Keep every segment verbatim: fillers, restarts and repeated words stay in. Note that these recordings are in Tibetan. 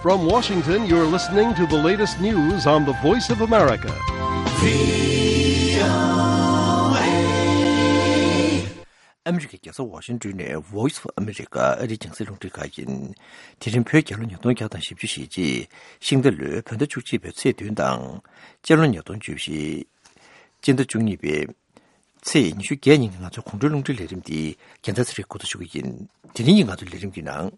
From Washington, you're listening to the latest news on the Voice of America. ཨ་མི་རི་ཀའི་རྒྱལ་ས་ཝ་ཤིང་ཏོན་ནས་Voice of America ཨ་རིའི་རྒྱང་སྲིང་རླུང་འཕྲིན་ཁང་ཡིན། དེ་རིང་བོད་རྒྱལ་ལོ་ཉིས་སྟོང་བརྒྱ་དང་བཞི་བཅུ་ཞེ་གཅིག་ཤིང་རྟ་ལོའི་བོད་ཟླ་བཅུ་གཅིག་པའི་ཚེས་བདུན་དང་། སྤྱི་ལོ་ཉིས་སྟོང་བཅུ་བཞི། སྤྱི་ཟླ་བཅུ་གཉིས་པའི་ཚེས་ཉི་ཤུ་བརྒྱད་ཉིན་གྱི་ང་ཚོའི་དགོང་དྲོའི་རླུང་འཕྲིན་ལས་རིམ་འདི་རྒྱལ་མཚན་ཚེ་རིང་འགོ་འཛུགས་ཞུ་གི་ཡིན། དེ་རིང་གི་ང་ཚོའི་ལས་རིམ་གྱི་ནང་།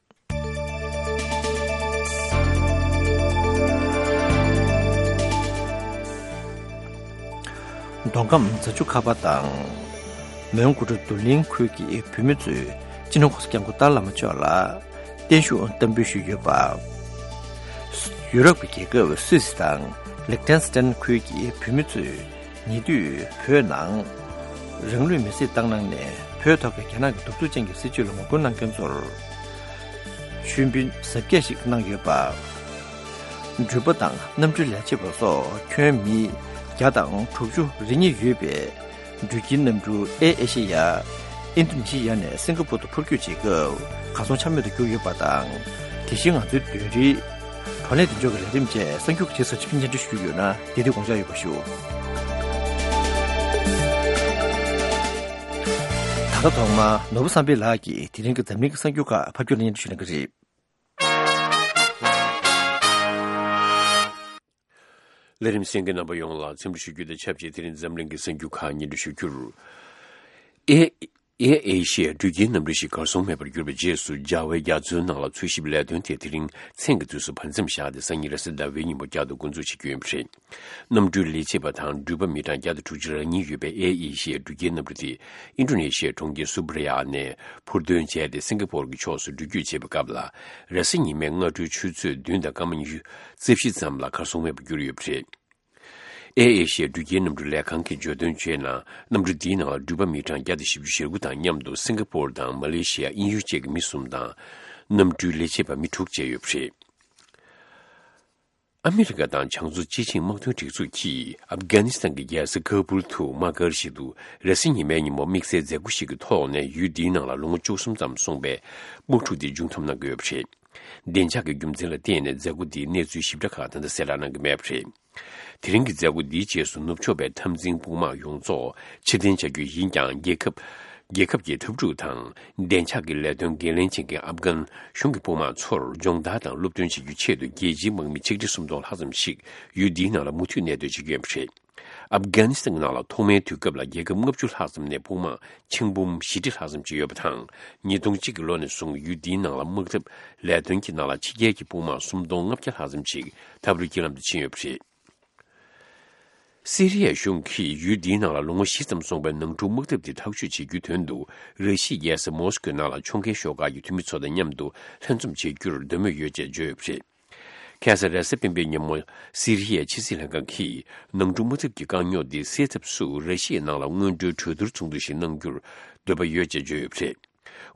མདོ་ཁམས་རྫ་ཆུ་ཁ་པ་དང་། མོན་གྷོ་རུ་རྡོར་གླིང་ཁུལ་གྱི་བོད་མི་ཚོས་སྤྱི་ནོར་༸གོང་ས་༸སྐྱབས་མགོན་ཏཱ་ལའི་བླ་མ་མཆོག་ལ་བརྟན་བཞུགས་བསྟར་འབུལ་ཞུས་ཡོད་པ། ཡུ་རོབ་ཀྱི་རྒྱལ་ཁབ་སུད་སི་དང་ལིག་ཏེན་སི་ཏན་ཁུལ་གྱི་བོད་མི་ཚོས་ཉེ་དུས་བོད་ནང་རང་ལུས་མེར་སྲེག་བཏང་གནང་ནས་བོད་ཐོག་གི་རྒྱ་ནག་གི་གདུག་རྩུབ་ཅན་གྱི་སྲིད་བྱུས་ལ་ངོ་རྒོལ་གནང་མཁན་ཚོར་མཆོད་འབུལ་གཟབ་རྒྱས་ཤིག་གནང་ཡོད་པ། འགྲུལ་པ་དང་གནམ་གྲུའི་ལས་བྱེད་པ་སོགས་ཁྱོན་མི་བརྒྱ་དང་དྲུག་ཅུ་རེ་གཉིས་ཡོད་པའི་འགྲུལ་སྐྱེལ་གནམ་གྲུ་ཨེར་ཨེ་ཤེ་ཡ། ཨིན་ཌོ་ནེ་ཤི་ཡ་ནས་སིང་ག་པུར་དུ་འཕུར་སྐྱོད་བྱེད་སྐབས་གར་སོང་ཆ་མེད་དུ་གྱུར་ཡོད་པ་དང་། དེ་བཞིན་ང་ཚོའི་བདུན་རེའི་བགྲོ་གླེང་བདེ་འཇགས་ཀྱི་ལས་རིམ་བཅས་གསར་འགྱུར་གྱི་རྗེས་སུ་ཕྱིར་སྙན་སྒྲོན་ཞུས་ཡོད་ན་དེ་དུས་དགོངས་འཇགས་ཡོད་པ་ཞུ། ད་ལྟ་ཐོག་མར་ནོར་བུ་བསམ་འཕེལ་ལགས་ཀྱིས་དེ་རིང་གི་འཛམ་གླིང་གི་གསར་འགྱུར་ཁག་ཕབ་སྒྱུར་སྙན་སྒྲོན་ཞུ་གནང་གི་རེད། ལས་རིམ་གསན་མཁན་རྣམ་པ་ཡོངས་ལ་འཚམས་འདྲི་ཞུ་རྒྱུ་དང་ཆབས་ཅིག་དེ་རིང་འཛམ་གླིང་གི་གསར་འགྱུར་ཁག་སྙན་སྒྲོན་ཞུ་རྒྱུར། ཨེ་ཨེར་ཨེ་ཤི་ཡའི་འགྲུལ་སྐྱེལ་གནམ་གྲུ་ཞིག་གར་སོང་མེད་པར་གྱུར་བའི་རྗེས་སུ་རྒྱ་བལ་རྒྱ་མཚོའི་ནང་ལ་འཚོལ་ཞིབ་ལས་དོན་དེ་དེ་རིང་མཚན་གྱི་དུས་སུ་བར་མཚམས་བཞག་སྟེ་སང་ཉིན་རེས་གཟའ་ཟླ་བའི་ཉིན་མོ་བསྐྱར་དུ་འགོ་འཛུགས་བྱེད་རྒྱུ་ཡིན་པ་རེད། གནམ་གྲུའི་ལས་བྱེད་པ་དང་འགྲུལ་པ་མི་གྲངས་བརྒྱ་དང་དྲུག་ཅུ་རེ་གཉིས་ཡོད་པའི་ཨེར་ཨེ་ཤི་ཡའི་འགྲུལ་སྐྱེལ་གནམ་གྲུ་དེ་ཨིན་ཌོ་ནེ་ཤི་ཡའི་གྲོང་ཁྱེར་སུ་བྷ་ར་ཡ་ནས་འཕུར་འདོན་བྱས་ཏེ་སིང་ག་པོར་གྱི་ཕྱོགས་སུ་འགྲུལ་སྐྱོད་བྱེད་པའི་སྐབས་ལ། རེས་གཟའ་ཉི་མའི་སྔ་དྲོའི་ཆུ་ཚོད་བདུན་དང་སྐར་མ་ཉི་ཤུ་རྩ་བཞི་ཙམ་ལ་གར་སོང་མེད་པར་གྱུར་ཡོད་པ་རེད། ཨེར་ཨེ་ཤི་ཡའི་འགྲུལ་སྐྱེལ་གནམ་གྲུ་ལས་ཁང་གིས་བརྗོད་དོན་བྱས་ན། གནམ་གྲུ་འདིའི་ནང་ལ་འགྲུལ་པ་མི་གྲངས་བརྒྱ་དང་བཞི་བཅུ་ཞེ་དགུ་དང་མཉམ་དུ་སིང་ག་པོར་དང་མ་ལེ་ཤི་ཡ། དབྱིན་ཡུལ་བཅས་ཀྱི་མི་གསུམ་དང་། གནམ་གྲུའི་ལས་བྱེད་པ་མི་དྲུག་བཅས་ཡོད་པ་རེད། ཨ་མི་རི་ཀ་དང་བྱང་མཚོ་སྤྱི་ཆིངས་དམག་དོན་སྒྲིག་འཛུགས་ཀྱིས་ཨབ་གྷ་ནི་སི་ཐན་གྱི་རྒྱལ་ས་ཁ་བུལ་དུ་དམག་སྒར་ཞིག་ཏུ་རེས་གཟའ་ཉི་མའི་ཉིན་མོ་དམིགས་བསལ་མཛད་སྒོ་ཞིག་གི་ཐོག་ནས་ཡུལ་འདིའི་ནང་ལ་ལོ་ངོ་བཅུ་གསུམ་ཙམ་སོང་པའི་དམག་འཁྲུག་དེ་མཇུག་བསྡོམས་གནང་གི་ཡོད་པ་རེད། བདེ་འཇགས་ཀྱི་རྒྱུ་མཚན་ལ་བརྟེན་ནས་མཛད་སྒོ་འདིའི་གནས་ཚུལ་ཞིབ་ཕྲ་ཁག་ད་ལྟ་གསལ་བསྒྲགས་གནང་གི་མེད་པ་རེད། དེ་རིང་གི་མཛད་སྒོ་འདིའི་རྗེས་སུ་ནུབ་ཕྱོགས་པའི་འཐབ་འཛིང་དཔུང་དམག་ཡོངས་རྫོགས་ཕྱིར་འཐེན་བྱ་རྒྱུ་ཡིན་ཀྱང་། རྒྱལ་ཁབ་རྒྱལ་ཁབ་ཀྱི་འཐབ་འཁྲུག་དང་བདེ་འཇགས་ཀྱི་ལས་དོན་འགན་ལེན་བྱེད་མཁན་ཨབ་གྷན་གཞུང་གི་དཔུང་དམག་ཚོར་སྦྱོང་བརྡར་དང་སློབ་སྟོན་བྱེད་རྒྱུའི་ཆེད་དུ་རྒྱལ་སྤྱིའི་དམག་མི་ཆིག་ཁྲི་སུམ་སྟོང་ལྷག་ཙམ་ཞིག་ཡུལ་འདིའི་ནང་ལ་མུ་མཐུད་གནས་སྡོད་བྱེད་ཀྱི་ཡོད་པ་རེད། ཨབ་གྷ་ནི་སི་ཐན་གྱི་ནང་ལ་ཐོག་མའི་དུས་སྐབས་ལ་རྒྱལ་ཁབ་ལྔ་བཅུ་ལྷག་ཙམ་ནས་དཔུང་དམག་ཆིག་འབུམ་བཞི་ཁྲི་ལྷག་ཙམ་ཅིག་ཡོད་པ་དང་། ཉིས་སྟོང་གཅིག་གི་ལོ་ནས་བཟུང་ཡུལ་འདིའི་ནང་ལ་དམག་འཐབ་ལས་དོན་གྱི་ནང་ལ་ཕྱི་རྒྱལ་གྱི་དཔུང་དམག་སུམ་སྟོང་ལྔ་བརྒྱ་ལྷག་ཙམ་ཞིག་འཐབ་རོགས་ཀྱི་ལམ་དུ་ཕྱིན་ཡོད་པ་རེད། སི་རི་ཡའི་གཞུང་གིས་ཡུལ་འདིའི་ནང་ལ་ལོ་ངོ་བཞི་ཙམ་སོང་པའི་ནང་འཁྲུག་དམག་འཐབ་དེ་ཐག་གཅོད་བྱེད་རྒྱུའི་དོན་དུ། ར་ཤི་ཡའི་རྒྱལ་ས་མོ་སི་ཀོའི་ནང་ལ་ཕྱོགས་འགལ་ཤོག་ཁག་གི་འཐུས་མི་ཚོ་དང་མཉམ་དུ་ལྷན་འཛོམས་བྱེད་རྒྱུར་འདོད་མོས་ཡོད་ཅེས་བརྗོད་ཡོད་པ་རེད། ཁ་སང་རེས་གཟའ་སྤེན་པའི་ཉིན་མོ། སི་རི་ཡའི་ཕྱི་སྲིད་ལྷན་ཁང་གིས་ནང་འཁྲུག་དམག་འཐབ་ཀྱི་དཀའ་རྙོག་འདི་སེལ་ཐབས་སུ་ར་ཤི་ཡའི་ནང་ལ་སྔོན་འགྲོའི་གྲོས་བསྡུར་ཚོགས་འདུ་ཞིག་གནང་རྒྱུར་འདོད་པ་ཡོད་ཅེས་བརྗོད་ཡོད་པ་རེད།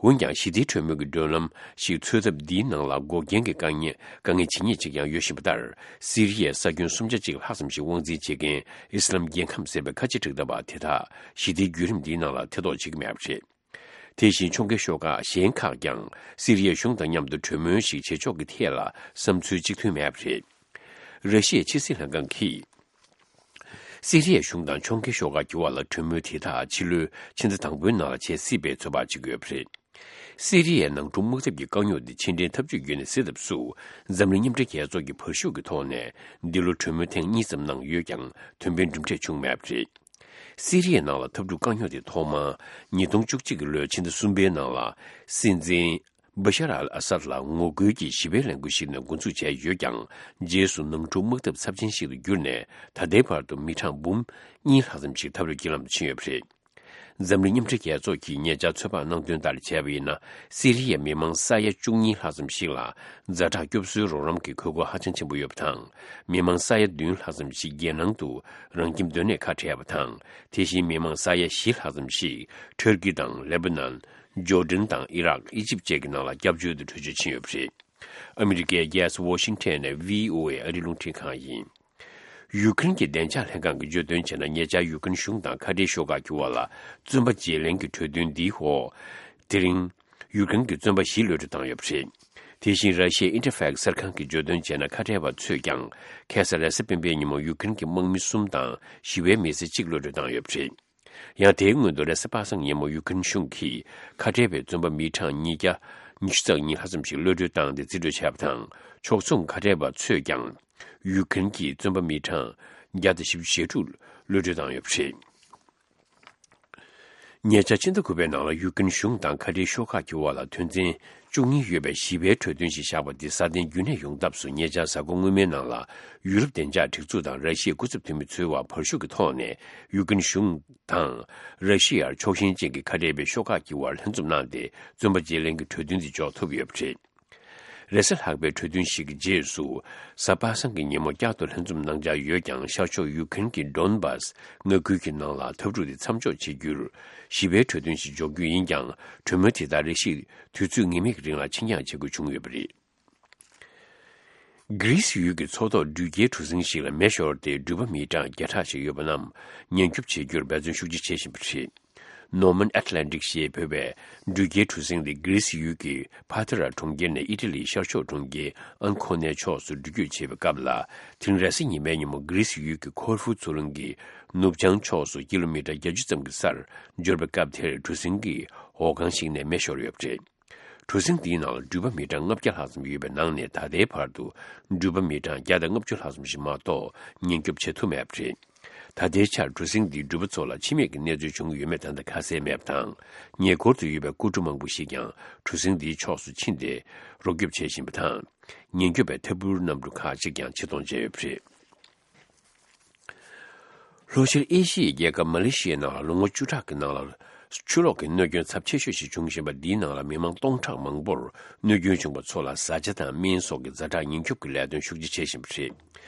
འོན་ཀྱང་། ཞི་བདེའི་གྲོས་མོལ་གྱི་མགྲོན་ལམ་ཞིག་འཚོལ་ཐབས་འདིའི་ནང་ལ་འགོག་རྐྱེན་གྱི་དཀའ་ངལ་དཀའ་ངལ་ཇི་སྙེད་ཅིག་ཀྱང་ཡོད་བཞིན་པ་ལྟར། སི་རི་ཡའི་ས་ཁྱོན་སུམ་ཆ་གཅིག་ལྷག་ཙམ་ཞིག་དབང་འཛིན་བྱེད་མཁན་ཨི་སི་ལམ་རྒྱལ་ཁམས་ཟེར་བའི་ཁ་ཆེ་དྲག་ལྡན་པ་དེ་དག་ཞི་བདེའི་བརྒྱུད་རིམ་འདིའི་ནང་ལ་ཐེ་གཏོགས་བྱེད་ཀྱི་མེད་པ་རེད། དེ་བཞིན་ཕྱོགས་འགལ་ཤོག་ཁག་གཞན་ཁག་ཀྱང་སི་རི་ཡའི་གཞུང་དང་མཉམ་དུ་གྲོས་མོལ་ཞིག་བྱེད་ཕྱོགས་ཀྱི་ཐད་ལ་བསམ་ཚུལ་གཅིག་མཐུན་མེད་པ་རེད། ར་ཤི་ཡའི་ཕྱི་སྲིད་ལྷན་ཁང་གིས། སི་རི་ཡའི་གཞུང་དང་ཕྱོགས་འགལ་ཤོག་ཁག་གི་བར་ལ་གྲོས་མོལ་དེ་དག་ཕྱི་ལོའི་ཕྱི་ཟླ་དང་པོའི་ནང་ལ་བྱེད་སྲིད་པའི་ཚོད་དཔག་བྱེད་ཀྱི་ཡོད་པ་རེད། སི་རི་ཡའི་ནང་འཁྲུག་དམག་འཐབ་ཀྱི་དཀའ་རྙོག་འདི་ཕྱི་འབྲེལ་འཐབ་ཇུས་བརྒྱུད་ནས་སེལ་ཐབས་སུ། འཛམ་གླིང་མཉམ་འབྲེལ་རྒྱལ་ཚོགས་ཀྱིས་བར་ཞུགས་ཀྱི་ཐོག་ནས་འདི་ལོ་གྲོས་མོལ་ཐེངས་གཉིས་ཙམ་གནང་ཡོད་ཀྱང་། དོན་ཕན་གྲུབ་འབྲས་བྱུང་མེད་པ་རེད། སི་རི་ཡའི་ནང་ལ་འཐབ་འཁྲུག་དཀའ་རྙོག་དེ་ཐོག་མར་ཉིས་སྟོང་བཅུ་གཅིག་གི་ལོའི་ཕྱི་ཟླ་གསུམ་པའི་ནང་ལ། སྲིད་འཛིན་བྷ་ཤར་ཨལ་ཨ་སཱད་ལ་ངོ་རྒོལ་གྱི་ཞི་བའི་ལས་འགུལ་ཞིག་ནས་འགོ་འཛུགས་བྱས་ཡོད་ཀྱང་། རྗེས་སུ་ནང་འཁྲུག་དམག་འཐབ་ཚབས་ཆེན་ཞིག་ཏུ་གྱུར་ནས། ད་ལྟའི་བར་དུ་མི་གྲངས་འབུམ་གཉིས་ལྷག་ཙམ་ཞིག་འཐབ་རོགས་ཀྱི་ལམ་དུ་ཕྱིན་ཡོད་པ་རེད། འཛམ་གླིང་མཉམ་འབྲེལ་རྒྱལ་ཚོགས་ཀྱིས་ཉེ་ཆར་ཚོད་དཔག་གནང་དོན་ལྟར་བྱས་པ་ཡིན་ན། སི་རི་ཡའི་མི་མང་ས་ཡ་བཅུ་གཉིས་ལྷག་ཙམ་ཞིག་ལ་ཛ་དྲག་སྐྱོབ་གསོའི་རོགས་རམ་གྱི་དགོས་མཁོ་ཧ་ཅང་ཆེན་པོ་ཡོད་པ་དང་། མི་མང་ས་ཡ་བདུན་ལྷག་ཙམ་ཞིག་རྒྱལ་ནང་དུ་རང་ཁྱིམ་སྡོད་གནས་ཁ་བྲལ་བ་དང་། དེ་བཞིན་མི་མང་ས་ཡ་བཞི་ལྷག་ཙམ་ཞིག་ཊར་ཀི་དང་ལེ་པ་ནན། ཇོར་ཌན་དང་ཨི་རག་ཨི་ཇིབ་བཅས་ཀྱི་ནང་ལ་སྐྱབས་བཅོལ་དུ་བྲོས་བྱོལ་ཕྱིན་ཡོད་པ་རེད། ཨ་མི་རི་ཀའི་རྒྱལ་ས་ཝོ་ཤིང་ཊོན་ནས་བྷི་ཨོ་ཨེ་ཨ་རིའི་རླུང་འཕྲིན་ཁང་ཡིན། ཡུ་ཀེ་རེན་གྱི་བདེ་འཇགས་ལྷན་ཁང་གིས་བརྗོད་དོན་བྱས་ན། ཉེ་ཆར་ཡུ་ཀེ་རེན་གཞུང་དང་ཁ་བྲལ་ཤོག་ཁག་གི་བར་ལ་བཙོན་པ་བརྗེ་ལེན་གྱི་གྲོས་མཐུན་འདིའི་འོག་དེ་རིང་ཡུ་ཀེ་རེན་གྱི་བཙོན་པ་བཞི་གློད་གྲོལ་བཏང་ཡོད་པ་རེད། དེ་བཞིན་ར་ཤི་ཡའི་ཨིན་ཊི་ཕེག་གསར་ཁང་གིས་བརྗོད་དོན་བྱས་ན། ཁ་བྲལ་བ་ཚོས་ཀྱང་ཁ་སང་རེས་གཟའ་སྤེན་པའི་ཉིན་མོ་ཡུ་ཀེ་རེན་གྱི་དམག་མི་གསུམ་དང་ཞི་བའི་མི་སེར་གཅིག་གློད་གྲོལ་བཏང་ཡོད་པ་རེད། ཡང་དེའི་སྔོན་དུ་རེས་གཟའ་པ་སངས་ཉིན་མོ་ཡུ་ཀེ་རེན་གཞུང་གིས་ཁ་བྲལ་བའི་བཙོན་པ་མི་གྲངས་ཉིས་བརྒྱ་ཉི་ཤུ་རྩ་གཉིས་ལྷག་ཙམ་ཞིག་གློད་གྲོལ་བཏང་སྟེ་རྩིས་སྤྲོད་བྱས་པ་དང་། ཕྱོགས་མཚུངས་ཁ་བྲལ་བ་ཚོས་ཀྱང་ཡུ་ཀེ་རེན་གྱི་བཙོན་པ་མི་གྲངས་བརྒྱ་དང་བཞི་བཅུ་ཞེ་དྲུག་གློད་གྲོལ་བཏང་ཡོད་པ་རེད། ཉེ་ཆར་ཕྱི་ཟླ་དགུ་པའི་ནང་ལ་ཡུ་ཀེ་རེན་གཞུང་དང་ཁ་བྲལ་ཤོག་ཁག་གི་དབར་ལ་དོན་ཚན་བཅུ་གཉིས་ཡོད་པའི་ཞི་བའི་གྲོས་མཐུན་ཞིག་བཞག་པ་འདི་སྲ་བརྟན་རྒྱུན་གནས་ཡོང་ཐབས་སུ། ཉེ་ཆར་གཟའ་འཁོར་སྔོན་མའི་ནང་ལ་ཡུ་རོབ་བདེ་འཇགས་སྒྲིག་འཛུགས་དང་ར་ཤི་ཡའི་སྐུ་ཚབ་འཐུས་མི་ཚོའི་དབར་བར་ཞུགས་ཀྱི་ཐོག་ནས་ཡུ་ཀེ་རེན་གཞུང་དང་ར་ཤི་ཡར་ཕྱོགས་ཞེན་ཅན་གྱི་ཁ་བྲལ་བའི་ཤོག་ཁག་གི་དབར་ལྷན་འཛོམས་གནང་སྟེ། བཙོན་པ་བརྗེ་ལེན་གྱི་གྲོས་མཐུན་དེ་འཇོག་ཐུབ་ཡོད་པ་རེད། རེས་གཟའ་ལྷག་པའི་གྲོས་མཐུན་ཞིག་གི་རྗེས་སུ། གཟའ་པ་སངས་ཀྱི་ཉིན་མོ་བསྐྱར་དུ་ལྷན་འཛོམས་གནང་འཆར་ཡོད་ཀྱང་། ཤར་ཕྱོགས་ཡུ་ཀེ་རེན་གྱི་ཌོན་བཱས་མངའ་ཁུལ་གྱི་ནང་ལ་འཐབ་འཁྲུག་དེ་མཚམས་འཇོག་བྱེད་རྒྱུར་ཞི་བའི་གྲོས་མཐུན་ཞིག་འཇོག་རྒྱུ་ཡིན་ཀྱང་། གྲོས་མོལ་དེ་དག་རེ་ཞིག་དུས་ཚོད་ངེས་མེད་ཀྱི་རིང་ལ་ཕྱིར་འགྱངས་བྱེད་དགོས་བྱུང་ཡོད་པ་རེད། གྷི་རིས་ཡུལ་གྱི་མཚོ་ཐོག་འགྲུལ་སྐྱེལ་གྲུ་གཟིངས་ཤིག་ལ་མེ་ཤོར་ཏེ། འགྲུལ་པ་མི་གྲངས་བརྒྱ་ཕྲག་ཞིག་ཡོད་པ་རྣམས་ཉེན་སྐྱོབ་བྱེད་རྒྱུར་འབད་བརྩོན་ཤུགས་ཆེ་བྱེད་བཞིན་པ་རེད། Norman Atlantic ཞེས་འབོད་པའི་འགྲུལ་སྐྱེལ་གྲུ་གཟིངས་དེ་གྷི་རིས་ཡུལ་གྱི་ཕ་ཐེ་ར་གྲོང་ཁྱེར་ནས་ཨི་ཊ་ལིའི་ཤར་ཕྱོགས་གྲོང་ཁྱེར་ཨན་ཁོ་ནའི་ཕྱོགས་སུ་འགྲུལ་སྐྱོད་བྱེད་པའི་སྐབས་ལ། དེ་རིང་རེས་གཟའ་ཉི་མའི་ཉིན་མོ་གྷི་རིས་ཡུལ་གྱི་ཁོར་ཧྥུ་མཚོ་རླུང་གི་ནུབ་བྱང་ཕྱོགས་སུ་ཀི་ལོ་མི་ཊར་བརྒྱད་ཅུ་ཙམ་གྱི་སར་འབྱོར་བའི་སྐབས་དེར། གྲུ་གཟིངས་ཀྱི་འོག་ཁང་ཞིག་ནས་མེ་ཤོར་ཡོད་པ་རེད། གྲུ་གཟིངས་འདིའི་ནང་ལ་འགྲུལ་པ་མི་གྲངས་ལྔ་བརྒྱ་ལྷག་ཙམ་ཡོད་པའི་ནང་ནས། ད་ལྟའི་བར་དུ་འགྲུལ་པ་མི་གྲངས་བརྒྱ་དང་ལྔ་བཅུ་ལྷག་ཙམ་ཞིག་མ་གཏོགས་ཉེན་སྐྱོབ་བྱེད་ཐུབ་མེད་པ་རེད། ད་ལྟའི་ཆར་གྲུ་གཟིངས་འདིས་འགྲུལ་པ་ཚོ་ལ་འཆི་རྨས་ཀྱི་གནས་ཚུལ་བྱུང་ཡོད་མེད་ད་ལྟ་ཁ་གསལ་མེད་པ་དང་། ཉེ་འཁོར་དུ་ཡོད་པའི་སྐུ་གྲུ་མང་པོ་ཞིག་ཀྱང་གྲུ་གཟིངས་འདིའི་ཕྱོགས་སུ་ཕྱིན་ཏེ་རོགས་སྐྱོབ་བྱེད་བཞིན་པ་དང་། ཉེན་སྐྱོབ་པའི་ཐད་འཕུར་གནམ་གྲུ་ཁག་ཅིག་ཀྱང་ཕྱིར་གཏོང་བྱས་ཡོད་པ་རེད། ལྷོ་ཤར་ཨེ་ཤི་ཡའི་རྒྱལ་ཁབ་མ་ལེ་ཤི་ཡའི་ནང་ལ་ལོ་ངོ་བཅུ་ཕྲག་གི་ནང་ལ་ཆུ་ལོག་གི་གནོད་སྐྱོན་ཚབས་ཆེ་ཤོས་ཤིག་བྱུང་བཞིན་པ་འདིའི་ནང་ལ་མི་མང་སྟོང་ཕྲག་མང་པོར་གནོད་སྐྱོན་བྱུང་བ་ཚོ་ལ་བཟའ་བཅའ་དང་སྨན་སོགས་ཀྱི་ཛ་དྲག་ཉེན་སྐྱོབ་ཀྱི་ལས་དོན་ཤུགས་ཆེ་བྱེད་བཞིན་པ་རེད།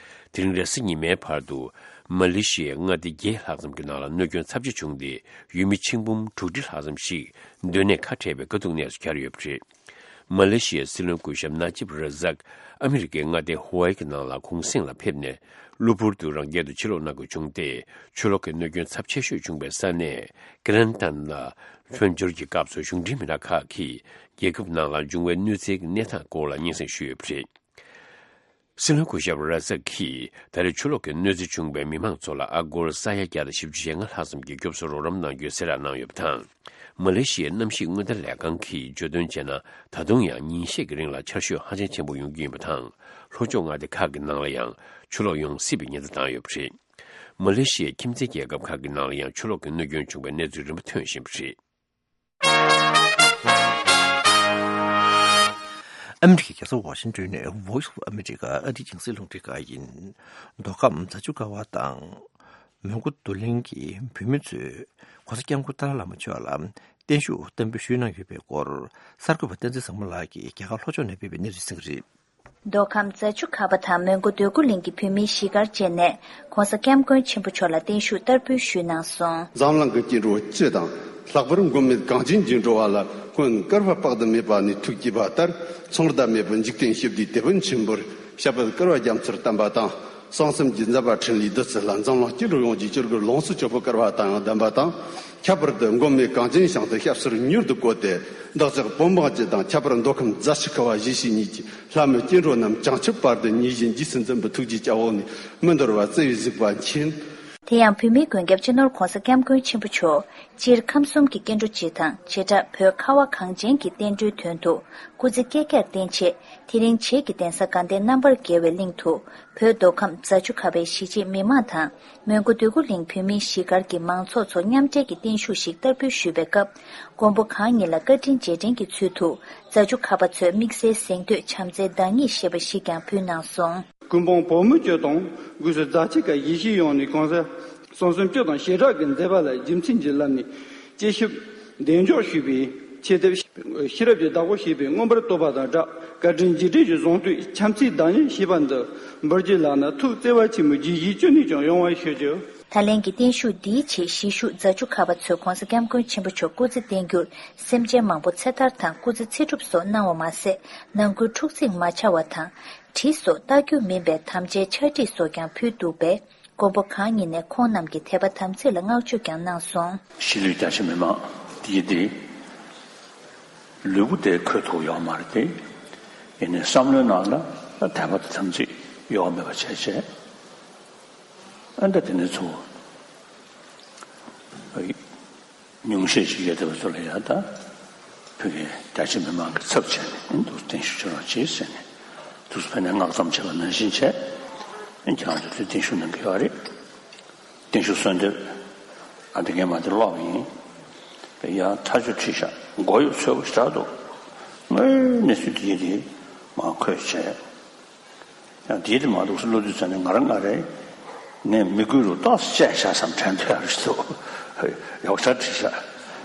དེ་རིང་རེས་གཟའ་ཉི་མའི་བར་དུ་མ་ལེ་ཤི་ཡའི་མངའ་སྡེ་བརྒྱད་ལྷག་ཙམ་གྱི་ནང་ལ་གནོད་སྐྱོན་ཚབས་ཆེ་བྱུང་སྟེ། ཡུལ་མི་ཆིག་འབུམ་དྲུག་ཁྲི་ལྷག་ཙམ་ཞིག་སྡོད་གནས་ཁ་བྲལ་བའི་དཀའ་སྡུག་གནས་སུ་གྱར་ཡོད་པ་རེད། མ་ལེ་ཤི་ཡའི་སྲིད་བློན་སྐུ་ཞབས་ན་ཇིབ་ར་ཟག་ཨ་མི་རི་ཀའི་མངའ་སྡེ་ཧུ་ཝའེ་གི་ནང་ལ་གུང་གསེང་ལ་ཕེབས་ནས། གློ་བུར་དུ་རང་རྒྱལ་དུ་ཕྱིར་ལོག་གནང་དགོས་བྱུང་སྟེ། ཆུ་ལོག་གི་གནོད་སྐྱོན་ཚབས་ཆེ་ཤོས་བྱུང་བའི་ས་གནས་ཀི་ལན་ཏན་ལ་ལྷོད་འབྱོར་གྱི་སྐབས་སུ། གཞུང་འབྲེལ་མི་སྣ་ཁག་གིས་རྒྱལ་ཁབ་ནང་ལ་འབྱུང་བའི་གནོད་འཚེའི་གནས་སྟངས་སྐོར་ལ་སྙན་སེང་ཞུས་ཡོད་པ་རེད། སྲིད་བློན་སྐུ་ཞབས་ར་ཟག་གིས་ད་རེས་ཆུ་ལོག་གི་གནོད་འཚེ་བྱུང་བའི་མི་མང་ཚོ་ལ་ཨ་སྒོར་ས་ཡ་བརྒྱ་དང་བཞི་བཅུ་ཞེ་ལྔ་ལྷག་ཙམ་གྱི་སྐྱོབ་གསོ་རོགས་རམ་གནང་རྒྱུའི་གསལ་བསྒྲགས་གནང་ཡོད་པ་དང་། མ་ལེ་ཤི་ཡའི་གནམ་གཤིས་སྔོན་བརྡ་ལས་ཁང་གིས་བརྗོད་དོན་བྱས་ན། ད་དུང་ཡང་ཉིན་ཤས་ཀྱི་རིང་ལ་ཆར་ཞོད་ཧ་ཅང་ཆེན་པོ་ཡོང་རྒྱུ་ཡིན་པ་དང་། ལྷོ་ཕྱོགས་མངའ་སྡེ་ཁག་གི་ནང་ལ་ཡང་ཆུ་ལོག་ཡོང་སྲིད་པའི་ཉེན་བརྡ་བཏང་ཡོད་པ་རེད། མ་ལེ་ཤི་ཡའི་ཁྱིམ་མཚེས་རྒྱལ་ཁབ་ཁག་གི་ནང་ལ་ཡང་ཆུ་ལོག་གི་གནོད་སྐྱོན་བྱུང་བའི་གནས་ཚུལ་རིམ་པ་ཐོན་བཞིན་པ་རེད། ཨ་མི་རི་ཀའི་རྒྱལ་ས་ཝ་ཤིང་ཏོན་ནས་Voice of America ཨ་རིའི་རྒྱང་སྲིང་རླུང་འཕྲིན་ཁང་ཡིན། མདོ་ཁམས་རྫ་ཆུ་ཁ་བ་དང་། མོན་གྷོ་རྡོར་གླིང་གི་བོད་མི་ཚོས་༸གོང་ས་༸སྐྱབས་མགོན་ཏཱ་ལའི་བླ་མ་མཆོག་ལ་བརྟན་བཞུགས་བསྟར་འབུལ་ཞུས་གནང་ཡོད་པའི་སྐོར། གསར་འགོད་པ་བསྟན་འཛིན་བཟང་མོ་ལགས་ཀྱིས་རྒྱ་གར་ལྷོ་ཕྱོགས་ནས་སྤེལ་བའི་གནས་ཚུལ་གསན་གྱི་རེད། མདོ་ཁམས་རྫ་ཆུ་ཁ་བ་དང་མོན་གྷོ་རྡོ་སྐུ་གླིང་གི་བོད་མིའི་གཞིས་སྒར་བཅས་ནས་༸གོང་ས་༸སྐྱབས་མགོན་ཆེན་པོ་མཆོག་ལ་བརྟན་བཞུགས་བསྟར་འབུལ་ཞུས་གནང་སོང་། འཛམ་གླིང་གི་སྐྱེ་འགྲོ་སྤྱི་དང་། ལྷག་པར་མགོན་མེད་གངས་ཅན་གྱི་འགྲོ་བ་ལ་སྔོན་བསྐལ་པ་དཔག་ཏུ་མེད་པ་ནས་ཐུགས་བསྐྱེད་པ་ལྟར། ཚོགས་ཟླ་མེད་པར་འཇིག་རྟེན་ཞི་བདེའི་དེད་དཔོན་ཆེན་པོར་ཞབས་པད་བསྐལ་པ་རྒྱ་མཚོར་བརྟན་པ་དང་། གསང་གསུམ་གྱི་མཛད་པ་འཕྲིན་ལས་བདུད་རྩི་ལ་འཛམ་གླིང་སྐྱེ་འགྲོ་ཡོངས་ཀྱི་སྐྱེ་དགུའི་ལོངས་སུ་སྤྱོད་པའི་བསྐལ་པ་དང་ཡང་ལྡན་པ་དང་། ཁྱད་པར་དུ་མགོན་མེད་གངས་ཅན་ཞིང་དུ་སྐྱབས་སུ་མྱུར་དུ་བཀོད་དེ། བདག་ཅག་བོད་འབངས་སྤྱི་དང་། ཁྱད་པར་མདོ་ཁམས་རྫ་ཆུ་ཁ་བ་གཞིས་བྱེས་གཉིས་ཀྱི་ལྷ་མི་སྐྱེ་འགྲོ་རྣམས་བྱང་ཆུབ་བར་དུ་ཉེར་བཞིན་རྗེས་སུ་འཛིན་པའི་ཐུགས་རྗེ་སྐྱབས་འོག་ནས་མི་འདོར་བར་བརྩེ་བས་གཟིགས་པ་མཁྱེན། དེ་ཡང་བོད་མིའི་མགོན་སྐྱབས་སྤྱི་ནོར་༸གོང་ས་༸སྐྱབས་མགོན་ཆེན་པོ་མཆོག་སྤྱིར་ཁམས་གསུམ་གྱི་སྐྱེ་འགྲོ་སྤྱི་དང་། བྱེ་བྲག་བོད་ཁ་བ་གངས་ཅན་གྱི་བསྟན་འགྲོའི་དོན་དུ་སྐུ་ཚེ་བསྐལ་བརྒྱར་བརྟན་ཆེད། དེ་རིང་བྱེས་ཀྱི་གདན་ས་དགའ་ལྡན་རྣམ་པར་རྒྱལ་བའི་གླིང་དུ་བོད་མདོ་ཁམས་རྫ་ཆུ་ཁ་བའི་གཞིས་བྱེས་མི་མང་དང་། མོན་གྷོ་འདོད་རྒུ་གླིང་བོད་མིའི་གཞིས་སྒར་གྱི་མང་ཚོགས་ཚོ་མཉམ་འབྲེལ་གྱིས་བརྟན་བཞུགས་ཤིག་བསྟར་འབུལ་ཞུས་པའི་སྐབས། མགོན་པོ་གང་ཉིད་ལ་བཀའ་དྲིན་རྗེས་དྲན་གྱི་ཚུལ་དུ། རྫ་ཆུ་ཁ་བ་ཚོས་དམིགས་བསལ་གཟེངས་བསྟོད་བྱམས་བརྩེའི་བདག་ཉིད་ཞེས་པ་ཞིག་ཀྱང་ཕུལ་གནང་སོང་། ཀུན་སྤངས་བོད་མི་སྤྱི་དང་སྒོས་སུ་རྫ་ཆུ་ཁ་གཞིས་བྱེས་ཡོངས་ནས་གོང་ས་གསང་གསུམ་སྤྱི་དང་བྱེ་བྲག་གི་མཛད་པ་ལ་རྒྱུ་མཚན་གྱིས་བསླབས་ནས་སྤྱི་ཞབས་གདན་འཇོག་ཞུས་པའི་ཆེད་དུ། ཤེས་རབ་ཀྱི་བདག་པོ་ཞེས་པའི་མངོན་པར་བསྟོད་པ་དང་སྦྲགས། བཀའ་དྲིན་རྗེས་དྲན་གྱི་གཟེངས་བསྟོད་བྱམས་བརྩེའི་བདག་ཉིད་ཞེས་པ་འདི་འབུལ་རྒྱུ་ལགས་ན། ཐུགས་བརྩེ་བ་ཆེན་པོས་དགྱེས་བཞིན་ཅི་ནུས་ཀྱང་ཡོང་བར་ཞུ་རྒྱུ། ད་ལན་གྱི་བརྟན་བཞུགས་འདིའི་ཆེད་གཞིས་བཞུགས་རྫ་ཆུ་ཁ་བ་ཚོས་༸གོང་ས་༸སྐྱབས་མགོན་ཆེན་པོ་མཆོག་སྐུ་ཚེ་བརྟན་རྒྱུར་སེམས་ཅན་མང་པོ་ཚེ་ཐར་དང་སྐུ་ཚེ་ཚེ་སྒྲུབ་སོགས་གནང་བ་མ་ཟད། ནང་ཁུལ་འཁྲུག་འཛིང་མ་ཆགས་པ་དང་། གྲི་སོགས་རྟ་རྒྱུག་མིན་པའི་དམ་བཅའི་ཕྱག་བྲིས་སོགས་ཀྱང་ཕུལ་འདུག་པས། མགོན་པོ་གང་ཉིད་ནས་ཁོང་རྣམས་ཀྱི་དད་པ་དམ་ཚིག་ལ་བསྔགས་བརྗོད་ཀྱང་གནང་སོང་། གཞིས་ལུས་རྒྱ་ཆེ་མི་མང་འདི་ཡི་འདི། ལུས་པོ་དེ་འཁོད་ཐུབ་ཡོད་མ་རེད་དེ། ཡིན་ནའི་བསམ་བློའི་ནང་ལ་དད་པ་དང་དམ་ཚིག་གཡོ་བ་མེད་པ་བྱས་བྱས། ཨ་འདྲ་དེ་ནས་ཚུར་ཉུང་ཤས་ཤིག་ཡོད་བསྡད་པ་ཚོ་ལ་ཡང་ད་བོད་ཀྱི་རྒྱ་ཆེ་མི་མང་གི་ཚབ་བྱས་ནས་ཨ་འདུག་བརྟན་བཞུགས་བྱེད་རོགས་གྱིས་ཟེར་ནས་འདུག་ཕེབས་ནས་སྔགས་བརྩམས་བྱས་པ་ནང་བཞིན་བྱས། ཨ་ཁྱེད་རང་ཚོ་དེ་བརྟན་བཞུགས་གནང་གི་ཡོད་རེད། བརྟན་བཞུགས་གསོལ་འདེབས། ཨ་འདི་ངས་མ་དེ་ཀློག་ཡིན། དེ་ཡང་ཐག་ཆོད་བྲིས་ཤག་མགོ་ཡོད་ཚོད་པོ་ཞེ་དྲག་འདུག་དངོས་གནས་ཚུལ་དེ་དེ་མ་འཁོད་བྱས། ཡང་དེའི་དེ་མ་འདུག་སེ་བློ་དུས་ཙམ་ནས་ང་རང་ང་རེ། ངས་མི་དགོས་རུ་ཏོག་ཙམ་བཅད་བཞག་བསམ་དྲན་ཐོས་ཡག་རེད་འདུག་ཡོག་ཆ་བྲིས་ཤག་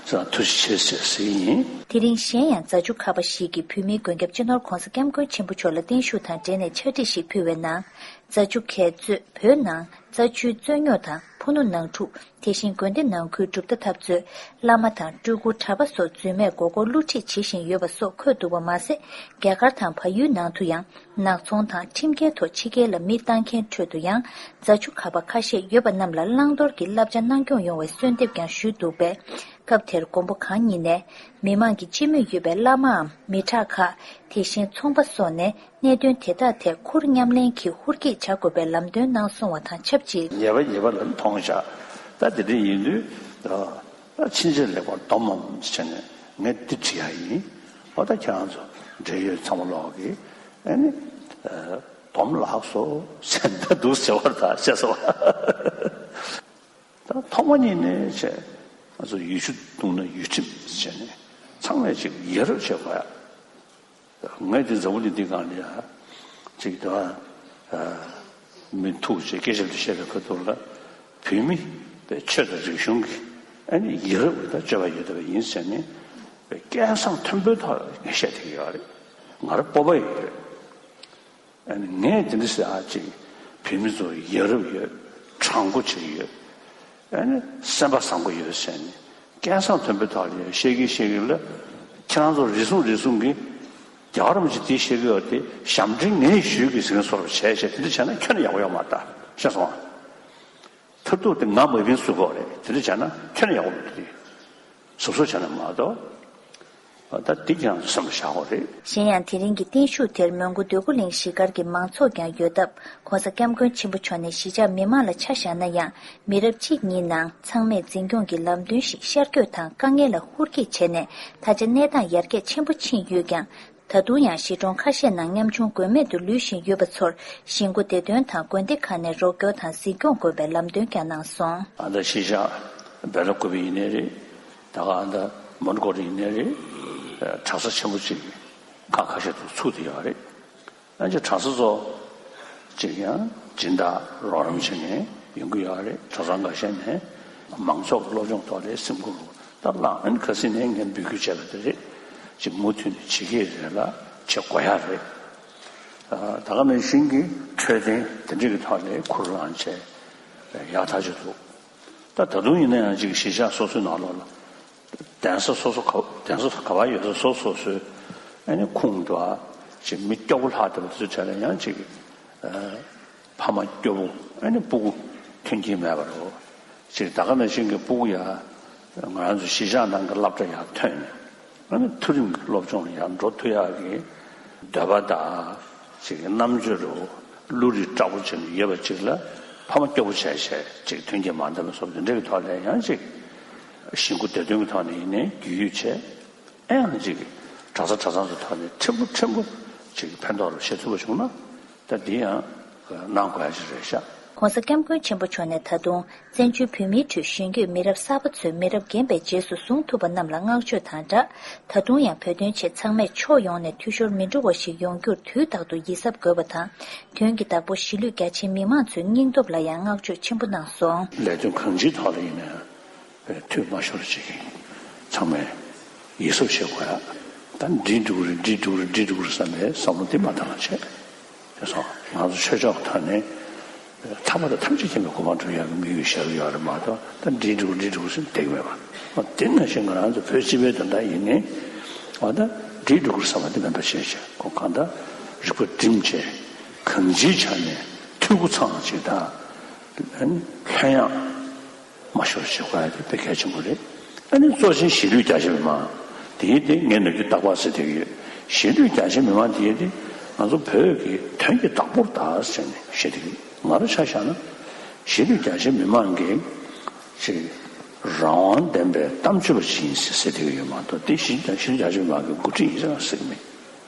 ས་ཐུགས་རྗེ་ཆེ་ཟེར་ཟེར་ཡིན། དེ་རིང་གཞན་ཡང་རྫ་ཆུ་ཁ་པ་ཞིག་གིས་བོད་མིའི་མགོན་སྐྱབས་སྤྱི་ནོར་༧གོང་ས་༧སྐྱབས་མགོན་ཆེན་པོ་མཆོག་ལ་བརྟན་བཞུགས་དང་འབྲེལ་ནས་ཕྱག་བྲིས་ཤིག་ཕུལ་བའི་ནང་། རྫ་ཆུ་ཁ་པ་གཙོས་བོད་ནང་རྫ་ཆུའི་རྩོད་རྙོག་དང་ཕུ་ནུ་ནང་འཁྲུག་དེ་བཞིན་དགོན་སྡེ་ནང་ཁུལ་གྲུབ་མཐའ་འཐབ་རྩོད། བླ་མ་དང་སྤྲུལ་སྐུ་གྲྭ་པ་སོགས་རྫུན་མས་མགོ་སྐོར་བསླུ་ཁྲིད་བྱེད་བཞིན་ཡོད་པ་སོགས་འཁོད་འདུག་པ་མ་ཟད། རྒྱ་གར་དང་བལ་ཡུལ་ནང་དུ་ཡང་ནག་ཚོང་དང་ཁྲིམས་འགལ་ཐོག་ཕྱི་རྒྱལ་ལ་མི་བཏང་མཁན་ཁྲོད་དུ་ཡང་རྫ་ཆུ་ཁ་པ་ཁ་ཤས་ཡོད་པ་རྣམས་ལ་བླང་དོར་གྱི་བསླབ་བྱ་གནང་སྐྱོང་ཡོང་བའི་གསོལ་འདེབས་ཀྱང་ཞུས་འདུག་པས། སྐབས་དེར་མགོན་པོ་གང་ཉིད་ནས་མི་མང་གི་སྤྱི་མོས་ཡོད་པའི་བླ་མའམ་མི་དྲག་ཁག་དེ་བཞིན་ཚོང་པ་སོགས་ནས། གནད་དོན་དེ་དག་ཐད་ཁུར་མཉམ་ལེན་གྱིས་ཧུར་སྐྱེད་བྱ་དགོས་པའི་ལམ་སྟོན་གནང་སོང་བ་དང་ཆབས་ཅིག་ཉེས་པ་ཉེས་པ་ལ་མཐོང་བཞག་ད་དེ་འདྲ་ཡིན་དུས། ད་ཕྱིན་ཆད་ལེགས་པར་སྡོམ་མམ་ཟེར་ནས་ངས་འདི་བྲིས་ཡ་ཡིན། འོ་ད་ཁྱེད་རང་ཚོ་འབྲེལ་ཡོད་ཚང་མ་ལོག་གིས་ཨ་ནི་སྡོམ་ལགས་སོ་ཟེར་ད་འདུག་ཟེར་བ་ད་བཤད་སོང་། ད་ཐོག་མ་ཉིད་ནས་བྱས་ང་ཚོ་ཡུལ་ཆུ་བརྡུངས་ན་ཡུལ་ཁྲིམས་བྱས་ནས་ཚང་མས་ཅིག་ཡ་རབས་བྱེད་དགོས་ཡ། ངས་འདི་འཛམ་བུ་གླིང་འདི་སྒང་ལ་ཡ་ཅིག་ད་མི་ཐུག་ཅིག་སྐད་ཆ་འདི་བཤད་པའི་ཁ་ཐུག་ལ་བོད་མི་པའི་ཆོས་དང་རིག་གཞུང་གི་ཨ་ནི་ཡ་རབས་ཀྱི་ད་སྤྱོད་པ་ཡོད་བསྡད་པ་ཡིན་ཟེར་ནས་སྐལ་བཟང་མཐོན་པོའི་ཐོག་ལ་ངས་བཤད་བསྡད་ཀྱི་ཡོད་རེད། ང་རང་སྤོབས་པ་ཡོད་རེད། ཨ་ནི་ངས་དེ་འདྲ་ཟེར་ཨ་ཅིག་བོད་མི་ཚོ་ཡ་རབས་ཡོད། དྲང་པོ་བྱེད་ཀྱི་ཡོད། ཨ་ནི་སེམས་པ་བཟང་པོ་ཡོད་ཟེར་ནས་སྐལ་བཟང་མཐོན་པོའི་ཐོག་ལ་བཤད་ཀྱི་བཤད་ཀྱི་ལ། ཁྱེད་རང་ཚོ་རེ་ཟུང་རེ་ཟུང་གིས་རྒྱལ་བ་རིན་པོ་ཆེ་དེ་བཤད་ཀྱི་ཡོད་དེ་ཞབས་འདྲེན་ངས་ཞུས་ཀྱི་ཟེར་མཁན་བཟོ་འདྲ་བྱས་བྱས་དེ་འདྲ་བྱས་ན་ཁྱོན་ནས་ཡག་པོ་ཡོད་མ་རེད་ད་ཤེས་སོང་ཨ། མཐར་ཐུག་དེ་ང་མ་བིན་སུ་གོ་རེད་དེ་འདྲ་བྱས་ན་ཁྱོན་ནས་ཡག་པོ་མི་འདུག་དེ། སོ་སོ་བྱས་ན་མ་གཏོགས། ད་འདི་ཀྱང་བསམ་བློ་བཞག་དགོས་རེད། གཞན་ཡང་དེ་རིང་གི་བརྟན་བཞུགས་དེར་མོན་གྷོ་འདོད་རྒུ་གླིང་གཞིས་སྒར་གྱི་མང་ཚོགས་ཀྱང་ཡོད་སྟབས་༧གོང་ས་༧སྐྱབས་མགོན་ཆེན་པོ་མཆོག་ནས་གཞིས་ཆགས་མི་མང་ལ་ཆ་བཞག་ན་ཡང་མི་རབས་གཅིག་གཉིས་ནང་ཚང་མས་འཛིན་སྐྱོང་གི་ལམ་སྟོན་ཞིག་ཤར་བསྐྱོད་དང་དཀའ་ངལ་ལ་ཧུར་སྐྱེད་བྱས་ནས་ད་ཆ་གནས་སྟངས་ཡར་རྒྱས་ཆེན་པོ་ཕྱིན་ཡོད་ཀྱང་། ད་དུང་ཡང་གཞིས་གྲོང་ཁ་ཤས་ནང་ཉམ་ཆུང་དགོས་མེད་དུ་ལུས་བཞིན་ཡོད་པ་ཚོར་གཞིས་འགོ་སྡེ་དོན་དང་དགོན་སྡེ་ཁག་ནས་རོགས་སྐྱོར་དང་གཟིགས་སྐྱོང་དགོས་པའི་ལམ་སྟོན་ཀྱང་གནང་སོང་། ཨ་ད་གཞིས་ཆགས་སྦེ་ལ་ཀུ་པི་ཡིན་ནའི་རེད། ད་ག་ཨ་ད་མོན་གྷོ་རེད་ཡིན་ནའི་རེད། གྲྭ་ས་ཆེན་པོ་ཅིག་ཁག་ཁ་ཤས་དུ་ཚུགས་བསྡད་ཡོད་རེད། ཨ་ཅེ་གྲྭ་ས་ཚོ་ཅིག་ཡང་སྦྱིན་བདག་རོགས་རམ་བྱེད་མཁན་ཡོང་གི་ཡོད་རེད། གྲྭ་ཚང་འགའ་ཤས་ནས་མང་ཚོགས་ཀྱི་སློབ་སྦྱོང་ཐོག་ལ་སེམས་ཁུར་ད་བླངས་ཨ་ནི་ཁ་སང་ནས་ངས་འབོད་སྐུལ་བྱས་པ་དེ་རེད། ཅིག་མུ་མཐུད་ནས་བྱེད་ཀྱི་རེད་ལ་བྱེད་དགོས་ཡ་རེད། ད་ག་ནང་བཞིན་གྱི་འཕྲོད་བསྟེན་དེ་འདྲ་གི་ཐོག་ལ་ཁུར་བླངས་བྱས་ཡག་ཐག་ཆོད་འདུག་ད་ད་དུང་ཡིན་ན་ཡང་ཅིག་གཞིས་ཆགས་སོ་སོའི་ནང་ལོགས་ལ་གདན་ས་སོ་སོ་ག་གདན་ས་ག་པར་ཡོད་ས་སོ་སོ་སོའི་ཨ་ནི་ཁུངས་འདུག་ཨ། ཅིག་མི་སྐྱོ་པོ་ལྷག་བསྡད་པ་དེ་ཚོའི་གྲས་ལ་ཡང་ཅིག་ཕ་མ་སྐྱོ་པོ་ཨ་ནི་སྤུ་གུ་མཐུན་རྐྱེན་མེད་པ་རེད། ཅིག་ད་ག་ནང་བཞིན་གྱི་སྤུ་གུ་ཡ་ང་རང་ཚོ་གཞིས་ཆགས་ནང་གི་སློབ་གྲྭ་ཡར་ཐོན་ནས་ཨ་ནི་མཐོ་རིམ་གྱི་སློབ་སྦྱོང་ལ་ཡར་འགྲོ་ཐུབ་ཡག་གི་འདོད་པ་དང་ཅིག་རྣམ་དཔྱོད་རུ་བློ་རིག་དྲག་པོ་བྱས་ནས་ཡོད་པ་ཅིག་ལ་ཕ་མ་སྐྱོ་པོ་བྱས་བྱས་ཅིག་མཐུན་རྐྱེན་མ་ལྡན་པ་སོགས་དེ་འདྲ་གི་ཐོག་ལ་ཡང་ཅིག་གཞིས་འགོ་སྡེ་དོན་གྱི་ཐོག་ནས་ཡིན་ནའི་རྒྱུས་ཡོད་བྱས། ཨེ་ཡང་ཅིག་གྲྭ་ས་གྲྭ་ཚང་ཚོ་ཐོག་ནས་ཕྲན་བུ་ཕྲན་བུ་ཅིག་ཕན་ཐོགས་རུ་བྱེད་ཐུབ་པ་བྱུང་ན་ད་འདི་ཡང་གནང་དགོས་ཡ་ཅིག་རེད་ཤག ༸གོང་ས་༸སྐྱབས་མགོན་ཆེན་པོ་མཆོག་ནས་ད་དུང་བཙན་བྱོལ་བོད་མིའི་ཁྲོད་གཞོན་སྐྱེས་མི་རབས་གསར་པ་ཚོས་མི་རབས་རྒན་པའི་རྗེས་སུ་བཟུང་ཐུབ་པ་རྣམས་ལ་བསྔགས་བརྗོད་དང་སྦྲགས། ད་དུང་ཡང་བོད་དོན་ཆེད་ཚང་མས་ཕྱོགས་ཡོངས་ནས་འཐུས་ཤོར་མི་འགྲོ་བ་ཞིག་ཡོང་རྒྱུར་དུས་རྟག་ཏུ་ཡིད་གཟབ་དགོས་པ་དང་། དོན་གྱི་བདག་པོ་གཞིས་ལུས་རྒྱ་ཆེའི་མི་མང་ཚོའི་སྙིང་སྟོབས་ལ་ཡང་བསྔགས་བརྗོད་ཆེན་པོ་གནང་སོང་། ལས་དོན་གང་ཅིའི་ཐོག་ལ་ཡིན་ན་ཡང་། འཐུས་མ་ཤོར་ཅིག་ཚང་མས་ཡིད་གཟབ་བྱེད་དགོས་ཡ། ད་འགྲིག་འགྲོ་གི་རེད་འགྲིག་འགྲོ་གི་རེད་འགྲིག་འགྲོ་གི་རེད་བསམ་པའི་བསམ་བློ་དེ་མ་བཏང་བ་བྱས། དེ་སོང་ང་ཚོ་ཆོས་ཕྱོགས་ཐོག་ནས་ཐར་པ་དང་ཐམས་ཅད་མཁྱེན་པའི་གོ་འཕང་སྒྲུབ་ཡག་གི་དམིགས་ཡུལ་བཞག་གི་ཡོད་རེད་མ་གཏོགས་ད་འགྲིག་འགྲོ་གི་འགྲིག་འགྲོ་གི་ཟེར་བསྡད་ཀྱི་མེད་པ། དེ་ནང་བཞིན་ང་རང་ཚོ་བོད་སྤྱི་པའི་དོན་དག་ཡིན་ནའི་འོ་ད་འགྲིག་འགྲོ་གི་རེད་བསམ་པ་དེ་མེད་པ་བྱས་བྱས་ཁོ་གང་ལྟར་རིག་པ་བསྒྲིམས་བྱས་གང་ཅིའི་ཆ་ནས་འཐུས་སྒོ་ཚང་བ་ཅིག་དང་ལྷོད་ཡངས། མ་ཤོར་བྱེད་དགོས་ཡ་དེ་དཔེ་གལ་ཆེན་པོ་རེད། ཨ་ནི་གཙོ་ཆེན་གཞིས་ལུས་རྒྱ་ཆེ་བའི་མང་དེའི་དེ་ངས་ནམ་རྒྱུན་རྟག་པར་ཟེར་བསྡད་ཀྱི་ཡོད། གཞིས་ལུས་རྒྱ་ཆེ་མི་མང་དེ་དེ་ང་ཚོ་བོད་ཀྱི་དོན་གྱི་བདག་པོར་གདའ་ཟེར་ནས་བཤད་དེ། ང་རང་ཆ་བཞག་ན་གཞིས་ལུས་རྒྱ་ཆེ་མི་མང་གི་ཅིག་རང་དབང་ལྡན་པའི་གཏམ་བརྗོད་པ་ཞིག་ཡིན་ཟེར་ཟེར་དེ་ཡོད་མ་གཏོགས། དེ་གཞིས་ལུས་རྒྱ་ཆེ་མི་མང་གི་འགོ་ཁྲིད་ཡིན་ཟེར་ཟེར་གི་མེད།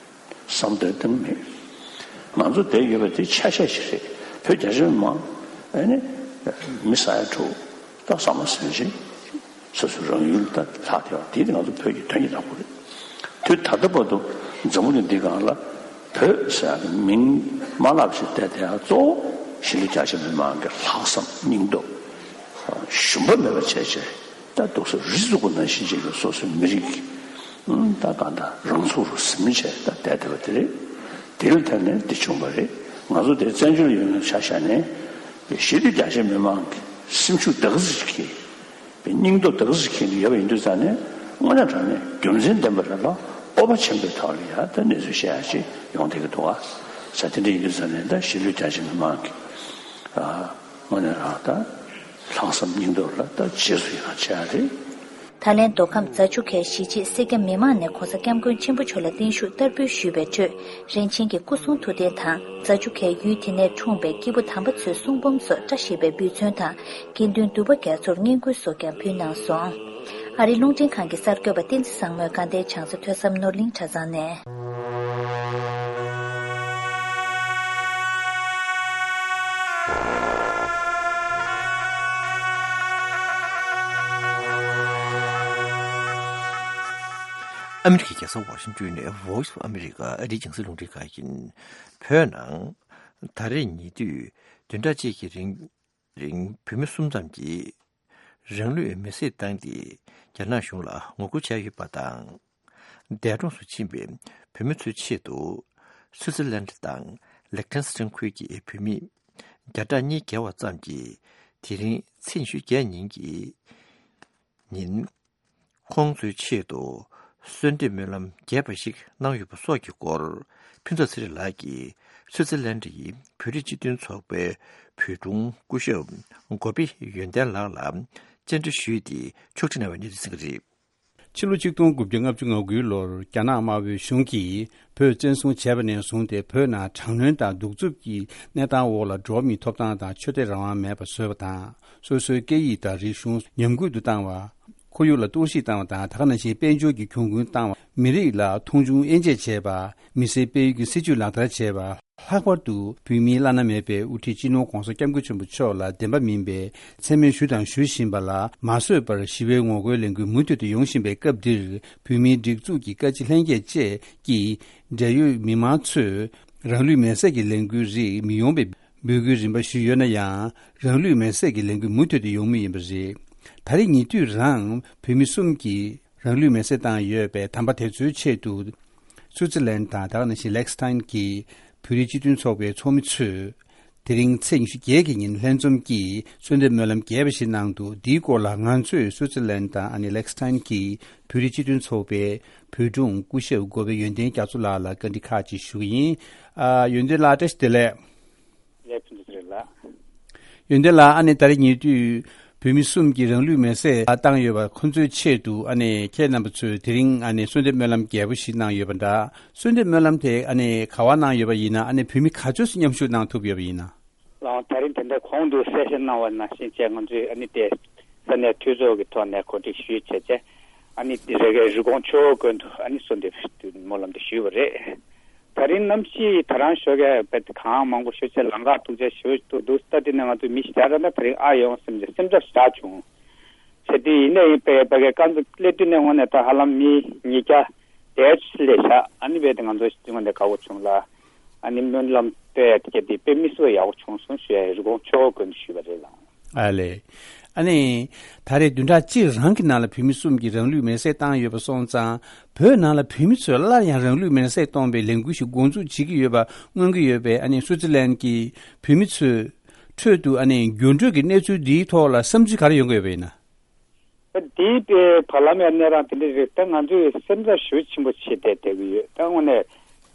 བསམ་དོན་གཏིང་མེད། ང་ཚོ་བསྡད་ཡོད་པ་དེ་ཆ་ཤས་ཤིག་རེད། བོད་རྒྱ་ཆེ་མི་མང་ཨ་ནི་མི་ས་ཡ་དྲུག་ད་བསམ་བློ་ཟིན་ཞིག་སོ་སོའི་རང་ཡུལ་ད་ལྷག་བསྡད་པ་དེ་ང་ཚོ་བོད་ཀྱི་དོན་གྱི་བདག་པོ་རེད། དུས་ད་ལྟ་བར་དུ་འཛམ་བུ་གླིང་འདི་སྒང་ལ་བོད་ཟེར་ཡག་གི་མིང་མ་ལབ་ཞིག་བསྡད་དེ་ཡང་གཙོ་བོ་གཞིས་ལུས་རྒྱ་ཆེ་མི་མང་གི་ལྷག་བསམ་སྙིང་སྟོབས་ཞུམ་པ་མེད་པ་བྱས་བྱས། ད་འདུག་སེ་རི་བཙུགས་པ་ནང་བཞིན་བྱས་ནས་སོ་སོའི་མི་རིགས་ཀྱི་ཨང་ད་གང་ལྟར་རང་ཚུགས་རུ་ཟིན་བྱས་ད་བསྡད་བསྡད་པ་དེ་རེད། དེ་ལ་བརྟེན་ནས་འདི་བྱུང་བ་རེད། ང་ཚོ་དེ་བཙན་བྱོལ་ཡོད་མཁན་ཆ་བཞག་ནས་གཞིས་ལུས་རྒྱ་ཆེ་མི་མང་གི་སེམས་ཤུགས་དེ་ག་ཚོད་ཅིག་གིས་སྙིང་སྟོབས་དེ་ག་ཚོད་ཅིག་གིས་ཡོད་པ་ཡིན་དུས་ཙང་ནས་དངོས་གནས་དྲང་གནས་རྒྱུ་མཚན་ལྡན་པ་རེད་ལ། སྤོབས་པ་ཆེན་པོའི་ཐོག་ལ་ཡ་ད་གནས་ཚུལ་བཤད་ཡ་ཅིག་ཡོང་བསྡད་ཀྱི་འདུག་ཨ། ས་དེ་འདྲ་ཡིན་དུས་ཙང་ནས་ད་གཞིས་ལུས་རྒྱ་ཆེ་མི་མང་གི་ཨ། དངོས་གནས་རང་ད་ལྷག་བསམ་སྙིང་སྟོབས་ལ་ད་རྗེས་སུ་ཡི་རང་བྱེད་ཡ་རེད། ད་ལན་མདོ་ཁམས་རྫ་ཆུ་ཁའི་གཞིས་བྱེས་སེར་སྐྱ་མི་མང་ནས་༸གོང་ས་༸སྐྱབས་མགོན་ཆེན་པོ་མཆོག་ལ་བརྟན་བཞུགས་བསྟར་འབུལ་ཞུས་པའི་ཁྲོད། རིན་ཆེན་གྱི་སྐུ་གསུང་ཐུགས་རྟེན་དང་རྫ་ཆུ་ཁའི་ཡུལ་དེ་ནས་འཁྲུངས་པའི་སྐྱེས་བུ་དམ་པ་ཚོའི་གསུང་འབུམ་སོགས་བཀྲ་ཤིས་པའི་འབུལ་ཚན་དང་། དགེ་འདུན་འདུས་པ་རྒྱ་མཚོར་བསྙེན་བཀུར་སོགས་ཀྱང་ཕུལ་གནང་སོང་། ཨ་རིའི་རླུང་འཕྲིན་ཁང་གི་གསར་འགོད་པ་བསྟན་འཛིན་བཟང་མོས་དགའ་ལྡན་བྱང་ས་ཐོས་བསམ་ནོར་གླིང་གྲྭ་ཚང་ནས། ཨ་མི་རི་ཀའི་རྒྱལ་ས་ཝ་ཤིང་ཏོན་ནས་Voice of America ཨ་རིའི་རྒྱང་སྲིང་རླུང་འཕྲིན་ཁང་ཡིན། བོད་ནང་ད་རེས་ཉེ་དུས་བདུན་ཕྲག་གཅིག་གི་རིང་རིང་བོད་མི་གསུམ་ཙམ་གྱིས་རང་ལུས་མེར་སྲེག་བཏང་སྟེ་རྒྱ་ནག་གཞུང་ལ་ངོ་རྒོལ་བྱས་ཡོད་པ་དང་། འདས་གྲོངས་སུ་ཕྱིན་པའི་བོད་མི་ཚོའི་ཆེད་དུ་སུའུ་ཙི་ལན་དང་ལེག་ཐན་སི་ཏན་ཁུལ་གྱི་བོད་མི་བརྒྱ་ཕྲག་གཉིས་བརྒལ་བ་ཙམ་གྱིས་དེ་རིང་ཚེས་ཉི་ཤུ་བརྒྱད་ཉིན་གྱི་ཉིན། ཁོང་ཚོའི་ཆེད་དུ་གསོལ་འདེབས་སྨོན་ལམ་རྒྱས་པ་ཞིག་གནང་ཡོད་པ་སོགས་ཀྱི་སྐོར། ཕུན་ཚོགས་ཚེ་རིང་ལགས་ཀྱིས་སུའུ་ཙི་ལན་ཡི་བོད་རིགས་སྤྱི་མཐུན་ཚོགས་པའི་བོད་དྲུང་སྐུ་ཞབས་གོ་པི་ཡོན་ཏན་ལགས་ལ་བཅར་འདྲི་ཞུས་ཏེ་ཕྱོགས་སྒྲིག་གནང་བའི་གནས་ཚུལ་གསན་གྱི་རེད། ཕྱི་ལོ་ཆིག་སྟོང་དགུ་བརྒྱ་ལྔ་བཅུ་ང་དགུའི་ལོར་རྒྱ་ནག་དམར་པོའི་གཞུང་གིས་བོད་བཙན་བཟུང་བྱས་པ་ནས་བཟུང་སྟེ་བོད་ནང་དྲག་གནོན་དང་གདུག་རྩུབ་ཀྱི་གནས་སྟངས་འོག་ལ་འགྲོ་བ་མིའི་ཐོབ་ཐང་དང་ཆོས་དད་རང་དབང་མེད་པ་བཟོས་པ་དང་། སོ་སོའི་སྐད་ཡིག་དང་རིག་གཞུང་ཉམས་རྒུད་དུ་བཏང་བ། ཁོར་ཡུག་ལ་གཏོར་བཤིག་བཏང་བ་དང་། ད་ག་ནང་བཞིན་དཔལ་འབྱོར་གྱི་གྱོང་གུན་བཏང་བ། མི་རིགས་ལ་མཐོང་ཆུང་དབྱེ་འབྱེད་བྱས་པ། མི་སེར་སྤེལ་ཡུལ་གྱི་སྲིད་ཇུས་ལག་བསྟར་བྱས་པ། ལྷག་པར་དུ་བོད་མིའི་བླ་ན་མེད་པའི་དབུ་ཁྲིད་སྤྱི་ནོར་༸གོང་ས་༸སྐྱབས་མགོན་ཆེན་པོ་མཆོག་ལ་བདེན་པ་མིན་པའི་མཚན་སྨད་ཞུ་དང་ཞུ་བཞིན་པ་ལ་མ་བཟོད་པར་ཞི་བའི་ངོ་རྒོལ་ལས་འགུལ་མུ་མཐུད་དུ་ཡོང་བཞིན་པའི་སྐབས་འདིར། བོད་མིའི་སྒྲིག་འཛུགས་ཀྱི་བཀའ་སྤྱི་ལྷན་རྒྱས་བཅས་ཀྱིས་འབྲེལ་ཡོད་མི་མང་ཚོས་རང་ལུས་མེར་སྲེག་གི་ལས་འགུལ་རིགས་མི་ཡོང་བའི་འབོད་སྐུལ་རིམ་པ་ཞུས་ཡོད་ན་ཡང་། རང་ལུས་མེར་སྲེག་གི་ལས་འགུལ་མུ་མཐུད་དུ་ཡོང་མུས་ཡིན་པ་རེད། ད་རེས་ཉེ་དུས་རང་བོད་མི་གསུམ་གྱིས་རང་ལུས་མེར་སྲེག་བཏང་ཡོད་པའི་དམ་པ་དེ་ཚོའི་ཆེད་དུ། སུའུ་ཙི་ལན་དང་ད་ག་ནང་བཞིན་ལེག་སི་ཐན་གྱི་བོད་རིགས་སྤྱི་མཐུན་ཚོགས་པའི་ཚོགས་མི་ཚོས། དེ་རིང་ཚེས་ཉི་ཤུ་བརྒྱད་ཀྱི་ཉིན་ལྷན་འཛོམས་ཀྱིས་གསོལ་འདེབས་སྨོན་ལམ་རྒྱས་པ་ཞིག་གནང་འདུག་འདིའི་སྐོར་ལ་ང་ཚོས་སུའུ་ཙི་ལན་དང་ཨ་ནི་ལེག་སི་ཐན་གྱི་བོད་རིགས་སྤྱི་མཐུན་ཚོགས་པའི་བོད་དྲུང་སྐུ་ཞབས་གོ་པེ་ཡོན་ཏན་རྒྱ་མཚོ་ལགས་ལ་བཀའ་འདྲི་ཁག་ཅིག་ཞུ་གི་ཡིན། ཨ། ཡོན་ཏན་ལགས་བཀྲ་ཤིས་བདེ་ལེགས། ལས་ཕུན་སུམ་ཚོགས་རེད་ལགས། ཡོན་ཏན་ལགས། ཨ་ནི་ད་རེས་ཉེ་དུས་བོད་མི་གསུམ་གྱིས་རང་ལུས་མེར་སྲེག་བཏང་ཡོད་པ་ཁོ་ཚོའི་ཆེད་དུ་ཨ་ནི་ཁྱེད་རྣམ་པ་ཚོས་དེ་རིང་ཨ་ནི་གསོལ་འདེབས་སྨོན་ལམ་རྒྱས་པོ་ཞིག་གནང་ཡོད་པ་འདྲ། གསོལ་འདེབས་སྨོན་ལམ་དེ་ཨ་ནི་ག་པར་གནང་ཡོད་པ་ཡིན་ན། ཨ་ནི་བོད་མི་ག་ཚོད་ཙམ་མཉམ་ཞུགས་གནང་ཐུབ་ཡོད་པ་ཡིན་ན། ལགས། ད་རིང་དེ་འདྲ་གོང་དུ་གསལ་བཤད་གནང་བ་ནང་བཞིན་བྱས། ང་ཚོས་ཨ་ནི་དེ་ས་གནས་འཐུས་ཚོགས་ཀྱི་ཐོག་ནས་གོ་སྒྲིག་ཞུས་བྱས་བྱས། ཨ་ནི་དེ་རེ་གའི་རི་ཀོན་ཆོས་འཁོར་དགོན་དུ་ཨ་ནི་གསོལ་འདེབས་སྨོན་ལམ་དེ་ཞུས་པ་རེད། ད་རིང་གནམ་གཤིས་ད་རང་ཞོགས་ཀས་དཔེ་གངས་མང་པོ་ཤོར་བྱས་ལམ་ཁ་སྡུག་ཅག་ཞེ་པོ་འདུག་ད་དེ་ནས་ང་ཚོ་མི་ཞིག་ད་ལྟ་ད་རིང་ཨ་ཡོང་སེམས་ཀྱི་སེམས་འཚབ་ཞེ་དྲག་བྱུང་། བྱས་དུས་ཡིན་ནའི་ཡིན་པས་ཕ་གིའི་རྐང་ཚ་སླེབས་དུས་ནས་དངོས་གནས་ད་ཧ་ལམ་མི་ཉིས་བརྒྱ་དེ་ཚོ་སླེབས་ཤག་ཨ་ནི་བས་དེ་ང་ཚོ་དངོས་གནས་དགའ་པོ་བྱུང་ལ། ཨ་ནི་སྨོན་ལམ་སྟོན་ཡ་དེ་ག་དེ་དཔེ་མི་སྲིད་པ་ཡག་པོ་བྱུང་སོང་ཞུ་ཡ་རི་ཀོན་ཆོས་འཁོར་དགོན་དུ་ཞུས་པ་རེད་ལགས། ཨ་ལས། ཨ་ནི། ད་རེས་བདུན་ཕྲག་གཅིག་རང་གི་ནང་ལ་བོད་མི་གསུམ་གྱིས་རང་ལུས་མེར་སྲེག་བཏང་ཡོད་པ་སོང་ཙང་། བོད་ནང་ལ་བོད་མི་ཚོས་སླར་ཡང་རང་ལུས་མེར་སྲེག་གཏོང་པའི་ལས་འགུལ་ཞིག་འགོ་འཛུགས་བྱེད་ཀྱི་ཡོད་པ་མངོན་གྱི་ཡོད་པས། ཨ་ནི་སུའུ་ཙི་ལན་གྱི་བོད་མི་ཚོའི་ཁྲོད་དུ་ཨ་ནི་འགྱུར་འགྲོས་ཀྱི་གནས་ཚུལ་འདིའི་ཐོག་ལ་བསམ་ཚུལ་ག་རེ་ཡོང་གི་ཡོད་པ་ཡིན་ན། ད་འདིའི་དཔེ་བར་ལམ་ཡང་གནས་སྟངས་དེ་འདྲ་རེད། ད་ང་ཚོས་སེམས་འཚབ་ཞེ་པོ་ཆེན་པོ་བྱས་བསྡད་བསྡད་ཀྱི་ཡོད། ད་དངོས་གནས་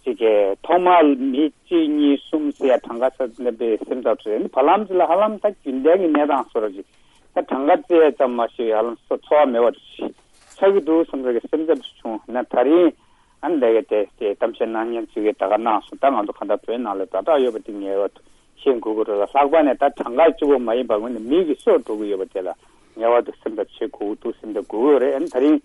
ཅིག་གི་ཐོག་མར་མི་གཅིག་གཉིས་གསུམ་ཟེར་ཡ་གྲངས་ཀ་ཚ་ནས་པའི་སེམས་འཚབ་རེད། ནི་བར་ལམ་ཅིག་ལ་ཧ་ལམ་ད་རྒྱུན་ལྡན་གྱི་གནས་སྟངས་བཟོ་འདྲ་ཅིག་ད་གྲངས་ཀ་བཙལ་ཙམ་མ་ཞིག་ཧ་ལམ་སོ་འཚོ་བ་མེད་པ་ཆགས་ཀྱི་འདུག་བསམ་ས་གི་སེམས་འཚབ་བྱུང་། ན་ད་རིང་ ཨ་ནི་ལས་ཀ་དེ་དེ་གཏམ་བཤད་གནང་མཁན་ཚོས་ཀྱིས་ད་ག་གནང་སོང་། ད་ང་ཚོ་གང་ལྟར་བོད་ནང་ལ་ཛ་དྲག་ཡོད་པ་དེ་ངེས་པར་དུ་ཤེས་དགོས་ཀྱི་རེད་ལ། ལྷག་པར་ནས་ད་གྲངས་ཀ་གཅིག་པོ་མ་ཡིན་པར་ངོས་ནས་མི་གི་སྲོག་འགྲོ་གི་ཡོད་པ་དེ་ལ་ངེས་པར་དུ་སེམས་ཐག་བཅད་དགོས་ཀྱི་འདུག་སེམས་ཐག་དགོས་ཀྱི་ཡོད་རེད། ཨ་ནི་ད་རིང་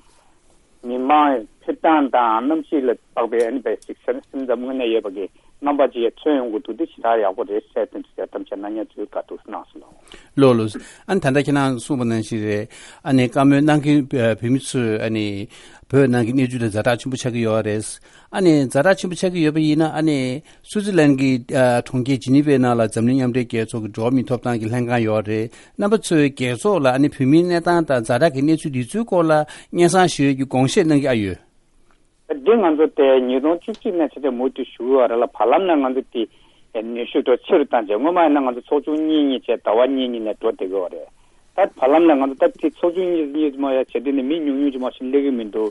མི་མང་ཕེབས་སྟངས་དང་གནམ་གཤིས་ལ་དཔག་པའི་ཨ་ནི་པའི་ཅིག་སེམས་ཙམ་དངོས་གནས་ཡོད་པ་གི་རྣམ་པ་ཅིག་ཡང་མཚོན་ཡོང་གི་འདུག་དེ་ཞེ་དྲག་ཡག་པོ་རེད་ཟེར་དོན་དུ་གཏམ་བཤད་གནང་མཁན་ཚོས་བཀའ་ཐུགས་གནང་སོང་། ལགས་ལགས། ཨ་ནི་ད་ལྟ་ཁྱེད་རང་གསུངས་པ་ནང་བཞིན་རེད། ཨ་ནི་བཀའ་མོལ་གནང་མཁན་བོད་མི་ཚོས་ཨ་ནི་བོད་ནང་གི་གནས་ཚུལ་ལ་ཛ་དྲག་ཆེན་པོ་ཆགས་ཀྱི་ཡོད་རེད། ཨ་ནི་ཛ་དྲག་ཆེན་པོ་ཆགས་ཀྱི་ཡོད་པ་ཡིན་ན། ཨ་ནི་སུའུ་ཙི་ལན་གྱི་ཨ་གྲོང་ཁྱེར་ཇི་ནི་ཝའི་ནང་ལ་འཛམ་གླིང་མཉམ་འབྲེལ་རྒྱལ་ཚོགས་ཀྱི་འགྲོ་བ་མིའི་ཐོབ་ཐང་གི་ལྷན་ཁང་ཡོད་རེད། རྣམ་པ་ཚོས་རྒྱལ་ཚོགས་ལ་ཨ་ནི་བོད་མིའི་གནས་སྟངས་དང་ཛ་དྲག་གི་གནས་ཚུལ་འདི་ཚོའི་སྐོར་ལ་སྙན་སེང་ཞུ་ཡས་ཀྱི་དགོངས་བཞེས་གནང་གི་ཨ་ཡོད། འདི་ང་ཚོ་དེ་ཉིས་སྟོང་བཅུ་གཅིག་ནས་བྱས་ཏེ་མུ་མཐུད་ཞུ་གི་ཡོད་རེད་ལ། བར་ལམ་ནས་ང་ཚོ་དེ་ནུས་ཤུགས་དེ་ཆེ་རུ་བཏང་བྱས། སྔོན་མ་ཡིན་ན་ང་ཚོ་ཚོགས་ཆུང་གཉིས་གཉིས་བྱས་ཟླ་བ་གཉིས་གཉིས་ནས་འགྲོ་བསྡད་ཀྱི་ཡོད་རེད། ད་བར་ལམ་ནས་ང་ཚོ་ད་དེ་ཚོགས་ཆུང་གཉིས་གཉིས་མ་ཡ་བྱས་དུས་ནས་མི་ཉུང་ཉུང་ཅིག་མ་ཞིག་སླེབས་ཀྱི་མི་འདུག་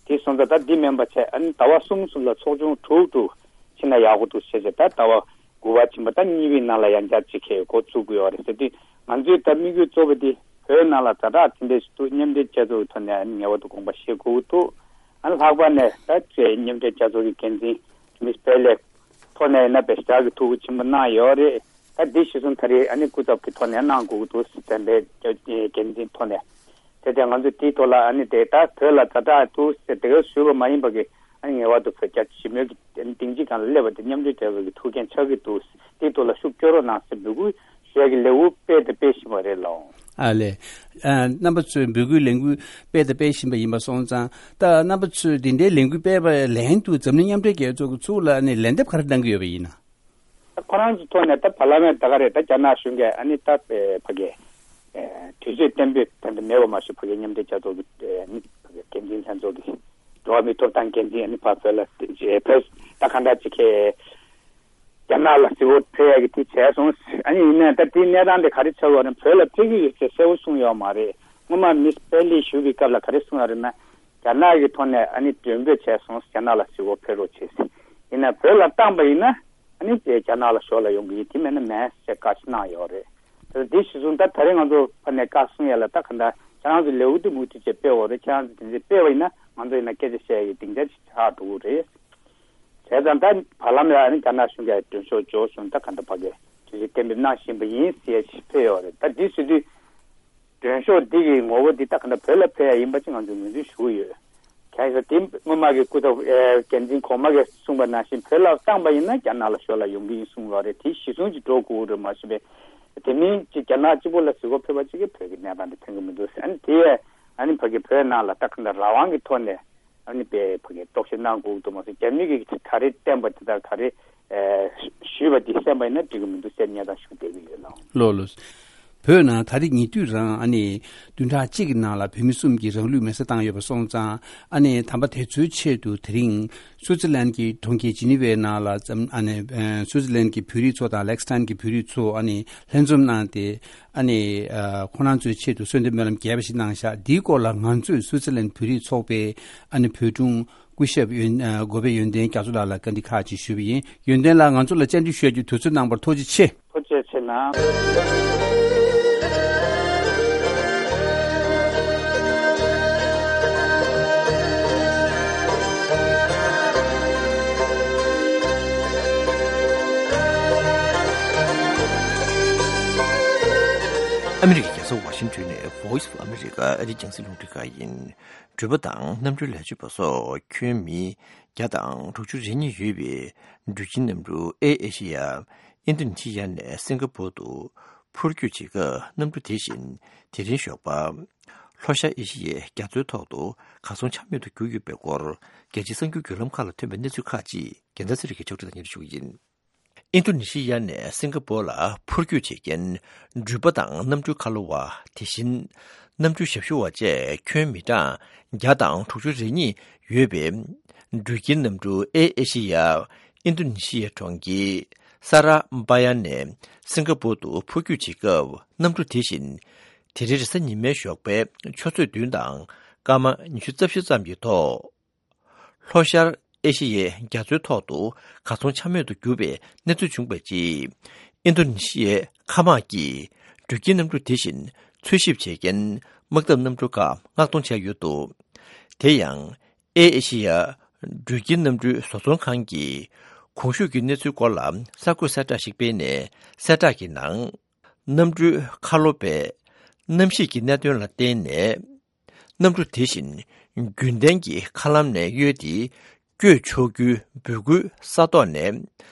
དེ་སོང་ཙང་ད་འདི་མིན་པ་བྱས། ཨ་ནི་ཟླ་བ་གསུམ་གསུམ་ལ་ཚོགས་ཆུང་དྲུག་དྲུག་ཕྱིན་ན་ཡག་པོ་འདུག་ཟེར་བྱས། ད་ཟླ་བ་དགུ་པ་ཕྱིན་པ་ད་གཉིས་པའི་ནང་ལ་ཡང་བསྐྱར་ཅིག་གི་འགོ་བཙུགས་དགོས་ཡོད་རེད་ཟེར་དུས། ང་ཚོའི་ད་དམིགས་ཡུལ་གཙོ་བོ་དེ་བོད་ནང་ལ་ཛ་དྲག་དེ་འདྲ་ཞིག་འདུག་མཉམ་འབྲེལ་རྒྱལ་ཚོགས་ཀྱི་ཐོག་ནས་ཨ་ནི་ངེས་པར་དུ་དགོངས་པ་བཞེས་དགོས་ཀྱི་འདུག་ཨ་ནི་ལྷག་པར་ནས་ད་ཅེས་མཉམ་འབྲེལ་རྒྱལ་ཚོགས་ཀྱི་འགན་འཛིན་མིས་པེ་ལེ་ཐོག་ནས་ཡིན་ན་དཔེ་ཞེ་དྲག་གི་ཐུགས་ཁུར་ཆེན་པོ་གནང་ཡོད་རེད། ད་འདི་གཞི་བཟུང་ད་རེས་ཨ་ནི་སྐུ་ཚབ་ཀྱི་ཐོག་ནས་གནང་དགོས་ཀྱི་འདུག་འཛམ་པའི་འགན་འཛིན་ཐོག་ནས། དེ་དེ་ང་ཚོ་དེའི་ཐོག་ལ་ཨ་ནི་དེ་ད་བོད་ལ་ཛ་དྲག་འདུག་ཟེར་དེ་ག་ཞུས་པ་མ་ཡིན་པ་གི་ཨ་ནི་ངེས་པར་དུ་བོད་རྒྱ་ཞི་མོལ་གྱི་སྡིངས་ཆ་སྒང་ལ་སླེབས་པ་དེ་མཉམ་འབྲེལ་རྒྱལ་ཚོགས་ཀྱི་ཐུགས་འགན་ཆགས་ཀྱི་འདུག་དེའི་ཐོག་ལ་ཤུགས་སྐྱོན་རོགས་གནང་ཟེར་འབོད་སྐུལ་ཞུ་ཡ་གི་ལས་འགུལ་སྤེལ་དང་སྤེལ་བཞིན་པ་རེད་ལགས། ཨ་ལས། ཨ་རྣམ་པ་ཚོས་འབོད་སྐུལ་ལས་འགུལ་སྤེལ་དང་སྤེལ་བཞིན་པ་ཡིན་པ་སོང་ཙང་། ད་རྣམ་པ་ཚོས་འདི་འདྲའི་ལས་འགུལ་སྤེལ་བའི་ལན་དུ་འཛམ་གླིང་མཉམ་འབྲེལ་རྒྱལ་ཚོགས་ཀྱི་ཚུར་ལ་ནས་ལན་འདེབས་ག་རེ་གནང་གི་ཡོད་པ་ཡིན་ན། ད་ཁོ་རང་ཚོའི་ཐོག་ནས་ད་བར་ལམ་ནས་ད་ག་རེ་ད་རྒྱ་ནག་གཞུང་གིས་ཨ་ནི་ད་ཕ་གི་དུས་ཚོད་གཏན་འབེབས་ད་ལྟ་མེད་པ་མ་ཞུ། ཕ་གི་མཉམ་འབྲེལ་རྒྱལ་ཚོགས་ཀྱི་ཨ་ནི་ཕ་གི་འགན་འཛིན་ལྷན་ཚོགས་ཀྱི་འགྲོ་བ་མིའི་ཐོབ་ཐང་འགན་འཛིན་ཨ་ནི་ཕ་བོད་ལ་བོད་ད་ག་འདྲ་ཅིག་གི་རྒྱ་ནག་ལ་གཟིགས་སྐོར་ཕེབས་ཡག་གི་དེ་བྱས་སོང་། ཨ་ནི་ཡིན་ནའི་ད་དེའི་གནས་སྟངས་དེ་ག་རེ་ཆགས་ཡོད་རེད། བོད་ལ་ཕེབས་ཀྱི་ཡོད་ཅེས་གསལ་པོ་གསུངས་ཡོད་མ་རེད། སྔོན་མ་མིས་པེ་ལེ་ཞུ་བའི་སྐབས་ལ་ག་རེ་གསུངས་ཡོད་རེད་ན། རྒྱ་ནག་གི་ཐོག་ནས་ཨ་ནི་མགྲོན་འབོད་བྱས་སོང་། རྒྱ་ནག་ལ་གཟིགས་སྐོར་ཕེབས་རོགས་བྱེད་ཟེར། ཡིན་ནའི་བོད་ལ་བཏང་པ་ཡིན་ན་ཨ་ནི་དེ་རྒྱ་ནག་ལ་ཞོར་ལ་ཡོང་གི་ཡིན། དེ་མེད་ན་མེད་ཟེར་བཀའ་ཞིག་གནང་ཡོད་རེད། དེ་འདི་གཞི་བཟུང་ད་ད་རེས་ང་ཚོ་ཕ་ནས་བཀའ་གསུང་ཡ་ལ་ད་ག་འདྲ་ཁྱེད་རང་ཚོ་ལས་འགུལ་འདི་མུ་མཐུད་བྱས་སྤེལ་བ་རེད། ཁྱེད་རང་ཚོ་དེ་འདྲ་སྤེལ་བ་ཡིན་ན་ང་ཚོ་ཡིན་ན་སྐད་ཆ་བཤད་ཡ་གི་སྡིངས་ཆ་ཅིག་ཆགས་འགྲོ་གི་རེད། བྱས་ཙང་ད་བར་ལམ་ལ་ཨ་ནི་རྒྱ་ནག་གཞུང་གིས་མགྲོན་ཤོག་འབྱོར་སོང་། ད་ག་འདྲ་ཕ་གི་དུས་ཚོད་གཏན་འབེབས་གནང་བཞིན་པ་ཡིན་ཟེར་ཡ་ཞིག་ཕེབས་ཡོད་རེད། ད་འདི་ཟེར་དུས་མགྲོན་ཤོག་འདི་གི་ངོ་བོ་འདི་ད་ག་འདྲ་བོད་ལ་ཕེབས་ཡ་ཡིན་པ་ཅིག་ང་ཚོས་ངོས་འཛིན་ཞུ་གི་ཡོད། གང་ཡིན་ཟེར་དེ་སྔོན་མ་གི་སྐུ་ཚབ་ཨེ་འགན་འཛིན་གོང་མ་གིས་གསུངས་པ་ནང་བཞིན་བོད་ལ་བཏང་པ་ཡིན་ན་རྒྱ་ནག་ལ་ཞོར་ལ་ཡོང་གི་ཡིན་གསུངས་པ་རེད། དེ་གཞི་བཟུང་ཅིག་འགྲོ་དགོས་རེད་མ་གཞི་པས། དེ་མིན་ཅིག་རྒྱ་ནག་གཅིག་པོ་ལ་གཟིགས་སྐོར་ཕེབས་པ་ཅིག་གིས་བོད་ཀྱི་གནས་སྟངས་འདི་ཕན་གི་མི་འདུག་ཟེར། ཨ་ནི་དེ་ཡས་ཨ་ནི་ཕ་གི་བོད་ནང་ལ་ད་ག་འདྲ་རང་དབང་གི་ཐོག་ནས་ཨ་ནི་པའི་ཕ་གི་རྟོག་ཞིབ་གནང་དགོས་ཀྱི་འདུག་མ་གཞི་རྒྱ་མི་གིས་ག་རེ་བསྟན་པ་དེ་དང་ག་རེ་ཨེ་ཞུས་པ་དེ་གསན་པ་ཡིན་ན་འགྲིག་གི་མི་འདུག་ཟེར་སྙན་སེང་ཞུ་བསྡད་ཀྱི་ཡོད་ལགས། ལགས་ལགས། བོད་ནང་ད་རེས་ཉེ་དུས་རང་ཨ་ནི་བདུན་ཕྲག་གཅིག་གི་ནང་ལ་བོད་མི་གསུམ་གྱིས་རང་ལུས་མེར་སྲེག་བཏང་ཡོད་པ་སོང་ཙང་། ཨ་ནི་དམ་པ་དེ་ཚོའི་ཆེད་དུ་དེ་རིང་སུའུ་ཙི་ལན་གྱི་གྲོང་ཁྱེར་ཇི་ནི་ཝའི་ནང་ལ་འཛམ་ཨ་ནི་ཨ་སུའུ་ཙི་ལན་གྱི་བོད་རིགས་ཚོ་དང་ལེག་སི་ཐན་གྱི་བོད་རིགས་ཚོ་ཨ་ནི་ལྷན་འཛོམས་གནང་སྟེ། ཨ་ནི་ཨ་ཁོང་རང་ཚོའི་ཆེད་དུ་གསོལ་འདེབས་སྨོན་ལམ་རྒྱས་པ་ཞིག་གནང་བཞག་འདིའི་སྐོར་ལ་ང་ཚོས་སུའུ་ཙི་ལན་བོད་རིགས་ཚོགས་པའི་ཨ་ནི་བོད་དྲུང་སྐུ་ཞབས་ཡོན་ཨ་གོ་པའི་ཡོན་ཏན་རྒྱ་མཚོ་ལགས་ལ་བཀའ་འདྲི་ཁག་ཅིག་ཞུས་པ་ཡིན། ཡོན་ཏན་ལགས་ང་ཚོ་ལ་བཅར་འདྲི་ཞུ་ཡ་གྱི་དུས་ཚོད་གནང་བར་ཐུགས་རྗེ་ཆེ། ཐུགས་རྗེ་ཆེ་གནང་། ཨ་མི་རི་ཀའི་རྒྱལ་ས་ཝ་ཤིང་ཊོན་ནས་Voice of America ཨ་རིའི་རྒྱང་སྲིང་རླུང་འཕྲིན་ཁང་ཡིན། འགྲུལ་པ་དང་གནམ་གྲུའི་ལས་བྱེད་པ་སོགས་ཁྱོན་མི་བརྒྱ་དང་དྲུག་ཅུ་རེ་གཉིས་ཡོད་པའི་འགྲུལ་སྐྱེལ་གནམ་གྲུ་ཨེར་ཨེ་ཤི་ཡ་ཨིན་རྡུ་ནི་ཤི་ཡ་ནས་སིང་ག་པོར་དུ་འཕུར་སྐྱོད་བྱེད་སྐབས། གནམ་གྲུ་དེ་བཞིན་དེ་རིང་ཞོགས་པ་ལྷོ་ཤར་ཨེ་ཤི་ཡའི་རྒྱ་མཚོའི་ཐོག་ཏུ་གར་སོང་ཆ་མེད་དུ་གྱུར་ཡོད་པའི་སྐོར། རྒྱལ་སྤྱིའི་གསར་འགྱུར་བརྒྱུད་ལམ་ཁག་ལ་ཐོན་པའི་གནས་ཚུལ་ཁག་ཅིག་རྒྱལ་མཚན་ཚེ་རིང་གིས་ཕྱོགས་སྒྲིག་དང་སྙན་སྒྲོན་ཞུ་གི་ཡིན། ཨིན་རྡུ་ནི་ཤི་ཡ་ནས་སིང་ག་པོར་ལ་འཕུར་སྐྱོད་བྱེད་མཁན་འགྲུལ་པ་དང་གནམ་གྲུའི་ཁ་ལོ་བ། དེ་བཞིན་གནམ་གྲུའི་ཞབས་ཞུ་བ་བཅས་ཁྱོན་མི་གྲངས་བརྒྱ་དང་དྲུག་ཅུ་རེ་གཉིས་ཡོད་པའི་འགྲུལ་སྐྱེལ་གནམ་གྲུ་ཨེར་ཨེ་ཤི་ཡ་ཨིན་རྡུ་ནི་ཤི་ཡའི་གྲོང་ཁྱེར་ས་ར་བྷ་ཡ་ནས་སིང་ག་པོར་དུ་འཕུར་སྐྱོད་བྱེད་སྐབས། གནམ་གྲུ་དེ་བཞིན་དེ་རིང་རེས་གཟའ་ཉི་མའི་ཞོགས་པའི་ཆུ་ཚོད་བདུན་དང་སྐར་མ་ཉི་ཤུ་རྩ་བཞི་ཙམ་གྱི་ཐོག་ལྷོ་ཤར་ཨེ་ཤི་ཡའི་རྒྱ་མཚོའི་ཐོག་ཏུ་གར་སོང་ཆ་མེད་དུ་གྱུར་པའི་གནས་ཚུལ་བྱུང་བའི་རྗེས། ཨིན་རྡུ་ནི་ཤི་ཡའི་མཁའ་དམག་གིས་འགྲུལ་སྐྱེལ་གནམ་གྲུ་དེ་བཞིན་འཚོལ་ཞིབ་བྱེད་མཁན་དམག་འཐབ་གནམ་གྲུ་ཁག་མངགས་གཏོང་བྱས་ཡོད་འདུག་དེ་ཡང་ཨེར་ཨེ་ཤི་ཡ་ འགྲུལ་སྐྱེལ་གནམ་གྲུའི་བཟོ་ཚོང་ཁང་གིས་གོང་ཞུས་ཀྱི་གནས་ཚུལ་སྐོར་ལ་གསར་འགོད་གསལ་བསྒྲགས་ཤིག་སྤེལ་ནས། གསལ་བསྒྲགས་ཀྱི་ནང་། གནམ་གྲུའི་ཁ་ལོ་པས་གནམ་གཤིས་ཀྱི་གནད་དོན་ལ་བརྟེན་ནས། གནམ་གྲུ་དེ་བཞིན་རྒྱུན་ལྡན་གྱི་མཁའ་ལམ་ནས་གཡོལ་ཏེ། བསྐྱོད་ཆོག་རྒྱུའི་འབོད་སྐུལ་ས་ཐོག་ནས་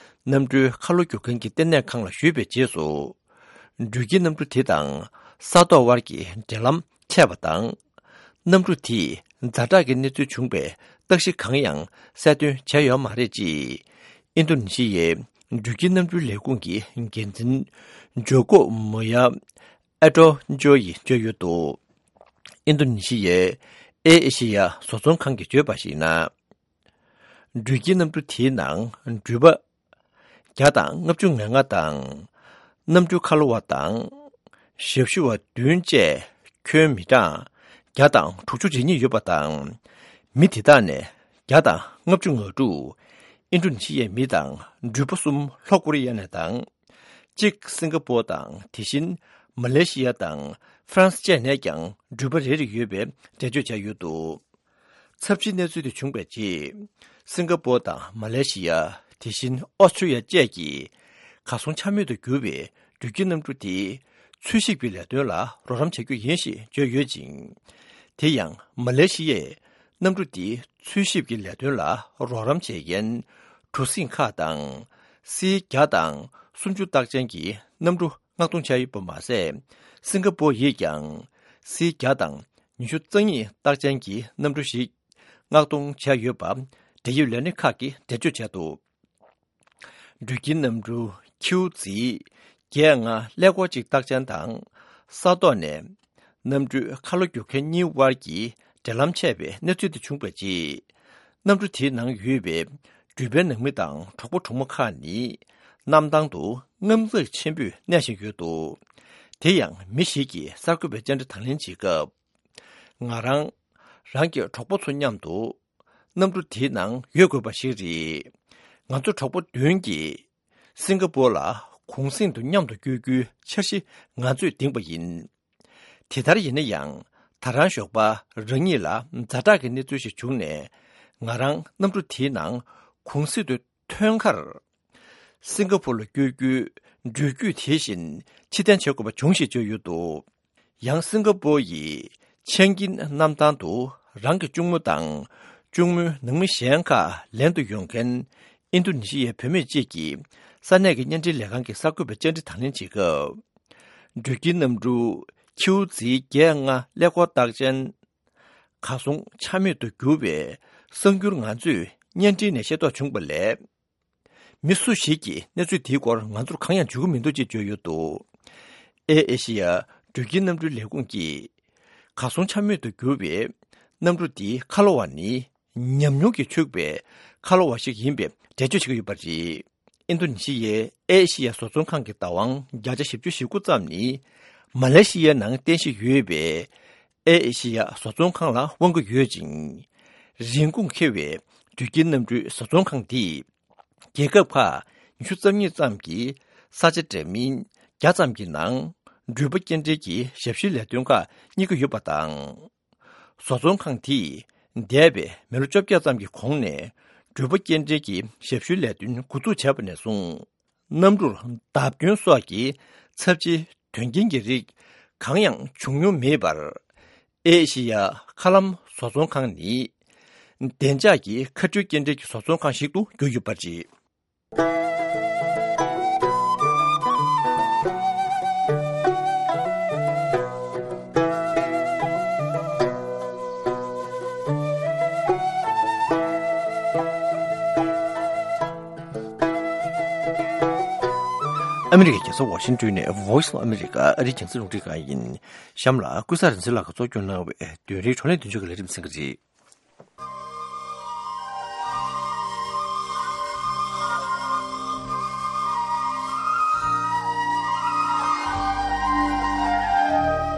གནམ་གྲུའི་ཁ་ལོ་རྒྱུག་མཁན་གྱི་ལྟེ་གནས་ཁང་ལ་ཞུས་པའི་རྗེས་སུ། འགྲུལ་སྐྱེལ་གནམ་གྲུ་དེ་དང་ས་ཐོག་དབར་གྱི་འབྲེལ་ལམ་ཆད་པ་དང་། གནམ་གྲུ་དེས་ཛ་དྲག་གི་གནས་ཚུལ་བྱུང་བའི་རྟགས་གཞི་གང་ཡང་གསལ་སྟོན་བྱས་ཡོད་མ་རེད་ཅེས། ཨིན་རྡུ་ནི་ཤི་ཡའི་འགྲུལ་སྐྱེལ་གནམ་གྲུའི་ལས་ཁུངས་ཀྱི་འགན་འཛིན་ཇོ་ཀོ་མོ་ཡ་ཨེ་ཏྲོ་ཇོ་ཡིས་བརྗོད་ཡོད་འདུག་ཨིན་རྡུ་ནི་ཤི་ཡའི་ཨེ་ཨེ་ཤི་ཡ་བཟོ་ཚོང་ཁང་གིས་བརྗོད་པར་གཞིགས་ན། འགྲུལ་སྐྱེལ་གནམ་གྲུ་དེའི་ནང་འགྲུལ་པ་བརྒྱ་དང་ལྔ་བཅུ་ང་ལྔ་དང་། གནམ་གྲུའི་ཁ་ལོ་བ་དང་། ཞབས་ཞུ་བ་བདུན་བཅས་ཁྱོན་མི་གྲངས་བརྒྱ་དང་དྲུག་ཅུ་རེ་གཉིས་ཡོད་པ་དང་། མི་དེ་དག་ནས་བརྒྱ་དང་ལྔ་བཅུ་ང་དྲུག་ཨིན་ཌོ་ནེ་ཤི་ཡའི་མི་དང་། འགྲུལ་པ་གསུམ་ལྷོ་ཀོ་རི་ཡ་ནས་དང་། གཅིག་སིང་ག་པོར་དང་། དེ་བཞིན་མ་ལེ་ཤི་ཡ་དང་ཧྥ་རན་སི་བཅས་ནས་ཀྱང་འགྲུལ་པ་རེ་རེ་ཡོད་པའི་འགྲེལ་བརྗོད་བྱས་ཡོད་འདུག་ཚབས་ཆེའི་གནས་ཚུལ་དེ་བྱུང་བའི་རྗེས། སིང་ག་པོར་དང་མ་ལེ་ཤི་ཡ། དེ་བཞིན་ཨོ་སི་ཁྲུ་ལི་ཡ་བཅས་ཀྱིས་གར་སོང་ཆ་མེད་དུ་གྱུར་བའི་འགྲུལ་སྐྱེལ་གནམ་གྲུ་དེ་འཚོལ་ཞིབ་ཀྱི་ལས་དོན་ལ་རོགས་རམ་བྱ་རྒྱུ་ཡིན་ཞེས་བརྗོད་ཡོད་ཅིང་། དེ་ཡང་མ་ལེ་ཤི་ཡས་གནམ་གྲུ་དེ་འཚོལ་ཞིབ་ཀྱི་ལས་དོན་ལ་རོགས་རམ་བྱེད་མཁན་གྲུ་གཟིངས་ཁག་དང་། སི་བརྒྱ་དང་སུམ་ཅུ་རྟགས་ཅན་གྱི་གནམ་གྲུ་མངགས་གཏོང་བྱས་ཡོད་པ་མ་ཟད། སིང་ག་པོར་ཡིས་ཀྱང་སི་བརྒྱ་དང་ཉི་ཤུ་རྩ་གཉིས་རྟགས་ཅན་གྱི་གནམ་གྲུ་ཞིག་མངགས་གཏོང་བྱས་ཡོད་པ་འབྲེལ་ཡོད་ལས་སྣེ་ཁག་གིས་འགྲེལ་བརྗོད་བྱས་འདུག་འགྲུལ་སྐྱེལ་གནམ་གྲུ་ཁྱིའུ་ཛི་བརྒྱད་ལྔ་ཀླད་ཀོར་གཅིག་རྟགས་ཅན་དང་ས་ཐོག་ནས་གནམ་གྲུའི་ཁ་ལོ་རྒྱུག་མཁན་གཉིས་དབར་གྱི་འབྲེལ་ལམ་ཆད་པའི་གནས་ཚུལ་དེ་བྱུང་བའི་རྗེས། གནམ་གྲུ་དེའི་ནང་ཡོད་པའི་འགྲུལ་པའི་ནང་མི་དང་གྲོགས་པོ་གྲོགས་མོ་ཁག་ནི་གནམ་ཐང་དུ་དངངས་འཚབ་ཆེན་པོས་གནས་བཞིན་ཡོད་འདུག་དེ་ཡང་མི་ཞིག་གིས་གསར་འགོད་པའི་བཅར་འདྲི་དང་ལེན་བྱེད་སྐབས། ང་རང་རང་གི་གྲོགས་པོ་ཚོ་མཉམ་དུ་གནམ་གྲུ་དེའི་ནང་ཡོད་དགོས་པ་ཞིག་རེད། ང་ཚོ་གྲོགས་པོ་བདུན་གྱིས་སིང་ག་པོར་ལ་གུང་གསེང་དུ་མཉམ་དུ་བསྐྱོད་རྒྱུའི་འཆར་གཞི་ང་ཚོས་འདིང་པ་ཡིན། དེ་ལྟར་ཡིན་ན་ཡང་། ད་རང་ཞོགས་པ་རང་ཉིད་ལ་ཛ་དྲག་གི་གནས་ཚུལ་ཞིག་བྱུང་ནས། ང་རང་གནམ་གྲུ་དེའི་ནང་གུང་གསེང་དུ་ཐོན་ཁར། སིང་ག་པོར་ལ་བསྐྱོད་རྒྱུའི་འགྲུལ་སྐྱོད་དེ་བཞིན་ཕྱིར་འཐེན་བྱེད་དགོས་པ་བྱུང་ཞེས་བརྗོད་ཡོད་འདུག་ཡང་སིང་ག་པོར་ཡི་ཆན་ཀིན་གནམ་ཐང་དུ་རང་གི་གཅུང་མོ་དང་གཅུང་མོའི་ནང་མི་གཞན་ཁག་ལེན་དུ་ཡོང་མཁན་ཨིན་རྡུ་ནེ་ཤི་ཡའི་བུད་མེད་ཅིག་གིས་ས་གནས་ཀྱི་བརྙན་འཕྲིན་ལས་ཁང་གི་གསར་འགོད་པའི་བཅར་འདྲི་དང་ལེན་བྱེད་སྐབས། འགྲུལ་སྐྱེལ་གནམ་གྲུ་ཁྱིའུ་ཛི་བརྒྱད་ལྔ་ཀླད་ཀོར་རྟགས་ཅན། གར་སོང་ཆ་མེད་དུ་གྱུར་བའི་གསར་འགྱུར་ང་ཚོས་བརྙན་འཕྲིན་ནས་ཤེས་རྟོགས་བྱུང་བ་ལས། མི་སུ་ཞིག་གིས་གནས་ཚུལ་དེའི་སྐོར་ང་ཚོར་གང་ཡང་བརྗོད་ཀྱི་མི་འདུག་ཅེས་བརྗོད་ཡོད་འདུག་ཨེ་ཨེ་ཤི་ཡ་འགྲུལ་སྐྱེལ་གནམ་གྲུའི་ལས་ཁུངས་ཀྱིས། གར་སོང་ཆ་མེད་དུ་གྱུར་བའི་གནམ་གྲུ་དེའི་ཁ་ལོ་བ་ནི་ཉམས་མྱོང་གིས་ཕྱུག་པའི་ཁ་ལོ་བ་ཞིག་ཡིན་པའི་འགྲེལ་བརྗོད་བྱེད་ཀྱི་ཡོད་པ་རེད། ཨིན་རྡུ་ནེ་ཤི་ཡའི་ཨེ་ཨེ་ཤི་ཡ་བཟོ་ཚོང་ཁང་གི་བདག་དབང་བརྒྱ་ཆ་བཞི་བཅུ་ཞེ་དགུ་ཙམ་ནི་མ་ལེ་ཤི་ཡའི་ནང་རྟེན་གཞི་ཡོད་པའི་ཨེ་ཨེ་ཤི་ཡ་བཟོ་ཚོང་ཁང་ལ་དབང་གི་ཡོད་ཅིང་། རིན་གོང་ཁེ་བའི་འགྲུལ་སྐྱེལ་གནམ་གྲུའི་བཟོ་ཚོང་ཁང་དེས། རྒྱལ་ཁབ་ཁག་ཉི་ཤུ་རྩ་གཉིས་ཙམ་གྱི་ས་ཆ་འདྲ་མིན་བརྒྱ་ཙམ་གྱི་ནང་འགྲུལ་པ་སྐྱེལ་འདྲེན་གྱི་ཞབས་ཞུའི་ལས་དོན་ཁག་གཉེར་གྱི་ཡོད་པ་དང་། བཟོ་ཚོང་ཁང་དེས་འདས་པའི་མི་ལོ་བཅོ་བརྒྱད་ཙམ་གྱི་གོང་ནས་འགྲུལ་པ་སྐྱེལ་འདྲེན་གྱི་ཞབས་ཞུའི་ལས་དོན་འགོ་འཛུགས་བྱས་པ་ནས་བཟུང་། གནམ་གྲུར་བརྡབ་སྐྱོན་སོགས་ཀྱི་ཚབས་ཆེའི་དོན་རྐྱེན་གྱི་རིགས་གང་ཡང་བྱུང་མྱོང་མེད་པར། ཨེ་ཤི་ཡ་མཁའ་ལམ་བཟོ་ཚོང་ཁང་ནི། བདེ་འཇགས་ཀྱི་མཁའ་འགྲུལ་སྐྱེལ་འདྲེན་གྱི་བཟོ་ཚོང་ཁང་ཞིག་ཏུ་གྱུར་ཡོད་པ་རེད། ཨ་མི་རི་ཀའི་རྒྱལ་ས་ཝ་ཤིང་ཏོན་ནས་Voice of America ཨ་རིའི་རྒྱང་སྲིང་རླུང་འཕྲིན་ཁང་ཡིན། གཤམ་ལ་ཀུན་བཟང་རིག་འཛིན་ལགས་ཀྱིས་གཙོ་སྐྱོང་གནང་བའི་བདུན་རེའི་བགྲོ་གླེང་མདུན་ལྕོག་གི་ལས་རིམ་གསན་གྱི་རེད།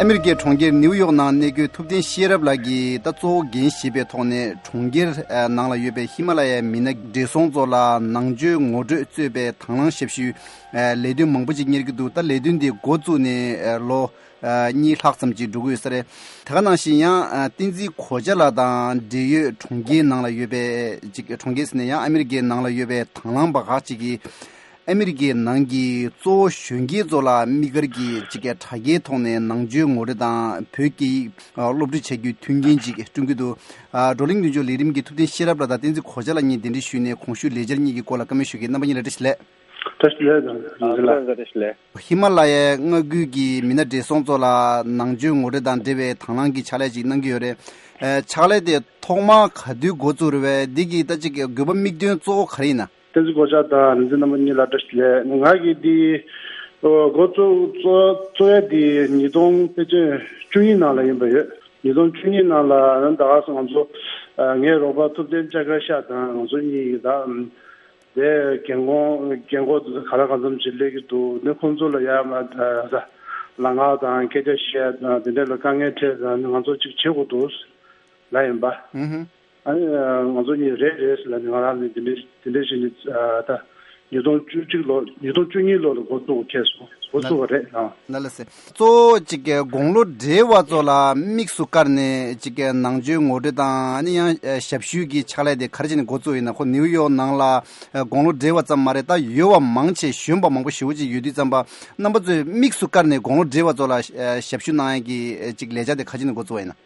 ཨ་མི་རི་ཀའི་གྲོང་ཁྱེར་ནིའུ་ཡོག་ནང་གནས་འཁོད་ཐུབ་བསྟན་ཤེས་རབ་ལགས་ཀྱིས་ད་གཙོ་བོ་འགན་བཞེས་པའི་ཐོག་ནས་གྲོང་ཁྱེར་ནང་ལ་ཡོད་པའི་ཧི་མ་ལ་ཡའི་མི་སྣ་བགྲེས་སོང་ཚོ་ལ་ནང་ཆོས་ངོ་སྤྲོད་གཙོས་པའི་དང་བླངས་ཞབས་ཞུའི་ལས་དོན་མང་པོ་ཅིག་གཉེར་གྱི་འདུག་ད་ལས་དོན་འདི་འགོ་བཙུགས་ནས་ལོ་ ཨ་གཉིས་ལྷག་ཙམ་ཅིག་འགྲོ་གི་ཡོད་ས་རེད། དེ་ག་ནང་བཞིན་ཡང་ཨ་བསྟན་འཛིན་གོ་ཆ་ལགས་དང་འབྲེལ་ཡོད་གྲོང་ཁྱེར་ནང་ལ་ཡོད་པའི་ཅིག་གྲོང་ཁྱེར་ཟེར་ན་ཡང་ཨ་མི་རི་ཀའི་ནང་ལ་ཡོད་པའི་དང་བླངས་པ་ཁག་ཅིག་གིས་ཨ་མི་རི་ཀའི་ནང་གི་གཙོ་བོ་གཞོན་སྐྱེས་ཚོ་ལ་དམིགས་བཀར་གྱིས་ཅིག་དྲ་རྒྱའི་ཐོག་ནས་ནང་ཆོས་ངོ་སྤྲོད་དང་བོད་སྐད་ཡིག་སློབ་ཁྲིད་བྱ་རྒྱུའི་མཐུན་རྐྱེན་ཅིག་བསྐྲུན་གྱི་འདུག་ཨ་བགྲོ་གླེང་མདུན་ལྕོག་ལས་རིམ་གྱི་ཐུབ་བསྟན་ཤེས་རབ་ལགས་དང་བསྟན་འཛིན་གོ་ཆ་ལགས་གཉིས་གདན་འདྲེན་ཞུས་ནས་གོང་ཞུས་ལས་འཆར་གཉིས་ཀྱི་སྐོར་ལ་བཀའ་མོལ་ཞུ་གི། རྣམ་པ་གཉིས་ལ་བཀྲ་ཤིས་བདེ་ལེགས། བཀྲ་ཤིས་བདེ་ལེགས། བཀྲ་ཤིས་བདེ་ལེགས། ཧི་མ་ལ་ཡའི་མངའ་ཁུལ་གྱི་མི་སྣ་བགྲེས་སོང་ཚོ་ལ་ནང་ཆོས་ངོ་སྤྲོད་དང་འབྲེལ་བའི་དང་བླངས་ཀྱི་ཕྱག་ལས་ཅིག་གནང་གི་ཡོད་རེད། ཨ་ཕྱག་ལས་དེ་ཐོག་མར་ག་དུས་འགོ་བཙུགས་རེད་པས། འདི་གི་ད་ཅིག་དགོས་པ་དམིགས་དོན་གཙོ་བོ་ག་རེ་ཡིན་ན། བསྟན་འཛིན་གོ་ཆ་དང་ལས་འཛིན་རྣམ་པ་གཉིས་ལ་བཀྲ་ཤིས་བདེ་ལེགས། ང་གིས་འདི་འགོ་བཙུགས་གཙོ་གཙོ་བོ་འདི་ཉིས་སྟོང་ཕལ་ཆེར་བཅུ་གཉིས་ནང་ལ་ཡིན་པ་ཡོད། ཉིས་སྟོང་བཅུ་གཉིས་ནང་ལ་ད་ག་སོང་ང་ཚོ་ཨ་ངའི་རོགས་པ་ཐུབ་བསྟན་ལྕགས་དཀར་ཤག་དང་ང་ཚོ་གཉིས་ཀྱིས་ད་དེ་རྒན་གོག་རྒན་གོག་དེ་ཚོ་ག་ལ་གང་འཚམ་ཅིག་སླེབས་ཀྱི་འདུག་ནི་ཁོང་ཚོ་ལ་ཡར་མར་ད་ལམ་ཁ་དང་སྐད་ཆ་བཤད་དང་དེ་འདྲ་ལ་དཀའ་ངལ་འཕྲད་དང་ང་ཚོ་ཅིག་བྱེད་དགོས་འདུག་ལབ་ཡིན་པ། ཨུ་ཧུ། ཨ་ནི་ང་ཚོ་གཉིས་རེད་རེད་ཟེར་ལབ་ནས་ང་རང་ནི་དེ་འདྲ་དེ་འདྲ་བྱས་ནས་ཨ་ད་ཉིས་སྟོང་བཅུ་གཅིག་ལོ་ཉིས་སྟོང་བཅུ་གཉིས་ལོ་ལ་འགོ་བཙུགས་ཁེལ་སོང་། འགོ་བཙུགས་པ་རེད་ཨ། ལ་ལ་སེ། གཙོ་བོ་གཅིག་གི་དགུང་ལོ་བགྲེས་པ་ཚོ་ལ་དམིགས་སུ་བཀར་ནས་གཅིག་གི་ནང་ཆོས་ངོ་སྤྲོད་དང་ཨ་ནི་ཡང་ཞབས་ཞུའི་གི་ཕྱག་ལས་དེ་ག་རེ་བྱས་ནས་འགོ་བཙུགས་ཡིན་ན། ཁོ་ནིའུ་ཡོག་ནང་ལ་དགུང་ལོ་བགྲེས་པ་ཙམ་མ་རེད། ད་ཡོད་པ་མང་ཆེ་གཞོན་པ་མང་པོ་ཞེ་པོ་ཅིག་ཡོད་དུས་ཙམ་པ་རྣམ་པ་ཚོས་དམིགས་སུ་བཀར་ནས་དགུང་ལོ་བགྲེས་པ་ཚོ་ལ་ཞབས་ཞུ་གནང་ཡས་ཀྱི་གཅིག་ལས་འཆར་དེ་ག་རེ་བྱས་ནས་འགོ་བཙུགས་པ་ཡིན་ན།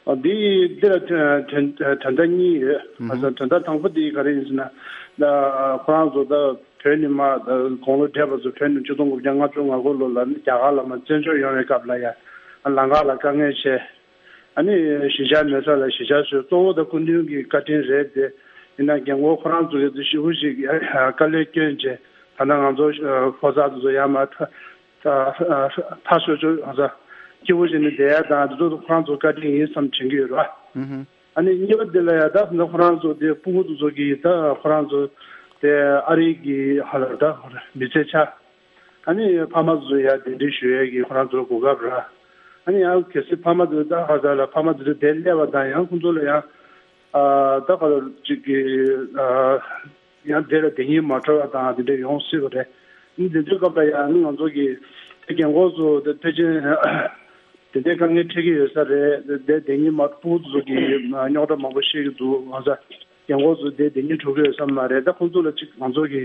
ཨ་འདི་འདི་ལ་དོན་དོན་དོན་དག་གཉིས་ཡོད། ཨ་དོན་དག་དང་པོ་འདི་ག་རེ་ཡིན་ཟེར་ན། ད་ཁོ་རང་ཚོ་ད་བོད་ནས་མར་ད་དགུང་ལོ་བགྲེས་པ་ཚོ་བོད་ནས་ཆིག་སྟོང་དགུ་བརྒྱ་ལྔ་བཅུ་ང་དགུ་ལོ་ལ་ནི་རྒྱ་གར་ལ་མར་བཙན་བྱོལ་ཡོང་བའི་སྐབས་ལ་ཡ་ལམ་ཁ་ལ་དཀའ་ངལ་ཆེ། ཨ་ནི་གཞིས་ཆགས་མེད་ས་ལ་གཞིས་ཆགས་བཟོས། གཙོ་བོ་ད་སྐུ་མདུན་གྱི་བཀའ་དྲིན་རེད་དེ། ཡིན་ན་རྒན་གོག་ཁོ་རང་ཚོ་གི་ཞེ་པོ་ཞིག་དཀའ་ལས་སྐྱོན་བྱས། ད་ལྟ་ང་ཚོ་ཕོ་གསར་ཚོ་ཚོ་ཡར་མར་ད་ཕར་ཕྱོགས་ཕྱོགས་ང་ཚོ་སྐྱིད་པོ་བྱས་ནས་བསྡད་ཡ་དང་དེ་ཚོ་ཁོ་རང་ཚོ་བཀའ་དྲིན་ཡིན་བསམ་དྲན་གྱི་ཡོད་རེད་བ། ཨ་ནི་གཉིས་པ་དེ་ལ་ཡ་ད་ད་ཁོ་རང་ཚོ་དེ་སྤུ་གུ་ཚོ་ཚོ་གི་ད་ཁོ་རང་ཚོ་དེ་ཨ་རི་གི་ཧ་ལ་ད་མི་ཚེ་ཆགས། ཨ་ནི་ཕ་མ་ཚོ་ཚོ་ཡ་གདན་འདྲེན་ཞུ་ཡས་ཀྱི་ཁོ་རང་ཚོ་ལ་གོ་སྐབས་རེད། ཨ་ནི་ཡང་གལ་སྲིད་ཕ་མ་ཚོ་ད་ཧ་ད་ལ་ཕ་མ་ཚོ་ཚོ་དེ་སླེབས་པ་དང་ཡང་ཁོ་ཚོ་ལ་ཡང་ཨ་ད་ག་ལ་ཅིག་གི་ཨ། ཡང་དེ་ལ་བདེ་སྐྱིད་མ་འཕྲོད་པ་དང་དེ་འདྲ་ཡོང་སྲིད་པ་རེད། འདི་ཚོའི་སྐབས་ལ་ཡང་ང་ཚོ་གི་དེ་རྒན་གོག་ཚོ་དེ་ཕལ་ཆེར་དེ་འདྲའི་དཀའ་ངལ་འཕྲད་ཀྱི་ཡོད་ས་རེད། དེ་བདེ་སྐྱིད་མ་ཕྲུ་གུ་ཚོ་གི་རྙོག་དྲ་མང་པོ་ཤེས་ཀྱི་འདུག་ང་ཚོ་རྒན་གོག་ཚོ་དེ་བདེ་སྐྱིད་འཕྲོད་ཀྱི་ཡོད་ས་མ་རེད། ད་ཁོང་ཚོ་ལ་ཅིག་ང་ཚོ་གི་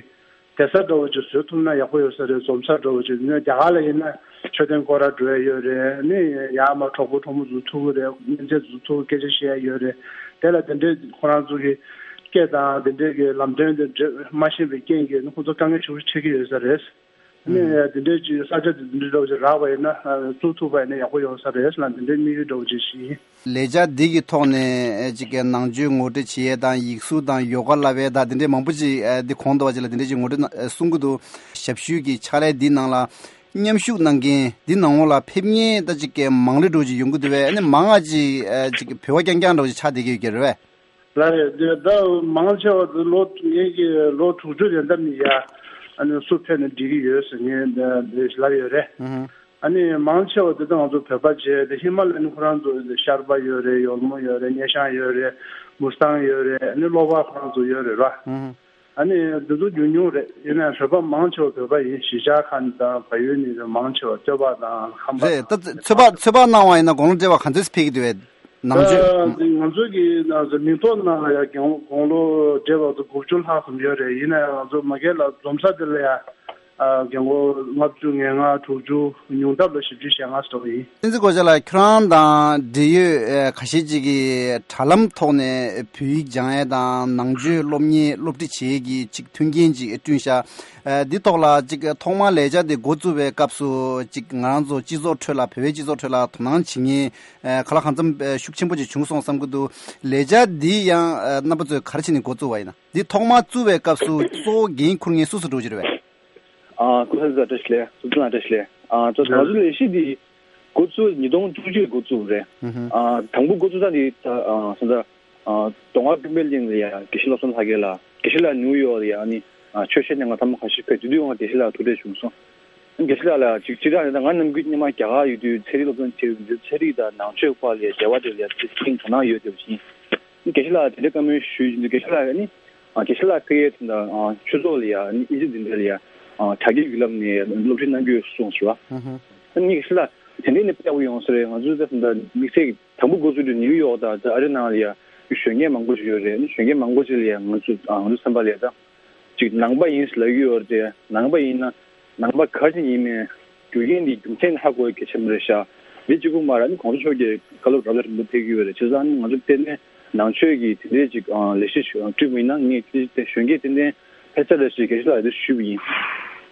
བསྡད་ས་འདྲ་བོ་ཅིག་བཟོ་ཐུབ་ན་ཡག་པོ་ཡོད་ས་རེད། འཛོམས་ས་འདྲ་བོ་ཅིག་ནས་རྒྱ་གར་ལ་ཡིན་ན་མཆོད་རྟེན་སྐོར་ར་འགྲོ་ཡ་ཡོད་རེད། ནི་ཡར་མར་གྲོགས་པོ་གྲོགས་མོ་ཚོ་ཐུག་གི་རེད། སྨན་རྩིས་ཚོ་ཐུག་སྐད་ཆ་བཤད་ཡ་ཡོད་རེད། དེ་ལ་དེ་འདྲའི་ཁོ་རང་ཚོ་གི་སྐད་དང་དེ་འདྲའི་གི་ལམ་སྟོན་དེ་འདྲ་མ་ཤེས་པའི་རྐྱེན་གྱིས་ནི་ཁོ་ཚོ་དཀའ་ངལ་ཞེ་པོ་འཕྲད་ཀྱི་ཡོད་ས་རེད། ནི་དེ་འདྲའི་ཅིག་ས་ཆ་དེ་འདྲ་འདྲ་བོ་ཅིག་རག་པ་ཡིན་ན་བཙུགས་ཐུབ་པ་ཡིན་ན་ཡག་པོ་ཡོང་ས་རེད་ལ་དེ་འདྲའི་དམིགས་ཡུལ་འདྲ་བོ་ཅིག་ཞིག་ཡིན། ལས་འཆར་འདི་གི་ཐོག་ནས་ཅིག་གི་ནང་ཆོས་ངོ་སྤྲོད་བྱེད་ཡས་དང་ཡིག་གཟུགས་དང་ཡོ་ག་བསླབ་ཡས་དང་དེ་འདྲའི་མང་པོ་ཅིག་འདི་གོང་དུ་བ་ཅིག་ལ་དེ་འདྲའི་ཅིག་ངོ་སྤྲོད་གནང་གསུང་གི་འདུག་ཞབས་ཞུའི་གི་ཕྱག་ལས་འདི་ནང་ལ་མཉམ་ཞུགས་གནང་མཁན་འདི་ནང་ལོགས་ལ་ཕེབས་མཁན་ད་ཅིག་གི་མང་ལེ་འགྲོ་ཅིག་ཡོང་གི་འདུག་བས། ཨ་ནི་མང་ང་ཅིག་ཅིག་གི་བོད་པ་རྐྱང་རྐྱང་འགྲོ་ཅིག་ཆགས་བསྡད་ཀྱི་ཡོད་ཀྱི་རེད་བས། ལགས་རེད། འདི་ད་མང་ཆེ་བ་འདི་ལོ་ངེད་ཀྱི་ལོ་དྲུག་ཅུ་རེ་འདབས་ནས་ཡ་ཨ་ནི་སུ་ཕེབས་ན་འགྲིག་གི་ཡོད་ཟེར་ངས་འདི་ལབ་ཡོད་རེད། ཨ་ནི་མང་ཆེ་བ་འདི་ད་ང་ཚོ་བོད་པ་བྱས་ཏེ་ཧི་མ་ལ་ནི་ཁོ་རང་ཚོ་ཤར་པ་ཡོད་རེད། ཡོལ་མོ་ཡོད་རེད། སྙེ་ཤང་ཡོད་རེད། མུ་སི་ཐང་ཡོད་རེད། ཨ་ནི་གློ་བ་ཁོ་རང་ཚོ་ཡོད་རེད་ར། ཨ་ནི་འདི་ཚོ་ཉུང་ཉུང་རེད། ཡིན་ནའང་བོད་པ་མང་ཆེ་བ་བོད་པ་ཡིན། གཞིས་ཆགས་ཁག་དང་བལ་ཡུལ་ནས་མང་ཆེ་བ་སྟོད་པ་དང་ཁམས་པ་རེད། ད་ཚོད་དཔག་ཚོད་དཔག་གནང་བ་ཡིན་ན་དགུང་ལོ་བགྲེས་པ་ག་ཚོད་ཕེབས་ཀྱི་འདུག་བས། ནང་ཆོས། ད་ང་ཚོ་གི་ནང་ཚོ་མིང་ཐོ་ནང་ལ་ཡ་དགུང་ལོ་བགྲེས་པ་ཚོ་དགུ་བཅུ་ལྷག་ཙམ་ཡོད་རེད། ཡིན་ན་ཡང་ང་ཚོ་མ་གི་ལ་འཛོམས་ས་དེ་ལ་ཡ་ཨ་རྒན་གོག་ལྔ་བཅུ་ང་ལྔ་དྲུག་ཅུ་ཉུང་མཐའ་ལ་བཞི་བཅུ་ཞེ་ལྔ་ཙམ་ཡིན། བསྟན་འཛིན་གོ་ཆ་ལགས་ཁྱོད་རང་དང་འབྲེལ་ཡོད་ཁ་ཤས་ཅིག་གིས་དྲ་ལམ་ཐོག་ནས་བོད་ཡིག་སྦྱང་ཡས་དང་ནང་ཆོས་སློབ་གཉེར་སློབ་ཁྲིད་བྱེད་ཡས་ཀྱི་ཅིག་མཐུན་རྐྱེན་ཅིག་བསྐྲུན་ཤག་འདི་ཐོག་ལ་ཅིག་ཐོག་མར་ལས་འཆར་འདི་འགོ་བཙུགས་པའི་སྐབས་སུ་ཅིག་ང་རང་ཚོ་སྤྱི་ཚོགས་ཁྲོད་ལ་བོད་པའི་སྤྱི་ཚོགས་ཁྲོད་ལ་དོ་སྣང་བྱེད་མཁན་ག་ལ་གང་འཚམ་ཤུགས་ཆེན་པོ་ཅིག་བྱུང་སོང་བསམ་གྱི་འདུག་ལས་འཆར་འདི་ཡང་རྣམ་པ་ཚོས་ག་རེ་བྱས་ནས་འགོ་བཙུགས་པ་ཡིན་ན། འདི་ཐོག་མར་བཙུགས་པའི་སྐབས་སུ་གཙོ་བོ་འགན་འཁུར་མཁན་སུ་སུ་འགྲོ་གི་རེད་པས། ཨ་སྐུ་ཚེ་བཀྲ་ཤིས་བདེ་ལེགས། སུ་ཚོད་བཀྲ་ཤིས་བདེ་ལེགས། ཨ་ད་ང་ཚོ་ལས་གཞི་འདི་འགོ་བཙུགས་ཉིས་སྟོང་བཅུ་གཅིག་འགོ་བཙུགས་རེད། ཨ་དང་པོ་འགོ་བཙུགས་ས་འདི་ད་ཨ་ས་ད་ཨ་མདོ་སྔགས་ཀུན་པའི་གླིང་ལ་ཡ་དགེ་བཤེས་བློ་བཟང་ལྷ་རྒྱལ་ལགས། དགེ་བཤེས་ལགས་ནིའུ་ཡོག་ལ་ཡ་ཨ་ནི་ཨ་ཆོས་བཤད་གནང་ག་ཐེངས་མ་ཁ་ཤས་ཕེབས། དེ་དུས་ཡང་དགེ་བཤེས་ལགས་ཐུག་འཕྲད་བྱུང་སོང་། དགེ་བཤེས་ལགས་ལ་ཅིག་སྤྱིར་བཏང་ནས་ད་ང་ནམ་རྒྱུན་སྔོན་མ་རྒྱ་གར་ཡོད་དུས་ཚན་རིག་སློབ་སྦྱོང་བྱེད་ཡོད་དུས་ཚན་རིག་དང་ནང་ཆོས་སྐོར་ལ་རྒྱལ་བ་དེ་ལ་ཡ་ཏིས་ཀྱང་དོ་སྣང་ཡོད་དེ་བཞིན། དགེ་བཤེས་ལགས་དེ་འདྲའི་བཀའ་མོལ་ཞུས་ཡིན་དུས་དགེ་བཤེས་ལགས་ནི་དགེ་བཤེས་ལགས་ཕ་གིའི་དང་ཆོས་ཚོགས་ལ་ཡ་ཨིན་ཇི་འཛིན་གྲྭ་ལ་ཡ་དྲ་རྒྱའི་བརྒྱུད་ལམ་ནས་སློབ་ཁྲིད་གནང་གི་ཡོད་གསུངས་སོང་། ཨ་ནི་དགེ་བཤེས་ལགས་ དེ་འདྲའི་ནི་དཔེ་ཡག་པོ་ཡོང་ས་རེད། ང་ཚོའི་ད་ད་དམིགས་བསལ་གྱི་དང་པོ་འགོ་བཙུགས་དུས་ནིའུ་ཡོག་དང་ད་ཨ་རི་ནང་ལ་ཡ་གཞོན་སྐྱེས་མང་པོ་ཞིག་ཡོད་རེད། གཞོན་སྐྱེས་མང་པོ་ཞིག་ལ་ཡ་ང་ཚོ་ང་ཚོ་བསམ་པ་ལ་ཡ་ད་ཅིག་ནང་པ་ཡིན་ཟེར་ལབ་ཀྱི་ཡོད་རེད་དེ། ནང་པ་ཡིན་ན་ནང་པ་ག་རེ་ཡིན་མིན་རྒྱུ་རྐྱེན་འདི་རྒྱུ་མཚན་ཧ་གོ་ཡ་གལ་ཆེན་པོ་རེད་ཤག་འདི་གཅིག་པུ་མ་རེད། ཨ་ནི་གོང་ས་མཆོག་གིས་བཀའ་སློབ་རབ་དང་རིམ་པ་ཕེབས་ཀྱི་ཡོད་རེད། བྱས་ཙང་ཨ་ནི་ང་ཚོ་དཔེར་ན་ནང་ཆོས་ཀྱི་དེ་འདྲའི་ཅིག་ལས་གཞི་ཞིག་བསྐྲུན་པ་ཡིན་ན་ངས་དེ་གཞོན་སྐྱེས་དེ་འདྲའི་ཕེབས་ཚར་རེད་ཞེས་དགེ་བཤེས་ལགས་ཀྱིས་ཞུས་པ་ཡིན།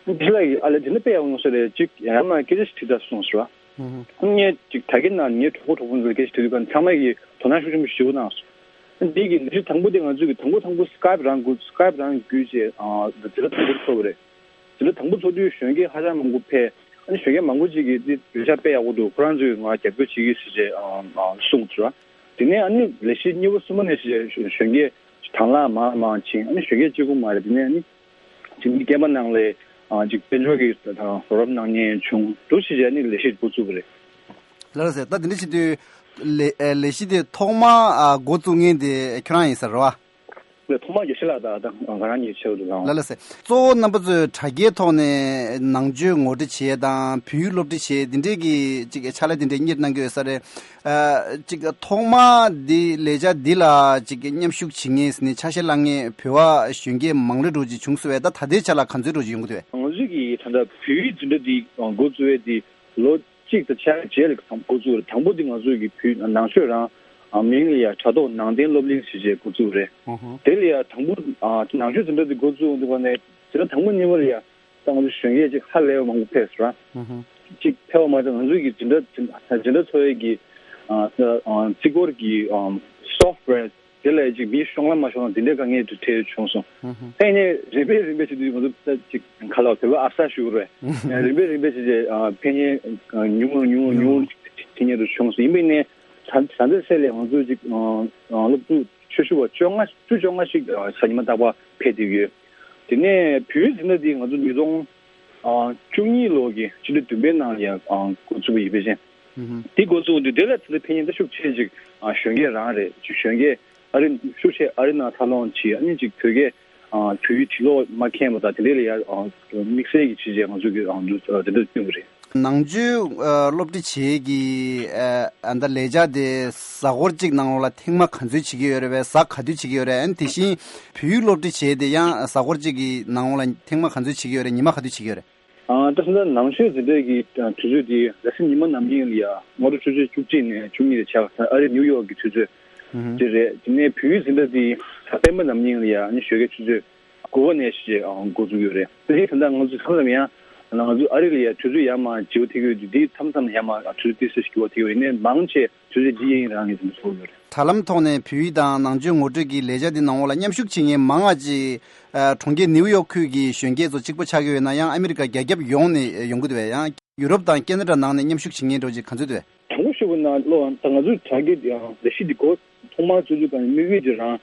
དགེ་བཤེས་ལགས་ཀྱིས་ཨ་ལས་དེ་འདྲ་དཔེ་ཡག་པོ་ཡོང་ས་རེད། ཅིག་ཡང་མ་སྐད་ཆ་ཞིག་དྲིས་དང་གསུངས་སོང་། ངས་ཅིག་དྲ་རྒྱའི་ནང་ངའི་གྲོགས་པོ་གྲོགས་པོ་ཚོར་སྐད་ཆ་དྲིས་དུས་ཀ་ཚང་མ་གིས་དོ་སྣང་ཤུགས་ཆེན་པོ་ཞིག་གནང་སོང་། འདི་གི་ལས་གཞི་དང་པོ་དེ་ང་ཚོས་ཀྱི་དང་པོ་དང་པོ་སི་ཀའེབ་རང་བརྒྱུད། སི་ཀའེབ་རང་བརྒྱུད་བྱས་ཨ་འཛིན་གྲྭ་དང་པོ་ཚོགས་པ་རེད། འཛིན་གྲྭ་དང་པོ་ཚོགས་དུས་གཞོན་སྐྱེས་ཧ་ཅང་མང་པོ་ཕེབས། ཨ་ནི་གཞོན་སྐྱེས་མང་པོ་ཅིག་གིས་འདི་བརྗོད་བྱ་དཔེ་ཡག་པོ་འདུག་ཁོ་རང་ཚོས་ང་རྒྱབ་སྐྱོར་བྱེད་ཀྱི་ཟེར་བྱས་ཨ་ཨ་གསུངས་སོང་། དེ་ནས་ཨ་ནི་ལས་གཞི་གཉིས་པ་གསུམ་པ་ནས་བྱས་གཞོན་སྐྱེས་དང་བླངས་མང་ལ་མང་ཕྱིན། ཨ་ནི་གཞོན་སྐྱེས་གཅིག་པུ་མ་རེད། དེ་ནས་ཨ་ནི་ཅིག་མི་རྒན་པ་ནང་ལ་ཨ་ཅིག་དཔལ་འབྱོར་གྱི་རོགས་རམ་གནང་མཁན་བྱུང་འདུག་ཞེས་བྱས་ནས་ལས་གཞི་འགོ་བཙུགས་པ་རེད། ལགས་སེ། ད་དེ་འདྲ་བྱེད་དུས་ལས་ཨ་ལས་གཞི་དེ་ཐོག་མ་ཨ་འགོ་བཙུགས་མཁན་དེ་ཁྱོད་རང་ཡིན་ས་རེད་བ། ལས་ཐོག་མ་དགེ་བཤེས་ལགས་དང་ད་ང་རང་གཉིས་ཆེད་དུ་ལངས། ལགས་ལགས་སེ། གཙོ་བོ་རྣམ་པ་ཚོས་དྲ་རྒྱའི་ཐོག་ནས་ནང་ཆོས་ངོ་སྤྲོད་བྱེད་ཡས་དང་བོད་ཡིག་སློབ་ཁྲིད་བྱེད་ཡས་དེ་འདྲས་ཀྱི་ཅིག་ཕྱག་ལས་དེ་འདྲས་གཉེར་གནང་གི་ཡོད་ས་རེད། ཨ་ཅིག་ཐོག་མ་འདི་ལས་འཆར་འདི་ལ་ཅིག་མཉམ་ཞུགས་བྱེད་མཁན་ཟེར་ནས་ཆ་ཤས་བླངས་མཁན་བོད་པ་གཞོན་སྐྱེས་མང་རབས་འདྲ་ཅིག་བྱུང་སོང་བས། ད་ད་ལྟའི་ཆ་ལ་ག་ཚོད་འདྲ་ཅིག་ཡོང་གི་འདུག་བས། ང་ཚོས་ཀྱི་ད་ལྟ་བོད་ཡིག་འཛིན་གྲྭ་འདི་འགོ་བཙུགས་པའི་འདི་ལོ་གཅིག་དང་ཕྱེད་ཀ་རྗེས་ལ་འགོ་བཙུགས་རེད། དང་པོ་འདི་ང་ཚོས་ཀྱི་བོད་ནང་ཆོས་རང་མིང་ལ་ཡ་དྲ་ཐོག་ནང་བསྟན་སློབ་གླིང་ཞེས་བྱས་འགོ་བཙུགས་རེད། ཨོ་ཧོ། དེ་ལ་ཡ་དང་པོ་ནང་ཆོས་འཛིན་གྲྭ་འདི་འགོ་བཙུགས་འདུག་པ་ནས་འཛིན་གྲྭ་དང་པོ་གཉིས་པ་ལ་ཡ་ད་ང་ཚོ་གཞོན་སྐྱེས་ཅིག་ཧ་ལས་པ་མང་པོ་ཕེབས་སོང་ར། ཨོ་ཧོ། ཅིག་ཕེབས་པ་མ་ཟད་ང་ཚོས་ཀྱི་འཛིན་གྲྭ་འཛིན་གྲྭ་འཚོ་བའི་གི་རྩིས་སྐོར་གྱི་སོཕ་ཝེར་དེ་ལ་ཅིག་མི་ཤོང་ལམ་མ་ཤོང་ལམ་དེ་འདྲའི་དཀའ་ངལ་དུ་འཕྲད་བྱུང་སོང་། ཧུམ་ཧུམ། ཕན་ནས་རིམ་པས་རིམ་པས་བྱེད་དུས་ང་ཚོ་ད་ཅིག་ག་ལ་བོད་པ་ཨབ་སར་ཞུ་རེད། རིམ་པས་རིམ་པས་བྱེད་ཅིག་ཕན་ནས་ཉུང་རུ་ཉུང་རུ་ཉུང་རུ་ཕན་ནས་དུ་བྱུང་སོང་། ཡིན་པས་ནས་ད་ད་ལྟའི་ཚེ་ལས་ང་ཚོ་ཅིག་སློབ་ཕྲུག་ཆོས་ཞུ་བ་བཅོ་ལྔ་བཅུ་བཅོ་ལྔ་ཞིག་གཟའ་ཉི་མ་རྟག་པར་ཕེབས་བསྡད་ཡོད། དེ་ནས་བོད་ཡིག་འཛིན་གྲྭ་འདི་ང་ཚོ་ཉིས་སྟོང་བཅུ་གཉིས་ལོ་གི་ཕྱི་ཟླ་བདུན་པའི་ནང་ལ་ཡང་འགོ་བཙུགས་པ་ཡིན་པས་ཅན། དེ་འགོ་བཙུགས་དུས་དེ་ལ་ད་ལྟ་ཕན་ཡོན་ད་ཤུགས་ཆེ་ཅིག་གཞོན་སྐྱེས་རང་རེད། ཅིག་གཞོན་སྐྱེས་ཨ་རི་ཤུགས་ཆེ་ཨ་རི་ནང་འཚར་ལོངས་བྱས། ཨ་ནི་ཅིག་བོད་སྐད་བོད་ཡིག་འབྲི་ཀློག་མ་མཁྱེན་པ་དང་དེ་འདྲས་ལ་ཡང་དམིགས་བསལ་གྱི་ཆེད་ཅིག་ང་ཚོ་གི་འདུ་དེ་འདྲ་བསྐྲུན་པ་རེད། ནང་ཆོས་ཨ་སློབ་ཁྲིད་བྱེད་ཀྱི་ཨ་ད་ལས་འཆར་དེ་གཟའ་འཁོར་གཅིག་ནང་ལོགས་ལ་ཐེངས་མ་ག་ཚོད་བྱེད་ཀྱི་ཡོད་རེད་བས། གཟའ་ག་དུས་བྱེད་ཀྱི་ཡོད་རེད། ཨ་ནི་དེ་བཞིན་བོད་ཡིག་སློབ་ཁྲིད་བྱེད་དེ་ཡང་གཟའ་འཁོར་གཅིག་གི་ནང་ལོགས་ལ་ཐེངས་མ་ག་ཚོད་བྱེད་ཀྱི་ཡོད་རེད། ཉི་མ་ག་དུས་བྱེད་ཀྱི་ཡོད་རེད། ཨ་ད་ད་ལྟ་ནང་ཆོས་འཛིན་གྲྭ་གི་དུས་ཚོད་དེ་ལ་སེ་ཉི་མ་ནམ་ཡིན་ལ་ཡ་སྔ་དྲོ་ཆུ་ཚོད་བཅུ་གཅིག་ནས་བཅུ་གཉིས་རེ་ཆགས། ཨ་རི་ནིའུ་ཡོག་གི་དུས་ཚོད་དེ་རེད། དེ་ནས་བོད་ཡིག་འཛིན་གྲྭ་དེ་གཟའ་སྤེན་པ་ནམ་ཡིན་ལ་ཡ་ཨ་ནི་ཞོགས་ཀའི་ཆུ་ཚོད་དགུ་པ་ནས་ཞེས་འགོ་འཛུགས་ཡོད་རེད། དེ་རིང་ད་ལྟ་ང་ཚོ་མཚམས་མཚམས་ཡང་ང་ཚོ་ཨ་རི་ལ་ཡ་དུས་ཚོད་ཡར་མར་བརྗེ་པོ་ཐེབས་ཀྱི་ཡོད་དུས། དེ་མཚམས་མཚམས་ཡར་མར་དུས་ཚོད་ཏོག་ཙམ་འགྱུར་བ་ཐེབས་ཀྱི་ཡོད། ཡིན་ནའི་མང་ཆེ་དུས་ཚོད་འདི་ཡིན་རང་ངེས་ཙམ་ཚོར་ཡོད་རེད། དྲ་ལམ་ཐོག་ནས་བོད་ཡིག་དང་ནང་ཆོས་ངོ་སྤྲོད་ཀྱི་ལས་འཆར་འདི་ནང་ལོགས་ལ་མཉམ་ཞུགས་བྱེད་མཁན་མང་བ་ཅིག་ཨ་གྲོང་ཁྱེར་ནིའུ་ཡོག་ཁུལ་གྱི་གཞོན་སྐྱེས་ཚོ་གཅིག་པོ་ཆགས་ཀྱི་ཡོད་ན་ཡང་ཨ་མི་རི་ཀ་རྒྱ་ཁྱབ་ཡོངས་ནས་ཡོང་གི་འདུག་བས། ཡང་ཡུ་རོབ་དང་ཁེ་ན་ཌ་ནང་ནས་མཉམ་ཞུགས་བྱེད་མཁན་འདྲ་བོ་ཅིག་ག་ཚོད་འདུག་བས། དྲང་པོ་ཞུས་པ་ན་ལོ་ད་ང་ཚོའི་དྲ་རྒྱའི་ལས་གཞི་འདི་འགོ་ཐོག་མར་བཙུགས་དུས་ཀ་ནས་དམིགས་ཡུལ་འདི་རང་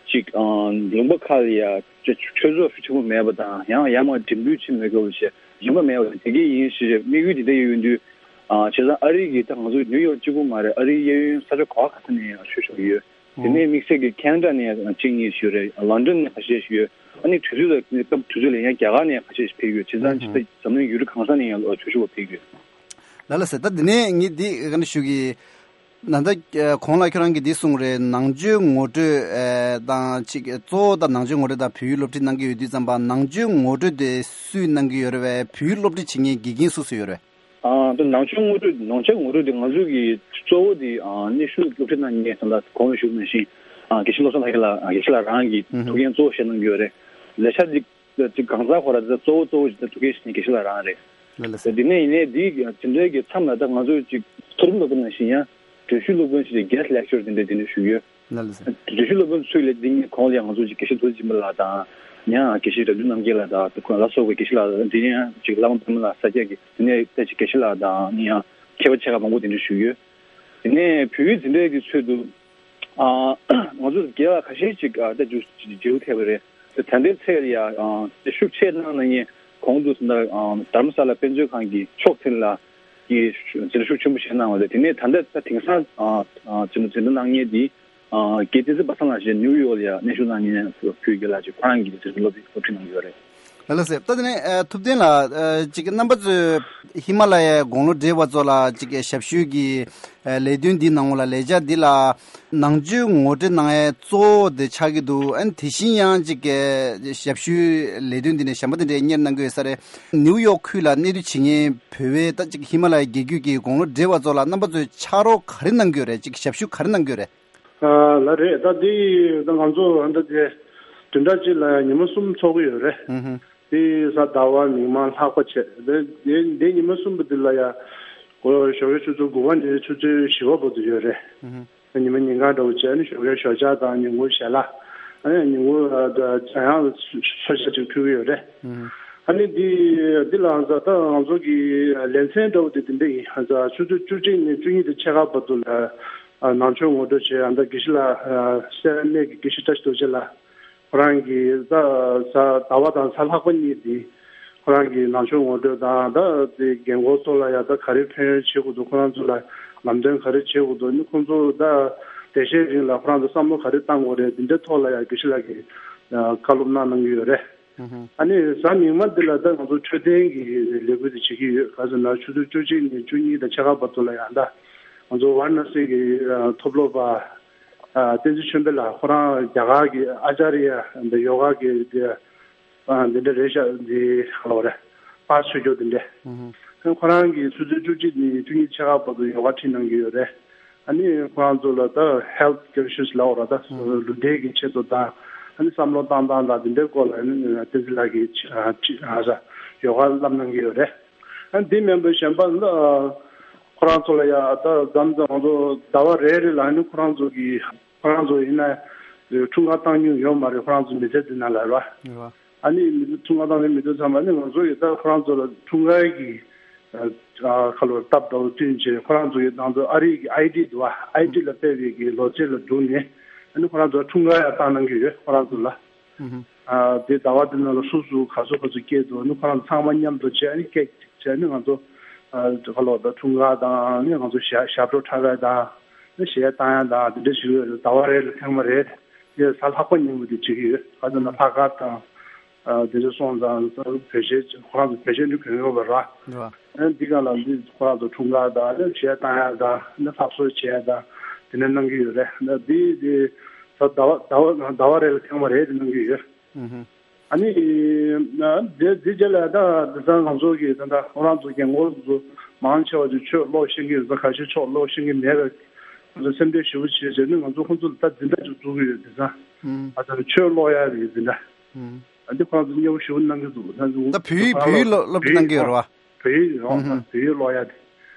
ཅིག་ལུང་པ་ཁག་ལ་ཡ་ཆོས་ཚོགས་ཤུགས་ཆེན་པོ་མེད་པ་དང་། ཡང་ཡར་མར་འགྲིམ་འགྲུལ་ཆེན་མེད་དགོས་པ་བྱས་རིན་པ་མེད་པ་དེ་གས་ཡིན་ཞེས་དམིགས་ཡུལ་འདི་འདྲ་ཡོད་དུས། བྱས་ཙང་ཨ་རི་གི་ད་ང་ཚོ་ནིའུ་ཡོག་གཅིག་པུ་མ་རེད། ཨ་རིའི་གཡས་གཡོན་ས་ཆ་ག་བ་ག་ས་ནས་ཡང་ཆོས་ཞུ་གི་ཡོད། དེ་ནས་དམིགས་བསལ་གྱི་ཁེ་ན་ཌ་ནས་ཡང་གཅིག་གཉིས་ཤིག་ཡོད་རེད། ལོན་ཌོན་ནས་ཁ་ཤས་ཤིག་ཡོད། ཨ་ནི་དུས་ཚོད་ལ་སྐབས་དུས་ཚོད་ལ་ཡང་རྒྱ་གར་ནས་ཁ་ཤས་ཤིག་ཕེབས་ཡོད། བྱས་ཙང་ཇི་ལྟར་འཛམ་གླིང་ཡུལ་གྲུ་གང་ས་ནས་ཡང་ཆོས་ཞུ་བ་ཕེབས་ཡོད། ལགས་ལགས་སེ། ད་འདི་ནས་ངས་འདི་ག་འདྲ་ཞུ་གི། ད་ལྟ་གོང་ལ་ཁྱོད་རང་གིས་འདི་གསུངས་རེད། ནང་ཆོས་ངོ་སྤྲོད་དང་ཅིག་གཙོ་བོ་ད་ནང་ཆོས་ངོ་སྤྲོད་དང་བོད་ཡིག་སློབ་ཁྲིད་གནང་གི་ཡོད་དུས་ཙམ་པ་ནང་ཆོས་ངོ་སྤྲོད་དེ་སུས་གནང་གི་ཡོད་རེད་བས། བོད་ཡིག་སློབ་ཁྲིད་བྱེད་མཁན་དགེ་རྒན་སུ་སུ་ཡོད་རེད། ཨ་ད་ནང་ཆོས་ངོ་སྤྲོད་ནང་ཆོས་ངོ་སྤྲོད་དེ་ང་ཚོ་གི་གཙོ་བོ་དེ་ཨ་གནས་བཞུགས་སློབ་ཁྲིད་གནང་མཁན་ད་ལྟ་གོང་ལ་ཞུས་པ་ནང་བཞིན་ཨ་དགེ་བཤེས་བློ་བཟང་ལྷ་རྒྱལ་ལགས། དགེ་བཤེས་ལགས་རང་གིས་ཐུགས་འགན་གཙོ་བོ་བཞེས་གནང་གི་ཡོད་རེད། ལས་འཆར་འདི་ཅིག་གང་ཟག་ཁོ་ར་དེ་ཚོ་གཙོ་བོ་གཙོ་བོ་ཞིག་ད་ཐུགས་འགན་བཞེས་མཁན་དགེ་བཤེས་ལགས་རང་རེད། ལགས་ལགས་སེ། དེ་ནས་ཡིན་ནའི་འདི་དེ་འདྲའི་གི་མཚམས་ལ་ད་ང་ཚོ་ཅིག་མཐོ་རིམ་སློབ་དཔོན་ནང་བཞིན་ཡང་འགྲེལ་བཤད་སློབ་དཔོན་ཞིག་གི་guest lecturer དེ་འདྲ་དེ་འདྲ་ཞུ་ཡོད། ལགས་ལགས་སེ། འགྲེལ་བཤད་སློབ་དཔོན་ཚུལ་ལས་འདི་ཉིད་གོང་ལ་ཡང་ང་ཚོ་ཅིག་དགེ་བཤེས་རྡོ་རྗེ་འཛིན་པ་ལགས་དང་། ཡང་དགེ་བཤེས་རབ་བྱུང་རྣམ་རྒྱལ་ལགས་དང་ཁོང་ལ་སོགས་པའི་དགེ་བཤེས་ལགས་དང་། དེ་ནས་ཡང་ཅིག་བླ་མ་པདྨ་ལགས་ས་སྐྱ་གི་དེ་ནས་ད་ཅིག་དགེ་བཤེས་ལགས་དང་ཡང་མཁས་པ་ཆེ་ཁག་མང་པོ་དེ་འདྲ་ཞུ་ཡོད། དེ་ནས་བོད་ཡིག་འཛིན་གྲྭའི་གི་ཚུལ་དུ། ཨ་ང་ཚོ་རྒན་ལགས་ཁ་ཤས་ཅིག་ཨ་ད་འཇུ་འཇུ་ཐེབས་པ་རེད། ད་ལྟའི་ཚེ་ལ་ཡ་ཨ་ཤུགས་ཆེ་གནང་གནང་མཁན་གོང་དུ་ད་ཨ་དྷ་རམ་ས་ལ་དཔེ་མཛོད་ཁང་གི་མཆོག་འཛིན་ལགས་ཀྱིས་འཛིན་གྲྭ་ཤུགས་ཆེན་པོ་བྱས་གནང་བ་རེད། དེ་ནས་ད་ལྟ་ད་དེང་སང་ཨ་ཨ་འཛིན་འཛིན་གྲྭ་གནང་མཁན་དེ་ཨ་དགེ་བསྟན་འཛིན་པ་སངས་ལགས་ཞེས་ནིའུ་ཡོག་ལ་ཡ་གནས་བཞུགས་གནང་མཁན་བོད་རྒན་ལགས་ཅིག་ཁོ་རང་གིས་འཛིན་གྲྭ་སློབ་སློབ་ཁྲིད་གནང་གི་ཡོད་རེད། ལགས་སོ། ད་དེ་ནས་ཨ་ཐུབ་བསྟན་ལགས། ཨ་ཅིག་རྣམ་པ་ཚོས་ཧི་མ་ལ་ཡའི་དགུང་ལོ་བགྲེས་པ་ཚོ་ལ་ཅིག་ཞབས་ཞུ་གི་ཨ་ལས་དོན་འདི་ནང་ལ་ལས་འཆར་འདི་ལ་ནང་ཆོས་ངོ་སྤྲོད་གནང་ཡའི་གཙོ་བོ་དེ་ཆགས་ཀྱི་འདུག་ཨ་ནི་དེ་བཞིན་ཡང་ཅིག་ཞབས་ཞུའི་ལས་དོན་འདི་ནས་གཞན་པ་དེ་འདྲའི་གཉེར་གནང་གི་ཡོད་ས་རེད། ནིའུ་ཡོག་ཁུལ་ལ་གནས་སྡོད་བྱེད་མཁན་བོད་པའི་ད་ཅིག་ཧི་མ་ལ་ཡའི་རྒྱལ་རྒྱུད་ཀྱི་དགུང་ལོ་བགྲེས་པ་ཚོ་ལ་རྣམ་པ་ཚོས་ཕྱག་རོགས་ག་རེ་གནང་གི་ཡོད་རེད། ཅིག་ཞབས་ཞུ་ག་རེ་གནང་གི་ཡོད་རེད། ཨ་ལགས་རེད། ད་འདི་ད་ང་ཚོ་ད་དེ་བདུན་ཕྲག་གཅིག་ལ་ཉི་མ་གསུམ་ཚོགས་ཀྱི་ཡོད་རེད། ཨུ་ཧུ། དེ་གཟའ་ཟླ་བ་མིག་དམར་ལྷག་པ་བྱས། དེ་དེ་དེ་ཉི་མ་གསུམ་པོ་འདི་ལ་ཡ་གོ་ཞོགས་ཀའི་ཆུ་ཚོད་དགུ་པ་ནས་ཆུ་ཚོད་བཞི་པ་བར་དུ་ཡོད་རེད། ཨུ་ཧུ། ཉི་མ་ཉིན་གང་འདྲ་བོ་བྱས་ནས་ཞོགས་ཀའི་ཞོགས་ཇ་དང་ཉིན་གུང་ཞལ་ལག་ཨ་ནི་ཉིན་གུང་ཨ་ད་ཇ་ཡང་ཚོད་ཤ་ཅིག་ཕུལ་གྱི་ཡོད་རེད། ཨུ་ཧུ། ཨ་ནི་འདི་འདི་ལ་ད་ང་ཚོ་གི་ལེ་ཚན་འདྲ་བོ་དེ་འདི་འདྲ་ཡིན། ཨ་ད་ཆུ་ཚོད་བཅུ་གཅིག་ནས་བཅུ་གཉིས་དང་ཕྱེད་ཀ་བར་དུ་ལ་ཨ་ནང་ཆོས་ངོ་སྤྲོད་བྱས། ཨ་ད་དགེ་བཤེས་ལགས་ཨ་སེ་ར་གནས་ཀྱི་དགེ་བཤེས་བཀྲ་ཤིས་རྡོ་རྗེ་ལགས་ཁོ་རང་གིས་ད་གཟའ་ཟླ་བ་དང་གཟའ་ལྷག་པ་གཉིས་འདི་ཁོ་རང་གིས་ནང་ཆོས་ངོ་སྤྲོད་དང་། ད་དེ་རྒན་གོག་ཚོ་ལ་ཡ་ད་ག་རེ་ཕན་ཡོན་བྱེད་དགོས་འདུག་ཁོ་རང་ཚོ་ལ་ལམ་སྟོན་ག་རེ་བྱེད་དགོས་འདུག་ནི་ཁོང་ཚོ་ད་བདེ་ཤེས་རིང་ལ་ཁོ་རང་ཚོ་བསམ་བློ་ག་རེ་བཏང་དགོས་རེད། འདི་འདྲའི་ཐོག་ལ་ཡ་དགེ་བཤེས་ལགས་ཀྱིས་ཨ་བཀའ་སློབ་གནང་གནང་གི་ཡོད་རེད། ཨ་ནི་གཟའ་མིག་དམར་འདི་ལ་ད་ང་ཚོ་འཕྲོད་བསྟེན་གྱི་ལས་འགུལ་དེ་བྱེད་ཀྱི་ཡོད། ག་ཟེར་ན་ཆུ་ཚོད་བཅུ་གཅིག་ནས་བཅུ་གཉིས་དང་ཕྱེད་ཀ་བར་དུ་ལ་ཡང་ད་ང་ཚོ་ཝཱ་ར་ཎ་སི་གི་ཨ་ཐོབ་སློབ་པ་ཨ་བསྟན་འཛིན་ཆོས་འཕེལ་ལགས་ཁོ་རང་རྒྱ་གར་གྱི་ཨ་ཅཱརྱ་འདི་ཡོ་ག་གི་འདི་ཨ་འདི་འདྲ་རེད་ཤག་འདི་ག་ལབ་རེད། པཱ་ཆོས་སྐྱོང་འདི་འདྲ། ཁོ་རང་གིས་ཆུ་ཚོད་བཅུ་གཅིག་ནས་བཅུ་གཉིས་ཕྱེད་ཀ་བར་དུ་ཡོ་ག་ཁྲིད་གནང་གི་ཡོད་རེད། ཨ་ནི་ཁོ་རང་ཚོ་ལ་ད་health conscious་ལབ་དགོས་རེད། ད་ལུས་འབྲེལ་གྱི་ཆེད་དུ་དང་ཨ་ནི་བསམ་བློ་བཏང་སྟངས་དང་འདི་འདྲའི་སྐོར་ལ་ཨ་ནི་བསྟན་འཛིན་ལགས་ཀྱིས་ཨ་ཅི་ཨ་ཟ་ཡོ་ག་བསླབ་གནང་གི་ཡོད་རེད། ཨ་ནི་འདི་མིན་པའི་གཞན་པ་ལ་ཁོ་རང་ཚོ་ལ་ཡ་ད་མཚམས་མཚམས་ང་ཚོ་ཟླ་བ་རེ་རེ་ལ་ཨ་ནི་ཁོ་རང་ཚོ་གི་ཁོ་རང་ཚོ་ཡིན་ན་འཁྲུངས་སྐར་བཏང་མྱོང་ཡོད་མ་རེད། ཁོ་རང་ཚོ་མི་ཚེ་འདི་ནང་ལ་རེད་བ། ཨ་ནི་མི་ཚེ་འཁྲུངས་སྐར་བཏང་མྱོང་མི་འདུག་ཚང་མ་ནི་ང་ཚོ་ཡི་ད་ཁོ་རང་ཚོ་ལ་འཁྲུངས་སྐར་གྱི་ཨ་ཁ་ལོ་སྟབས་དང་བསྟུན་བྱས་ཁོ་རང་ཚོ་ཡི་ནང་དུ་ཨ་རི་གི་ཨའི་ཌི་འདུག་བ། ཨའི་ཌི་ལ་དཔེ་བའི་གི་ལོ་ཚད་ལ་བསྡུར་ནས་ཨ་ནི་ཁོ་རང་ཚོ་འཁྲུངས་སྐར་ཡང་བཏང་གནང་གི་ཡོད། ཁོ་རང་ཚོ་ལ་ཨ་དེ་ཟླ་བ་དེ་ནང་ལ་སུ་སུ་ག་ཚོད་ག་ཚོད་སྐྱེས་འདུག་ཨ་ནི་ཁོ་རང་ཚང་མ་མཉམ་དུ་བྱས་ཨ་ནི་ཀེག་བྱས་ཨ་ནི་ང་ཚོ་ཨ་ཁ་ལོ་ད་འཁྲུངས་སྐར་དང་ཨ་ནི་ང་ཚོ་ཞབས་ཞབས་བྲོ་འཁྲབ་ཡ་དང་ཨ་ནི་གཞས་བཏང་ཡ་དང་དེ་འདྲ་ཞིག་ཡོད་རེད། ཟླ་བ་རེ་ལ་ཐེངས་མ་རེ། དེ་གཟའ་ལྷག་པ་ཉིན་མོ་དེ་བྱེད་ཀྱི་ཡོད། ག་ཚོད་ན་ལྷག་དཀར་དང་། ཨ་དེ་ཚོ་སོང་ཙང་བོད་གཞས་ཁོ་རང་ཚོ་བོད་གཞས་འདི་གོན་ཡོད་པ་ར། ཨ་འདི་ག་ལ་འདི་ཁོ་རང་ཚོ་འཁྲུངས་སྐར་དང་ཨ་གཞས་བཏང་ཡ་དང་ཨ་ལྷ་གསོལ་བྱེད་ཡ་དང་དེ་འདྲ་གནང་གི་ཡོད་རེད། ཨ་འདི་དེ་ཟླ་བ་ཟླ་བ་ཟླ་བ་རེ་ལ་ཐེངས་མ་རེ་དེ་གནང་གི་ཡོད། ཨ་ནི་དེ་དེ་རྗེས་ལ་ད་དེང་སང་ང་ཚོ་གི་ད་ལྟ་ཁོ་རང་ཚོ་རྒན་གོག་ཚོ་མང་ཆེ་བ་ཚོ་ཆོས་ཀློག་ཤེས་ཀྱི་ཡོད་ཙང་ཁ་ཤས་ཆོས་ཀློག་ཤེས་ཀྱི་མེད་པས་ང་ཚོ་སེམས་ཁྲལ་ཞེ་པོ་བྱས་བྱས་ནས་ང་ཚོ་ཁོང་ཚོ་ལ་ད་འཛིན་གྲྭ་ཅིག་བཙུགས་ཀྱི་ཡོད། དེང་སང་ཨ་ད་ཆོས་ཀློག་ཡ་རེད་འཛིན་གྲྭ། ཨ་འདི་ཁོ་རང་ཚོ་མཉེས་པོ་ཞེ་པོ་གནང་གི་འདུག་ད་ཚོ་ད་བོད་ཡིག་བོད་ཡིག་སློབ་སློབ་ཁྲིད་གནང་གི་ཡོད་རེད་བ། བོད་ཡིག་རེད་བ། ཨུ་ཧུ། བོད་ཡིག་ཀློག་ཡ་དེ།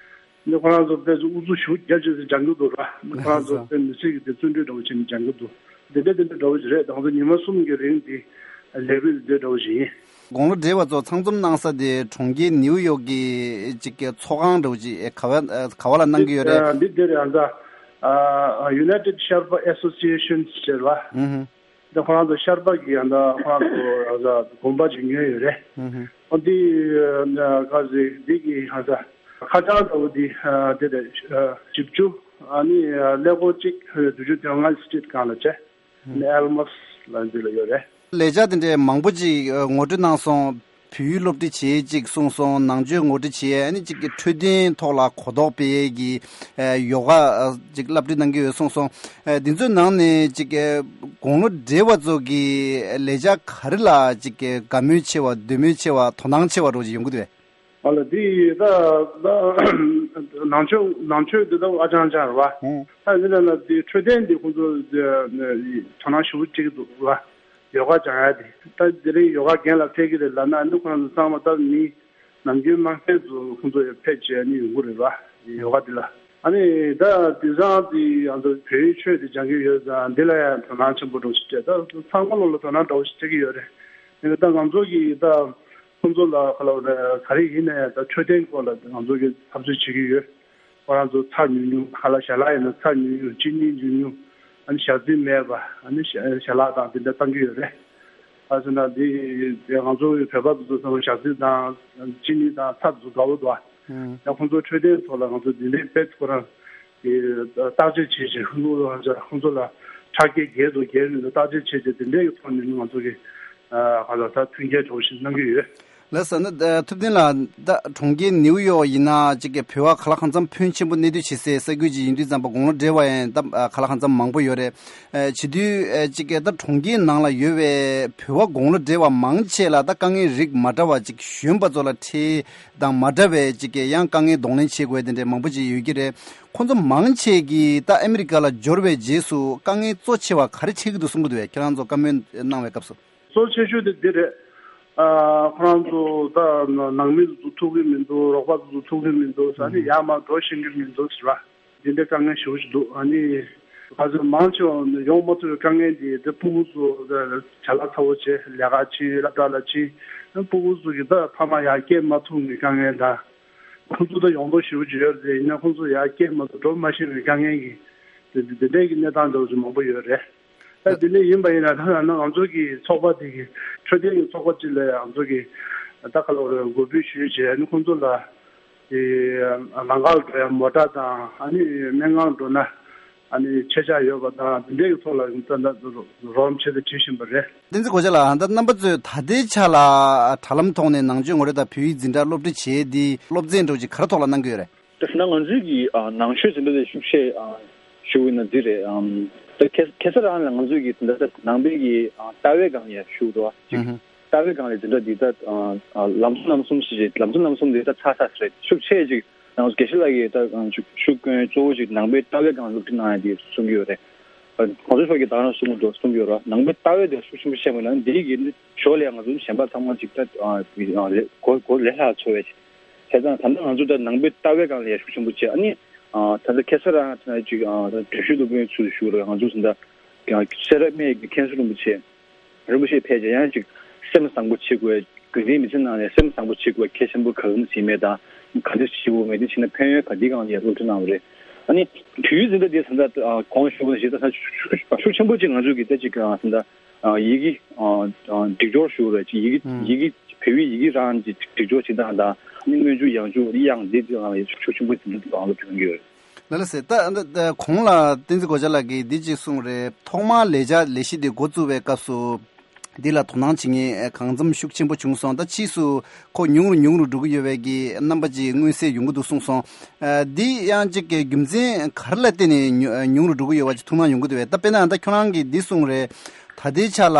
འདི་ཁོ་རང་ཚོ་དཔེ་ཚོ་ཨུ་ཚུགས་ཞེ་པོ་རྒྱབ་བྱས་ཚེ་སྦྱང་གི་འདུག་ར། འདི་ཁོ་རང་ཚོ་དཔེ་མི་སྲིད་ཀྱི་དེ་བརྩོན་འགྲུས་འདྲ་བོ་བྱས་ནས་སྦྱང་གི་འདུག་འདི་འདྲ་འདི་འདྲ་འདྲ་བོ་ཞིག་རེད། ད་ང་ཚོ་ཉི་མ་གསུམ་གྱི་རིང་འདི་ལས་འགུལ་འདི་འདྲ་བོ་ཞིག་ཡིན། དགུང་ལོ་བགྲེས་པ་ཚོ་ཚང་འཛོམས་གནང་ས་དེ་གྲོང་ཁྱེར་ནིའུ་ཡོག་གི་ཅིག་གི་ཚོགས་ཁང་འདྲ་བོ་ཅིག་ག་བ་ག་བ་ལ་གནང་གི་ཡོད་རེད། འདི་འདི་རེད། ཨ་ད་United Sherpa Association་ཟེར་བ། ཨུ་ཧུ། འདི་ཁོ་རང་ཚོ་ཤར་པ་གི་ཡང་ད་ཁོ་རང་ཚོ་ཨ་ད་དགོན་པ་ཅིག་ཉོས་ཡོད་རེད། ཨུ་ཧུ། ཨ་འདི་ཨ་ག་ཟེ་འདི་གི་ཨ་ད་ཁ་བྱང་འདྲ་བོ་འདི་ཨ་དེ་རེད། ཨ་བཞི་བཅུ་ཨ་ནི་ཨ་ཀླད་ཀོར་གཅིག་བདུན་ཅུ་དོན་ལྔ་སི་ཊི་རིཊ་སྒང་ལ་བྱས། ཨ་ནི་ཨལ་མོ་སི་ལ་འདི་ལ་ཡོད་རེད། ལས་འཆར་དེ་འདྲའི་མང་པོ་ཅིག་ཨ་ངོ་སྤྲོད་གནང་སོང་། བོད་ཡིག་སློབ་ཁྲིད་བྱེད་ཅིག་གསུངས་སོང་། ནང་ཆོས་ངོ་སྤྲོད་བྱེད། ཨ་ནི་ཅིག་གི་འཕྲོད་བསྟེན་ཐོག་ལ་གོ་རྟོགས་སྤེལ་ཡས་ཀྱི་ཨ་ཡོ་ག་ཨ་ཅིག་བསླབ་ཁྲིད་གནང་གི་ཡོད་གསུངས་སོང་། ཨ་འདི་ཚོའི་ནང་ནས་ཅིག་གི་དགུང་ལོ་བགྲེས་པ་ཚོ་གི་ལས་འཆར་ག་རེ་ལ་ཅིག་གི་དགའ་མོས་ཆེ་བ་འདོད་མོས་ཆེ་བ་དོ་སྣང་ཆེ་བ་འདྲ་བོ་ཅིག་ཡོང་གི་འདུག་གས། ཨ་ལ་འདི་ད་ད་ནང་ཆོས་ནང་ཆོས་འདི་ད་ཨ་ཅང་ཅང་རེད་བ། ཨོ། ད་འདི་ལ་ལ་འདི་འཕྲོད་བསྟེན་འདི་ཁོང་ཚོ་དོ་སྣང་ཞེ་པོ་སྤྲད་ཀྱི་འདུག་བ། ཡོ་ག་སྦྱང་ཡ་དེ། ད་དེ་རིང་ཡོ་ག་རྒན་ལགས་ཕེབས་ཀྱི་རེད་ལབ་ན་འདི་ཁོ་རང་ཚོ་ཚང་མ་ད་མི་ནམ་རྒྱུན་དམངས་ཕན་ཚོ་ཁོང་ཚོ་ཡར་ཕེབས་བྱས་ནས་ཡོང་གི་རེད་བ། ཡོ་ག་འདི་ལ། ཨ་ནི་ད་དེང་སང་དེ་ང་ཚོ་བོད་ཡིག་ཆོས་དེ་སྦྱང་གི་ཡོད་ཙང་འདི་ལ་ཡང་དོ་སྣང་ཆེན་པོ་འདྲ་བོ་ཞིག་སྤྲད། ད་ཚང་མ་ལོ་ལ་དོ་སྣང་འདྲ་བོ་ཞིག་སྤྲད་ཀྱི་ཡོད་རེད། ཡིན་ན་ད་ང་ཚོ་གི་ད་ཁོང་ཚོ་ལ་ག་ལ་ག་རེ་ཡིན་ན་ཡང་ད་འཕྲོད་བསྟེན་སྐོར་ལ་ང་ཚོ་གི་འཐབ་རྩོད་བྱེད་ཀྱི་ཡོད། ཁོ་རང་ཚོ་ཚྭ་ཉུང་ཉུང་། ཁ་ལག་ཞལ་ལག་ཡིན་ན་ཚྭ་ཉུང་ཉུང་། ཅི་ནི་ཉུང་ཉུང་། ཨ་ནི་ཞག་རྩི་མེད་པ། ཨ་ནི་ཞལ་ཞལ་ལག་དང་དེ་འདྲ་བཏང་གི་ཡོད་རེད། ཨ་ཟེར་ན་འདི་ང་ཚོ་བོད་པ་ཚོ་ཚང་མ་ཞག་རྩི་དང་ཅི་ནི་དང་ཚྭ་ཚོ་དགའ་བོ་འདུག་ཨ། ཡང་ཁོང་ཚོ་འཕྲོད་བསྟེན་ཐོག་ལ་ང་ཚོ་འདི་འདྲའི་དཔེ་ཁོ་རང་གི་བརྟག་དཔྱད་བྱེད་བྱེད་ཁོང་ཚོ་ཁོང་ཚོ་ལ་ཁྲག་རྒྱས་རྒྱས་འདུག་རྒྱས་མི་འདུག་བརྟག་དཔྱད་བྱེད་བྱེད་དེ་འདྲའི་གི་ཐོག་ནས་ང་ཚོ་གི་ ག་ལ་ད་མཐུན་རྐྱེན་འདྲ་བོ་ཞིག་གནང་གི་ཡོད། ལགས་སོ། ན་ཐུབ་བསྟན་ལགས། ད་གྲོང་ཁྱེར་ནེའུ་ཡོག་ཡིན་ན་ཅིག་གི་བོད་པ་ག་ལ་གང་འཚམ་ཕོན་ཆེན་པོ་གནས་སྡོད་བྱེད་སའི་ས་ཁུལ་ཅིག་ཡིན་དུས་ཙམ་པ་དགུང་ལོ་བགྲེས་པ་ཡང་ད་ག་ལ་གང་འཚམ་མང་པོ་ཡོད་རེད། བྱེད་དུས་ཅིག་གི་ད་གྲོང་ཁྱེར་ནང་ལ་ཡོད་པའི་བོད་པ་དགུང་ལོ་བགྲེས་པ་མང་ཆེ་ལ་ད་དཀའ་ངལ་རིགས་མ་འདྲ་བ་ཅིག་གཞོན་པ་ཚོ་ལ་འཕྲད་དང་མ་འདྲ་བའི་ཅིག་གི་ཡང་དཀའ་ངལ་གདོང་ལེན་བྱེད་དགོས་དེ་འདྲའི་མང་པོ་ཅིག་ཡོད་ཀྱི་རེད། ཁོང་ཚོ་མང་ཆེ་གིས་ད་ཨ་མི་རི་ཀ་ལ་འབྱོར་བའི་རྗེས་སུ་དཀའ་ངལ་གཙོ་ཆེ་བ་ག་རེ་འཕྲད་ཀྱི་འདུག་གསུང་གི་འདུག་བས། ཁྱེད་རང་ཚོ་བཀའ་མོལ་གནང་བའི་སྐབས་སུ། གཙོ་ཆེ་ཤོས་དེ་འདི་རེད། ཨ། ཁོ་རང་ཚོ་ད་ནང་མི་ཚོ་ཐུག་གི་མི་འདུག་རོགས་པ་ཚོ་ཐུག་གི་མི་འདུག་ཨ་ནི་ཡར་མར་འགྲོ་ཤེས་ཀྱི་མི་འདུག་ཟེར་བ། འདི་འདྲའི་དཀའ་ངལ་ཞེ་པོ་ཅིག་འདུག་ཨ་ནི་ང་ཚོ་མང་ཆེ་བ་ཡོང་མ་ཐུབ་པའི་དཀའ་ངལ་འདི་འདི་སྤུ་གུ་ཚོ་བྱ་ལ་ཚ་བོ་བྱས་ལས་ཀ་ཕྱིན་སློབ་གྲྭ་ལ་ཕྱིན། སྤུ་གུ་ཚོ་གི་ད་ཕ་མ་ཡར་སྐྱེལ་མ་ཐུབ་པའི་དཀའ་ངལ་དང་། ཁོང་ཚོ་ད་ཡོང་འདོད་ཞེ་པོ་ཅིག་ཡོད་རེད། ཡིན་ན་ཁོང་ཚོ་ཡར་སྐྱེལ་མ་ཐུབ་འགྲོ་མ་ཤེས་པའི་དཀའ་ངལ་གྱི་འདི་འདི་འདྲའི་གི་གནས་སྟངས་འདྲ་བོ་ཅིག་མང་པོ་ཡོད་རེད། ད་དེ་འདྲ་ཡིན་པ་ཡིན་ན་ད་ང་ཚོ་གི་ཚོགས་པ་དེ་གི་འཕྲོད་བསྟེན་གྱི་ཚོགས་པ་གཅིག་ལ་ང་ཚོ་གི་ད་ག་ལ་རེད་འགོ་འབུས་ཞུས་བྱས་ཨ་ནི་ཁོང་ཚོ་ལ་དེ་ལམ་ཁར་འགྲོ་ཡ་མོ་ཊ་དང་ཨ་ནི་སྨན་ཁང་འགྲོ་ན་ཨ་ནི་ཆད་ཆག་ཡོད་པ་དང་དེ་འདྲའི་གི་ཐོག་ལ་ད་ད་རོགས་རམ་བྱེད་དུ་བྱེད་བཞིན་པ་རེད། བསྟན་འཛིན་གོ་ཆ་ལགས། ད་རྣམ་པ་ཚོས་ད་ལྟའི་ཆ་ལ་དྲ་ལམ་ཐོག་ནས་ནང་ཆོས་ངོ་སྤྲོད་དང་བོད་ཡིག་འཛིན་གྲྭ་སློབ་ཁྲིད་བྱེད་དེ་སློབ་ཚན་འགྲོ་ཅིག་ག་རེ་ཐོག་ལ་གནང་གི་ཡོད་རེད། ད་ང་ཚོའི་གི་ཨ་ནང་ཆོས་འཛིན་གྲྭ་དེ་ཤུགས་ཆེ་ཨ་ཞུ་བ་ཡིན་ན་འདི་རེད། ཨམ། ད་ཁ་ཁ་སང་རང་ལ་ང་ཚོའི་གི་ད་ད་ནང་པའི་གི་ཨ་ལྟ་བའི་སྒང་ལ་ཡ་ཞུ་འགྲོ་བ་ཅིག་ཨུ་ཧུ། ལྟ་བའི་སྒང་ལ་འཛིན་གྲྭ་འདི་ད་ཨ་ཨ་ལམ་གསུམ་རྣམ་གསུམ་ཞེས་བྱས་ལམ་གསུམ་རྣམ་གསུམ་འདི་ད་ཚར་ཚར་རེད། ཤུགས་ཆེ་ཅིག་ང་ཚོ་དགེ་བཤེས་ལགས་ཀྱིས་ད་ཨ་ཤུགས་ཤུགས་སྐྱོན་གཙོ་བོ་ཅིག་ནང་པའི་ལྟ་བའི་སྒང་ལ་སློབ་ཁྲིད་གནང་ཡ་དེ་གསུང་གི་ཡོད་རེད། ཨ་གོང་ས་མཆོག་གིས་ད་རང་གསུང་གི་འདུག་གསུང་གི་ཡོད་རེད། ནང་པའི་ལྟ་བའི་དེ་ཤུགས་ཆེན་པོ་བཤད་པ་ཡིན་ན་འདི་གི་ཕྱོགས་ལ་ང་ཚོ་གཞན་པ་ཚང་མ་ཅིག་ད་ཨ་ཨ་ལས་གོ་གོ་ལས་སླ་ཚོར་བའི་ཅིག་བྱས་ཙང་ད་ལྟ་ང་ཚོ་ད་ནང་པའི་ལྟ་བའི་སྒང་ལ་ཡ་ཤུགས་ཆེན་པོ་བྱས། ཨ་ནི་ཨ་ད་ལྟ་ཁ་སང་རང་ད་ཅིག་ཨ་ད་བགྲེས་ཤོས་སློབ་དཔོན་ཚུལ་ཞུ་རོགས། ང་ཚོ་ད་ལྟ་སེ་ར་སྨད་ཀྱི་མཁན་ཟུར་རིན་པོ་ཆེ་རིན་པོ་ཆེ་ཕལ་ཆེར་ཡང་ཅིག་སེམས་བཟང་པོ་བྱེད་དགོས། དགོན་སྡེའི་མི་ཚེ་ནང་ནས་སེམས་བཟང་པོ་བྱེད་དགོས། གལ་ཆེན་པོ་གང་བྱེད་མེད་དང་ག་འདྲ་བྱེད་དགོས་མེད་དེ་བྱས་ན་ཕན་ཡོན་ག་འདི་སྒང་ལ་ཡ་སློབ་ཁྲིད་གནང་བ་རེད། ཨ་ནི་དུས་ཡུན་འཛིན་གྲྭ་འདི་ད་ལྟ་གོང་ཞུ་བ་ཞིག་ད་ལྟ་ཤུགས་ཆེན་པོ་ཅིག་ང་ཚོ་གི་ད་ཅིག་ད་ལྟ་ཡི་གེ་སྒྲིག་སྦྱོར་ཞུ་བ་རེད། ཅིག་ཡི་གེ་ཡི་གེ་བོད་ཡིག་ཡི་གེ་རང་གི་སྒྲིག་སྦྱོར་བྱེད་སྟངས་དང་ཨ་ནི་སྔོན་འཇུག་ཡང་འཇུག་དབྱངས་འདི་དེ་ལ་ཡང་ཤུགས་ཆེན་པོ་ཞིག་འདུག་ཨང་ལ་བྱུང་ཡོད། ལ་ལ་ཟེར་ད་ད་གོང་ལ་བསྟན་འཛིན་གོ་ཆ་ལགས་ཀྱིས་འདི་གཅིག་གསུངས་རེད། ཐོག་མར་ལས་བྱ་ལས་གཞི་འདི་འགོ་བཙུགས་པའི་སྐབས་སུ་འདི་ལ་དོ་སྣང་བྱེད་མཁན་གང་འཚམ་ཤུགས་ཆེན་པོ་བྱུང་སོང་། ད་ཕྱིས་སུ་ཁོ་ཉུང་རུ་ཉུང་རུ་འགྲོ་གི་ཡོད་པའི་གི་རྣམ་པ་ཅིག་མངོན་གསལ་ཡོང་གི་འདུག་གསུངས་སོང་། ཨ་འདི་ཡང་གཅིག་གི་རྒྱུ་མཚན་ག་རེ་ལ་བརྟེན་ནས་ཉུ་ཉུང་རུ་འགྲོ་གི་ཡོད་པ་ཅིག་ཐུགས་སྣང་ཡོང་གི་འདུག་བས། ད་དཔེར་ན་ད་ཁྱོད་རང་གིས་འདི་གསུངས་རེད། ད་ལྟའི་ཆ་ལ་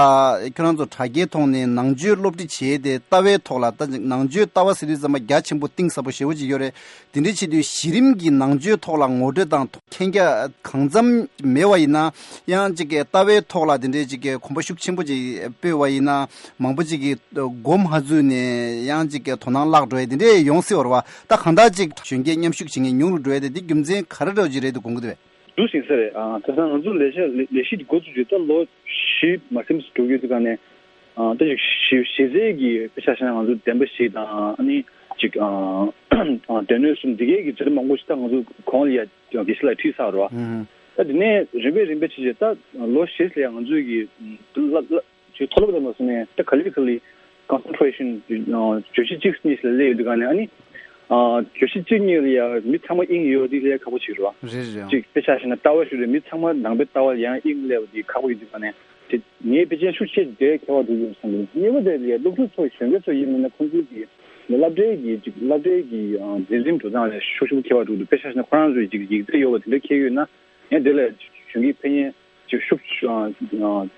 ཁྱོད་རང་ཚོ་དྲ་རྒྱའི་ཐོག་ནས་ནང་ཆོས་སློབ་ཁྲིད་བྱས་ཏེ་ལྟ་བའི་ཐོག་ལ་ད་ནང་ཆོས་ལྟ་བ་ཟེར་དུས་ཙམ་པ་རྒྱ་ཆེན་པོ་གཏིང་ཟབ་པོ་ཞེ་པོ་ཅིག་ཡོད་རེད། དེ་འདྲའི་ཆེད་དུ་གཞི་རིམ་གྱི་ནང་ཆོས་ཐོག་ལ་ངོ་སྤྲོད་དང་མཁྱེན་རྒྱ་གང་འཚམ་མེད་པ་ཡིན་ན་ཡང་ཅིག་གི་ལྟ་བའི་ཐོག་ལ་དེ་འདྲའི་ཅིག་གི་གོམ་པ་ཤུགས་ཆེན་པོ་ཅིག་སྤོས་པ་ཡིན་ན་མང་པོ་ཅིག་གིས་མགོ་མ་འཛུགས་ནས་ཡང་ཅིག་གི་དོ་སྣང་བརླག་འགྲོ་ཡ་དེ་འདྲའི་ཡོང་སྲིད་པ་རེད་བ། ད་གང་ལྟར་ཅིག་གཞོན་སྐྱེས་མཉམ་ཞུགས་བྱེད་མཁན་ཉུང་རུ་འགྲོ་ཡ་དེ་འདི་རྒྱུ་མཚན་ག་རེ་འདྲ་བོ་ཅིག་རེད་དུ་དགོངས་ཀྱི་འདུག་བས། འདུག་ཟིན་ས་རེད། ཨ་དེང་སང་ང་ཚོ་ལས་བྱ་ལས་ལས་གཞི་འདི་འགོ་བཙུགས་རྗེས་ད་ལོ་བཞི་མ་ཟིན་ཙམ་འགྲོ་གི་ཡོད་དུས་ག་ནས་ཨ་ད་ཅིག་གཞི་གཞི་རྩའི་གི་དཔེ་ཆ་བཞག་ན་ང་ཚོ་བདེན་པ་བཞི་དང་ཨ་ནི་ཅིག་ཨ་ཨ་སྡེ་སྣོད་གསུམ་འདི་གའི་གི་འཛིན་གྲྭ་མང་པོ་ཞིག་ད་ང་ཚོ་གོང་ལ་ཡ་དགེ་བཤེས་ལགས་ཁྲིད་ཚར་རོ། ཨ་ད་དེ་ནས་རིམ་པས་རིམ་པས་བྱས་རྗེས་ད་ལོ་བཞི་ལ་ཡ་ང་ཚོའི་གི་བསླབ་བསླབ་ཅིག་མཐོ་སློབ་དང་མ་སོང་ནས་ད་ག་ལེ་ག་ལེ་concentration ཨ་བརྗོད་གཞི་གཅིག་གཉིས་ལ་སླེབས་ཡོད་དུས་ག་ནས་ཨ་ནི་ཨ་བརྗོད་གཞི་གཅིག་གཉིས་ལ་ཡ་མི་ཚང་མ་དབྱིངས་ཡོད་དེ་སླེབས་ཁག་པོ་ཅིག་རེད་བ། རེད་རེད། ཅིག་དཔེ་ཆ་བཞག་ན་ལྟ་བ་ཞུ་རེད། མི་ཚང་མ་ནང་པའི་ལྟ་བ་ལ་ཡང་དབྱིངས་སླེབས་དེ་ཁག་པོ་ཡོད་དུས་ག་ནས་དེ་ངའི་དཔེ་ཅན་ཤུགས་ཆེ་དེ་ཁྱད་པར་འགྲོ་གི་ཡོད་བསམ་གི་འདུག་གཉིས་པ་དེ་ལ་ཡ་སློབ་ཕྲུག་ཚོ་གཞོན་སྐྱེས་ཚོ་ཡིན་མིན་ན་ཁོང་ཚོའི་གི་སློབ་གྲྭའི་གི་ཅིག་སློབ་གྲྭའི་གི་ཨ་འཛིན་རིམ་འགྲོ་སྟངས་ལ་ཤུགས་ཆེན་པོ་ཁྱད་པར་འགྲོ་གི་འདུག་དཔེ་ཆ་བཞག་ན་ཁོ་རང་ཚོའི་ཅིག་ཡིག་ཚད་ཡོད་པ་དེ་འདྲ་འཁྱེར་ཡོད་ན་ཡང་དེ་ལ་གཞོན་སྐྱེས་ཕན་ཡོན་ཅིག་ཤུགས་ཨ་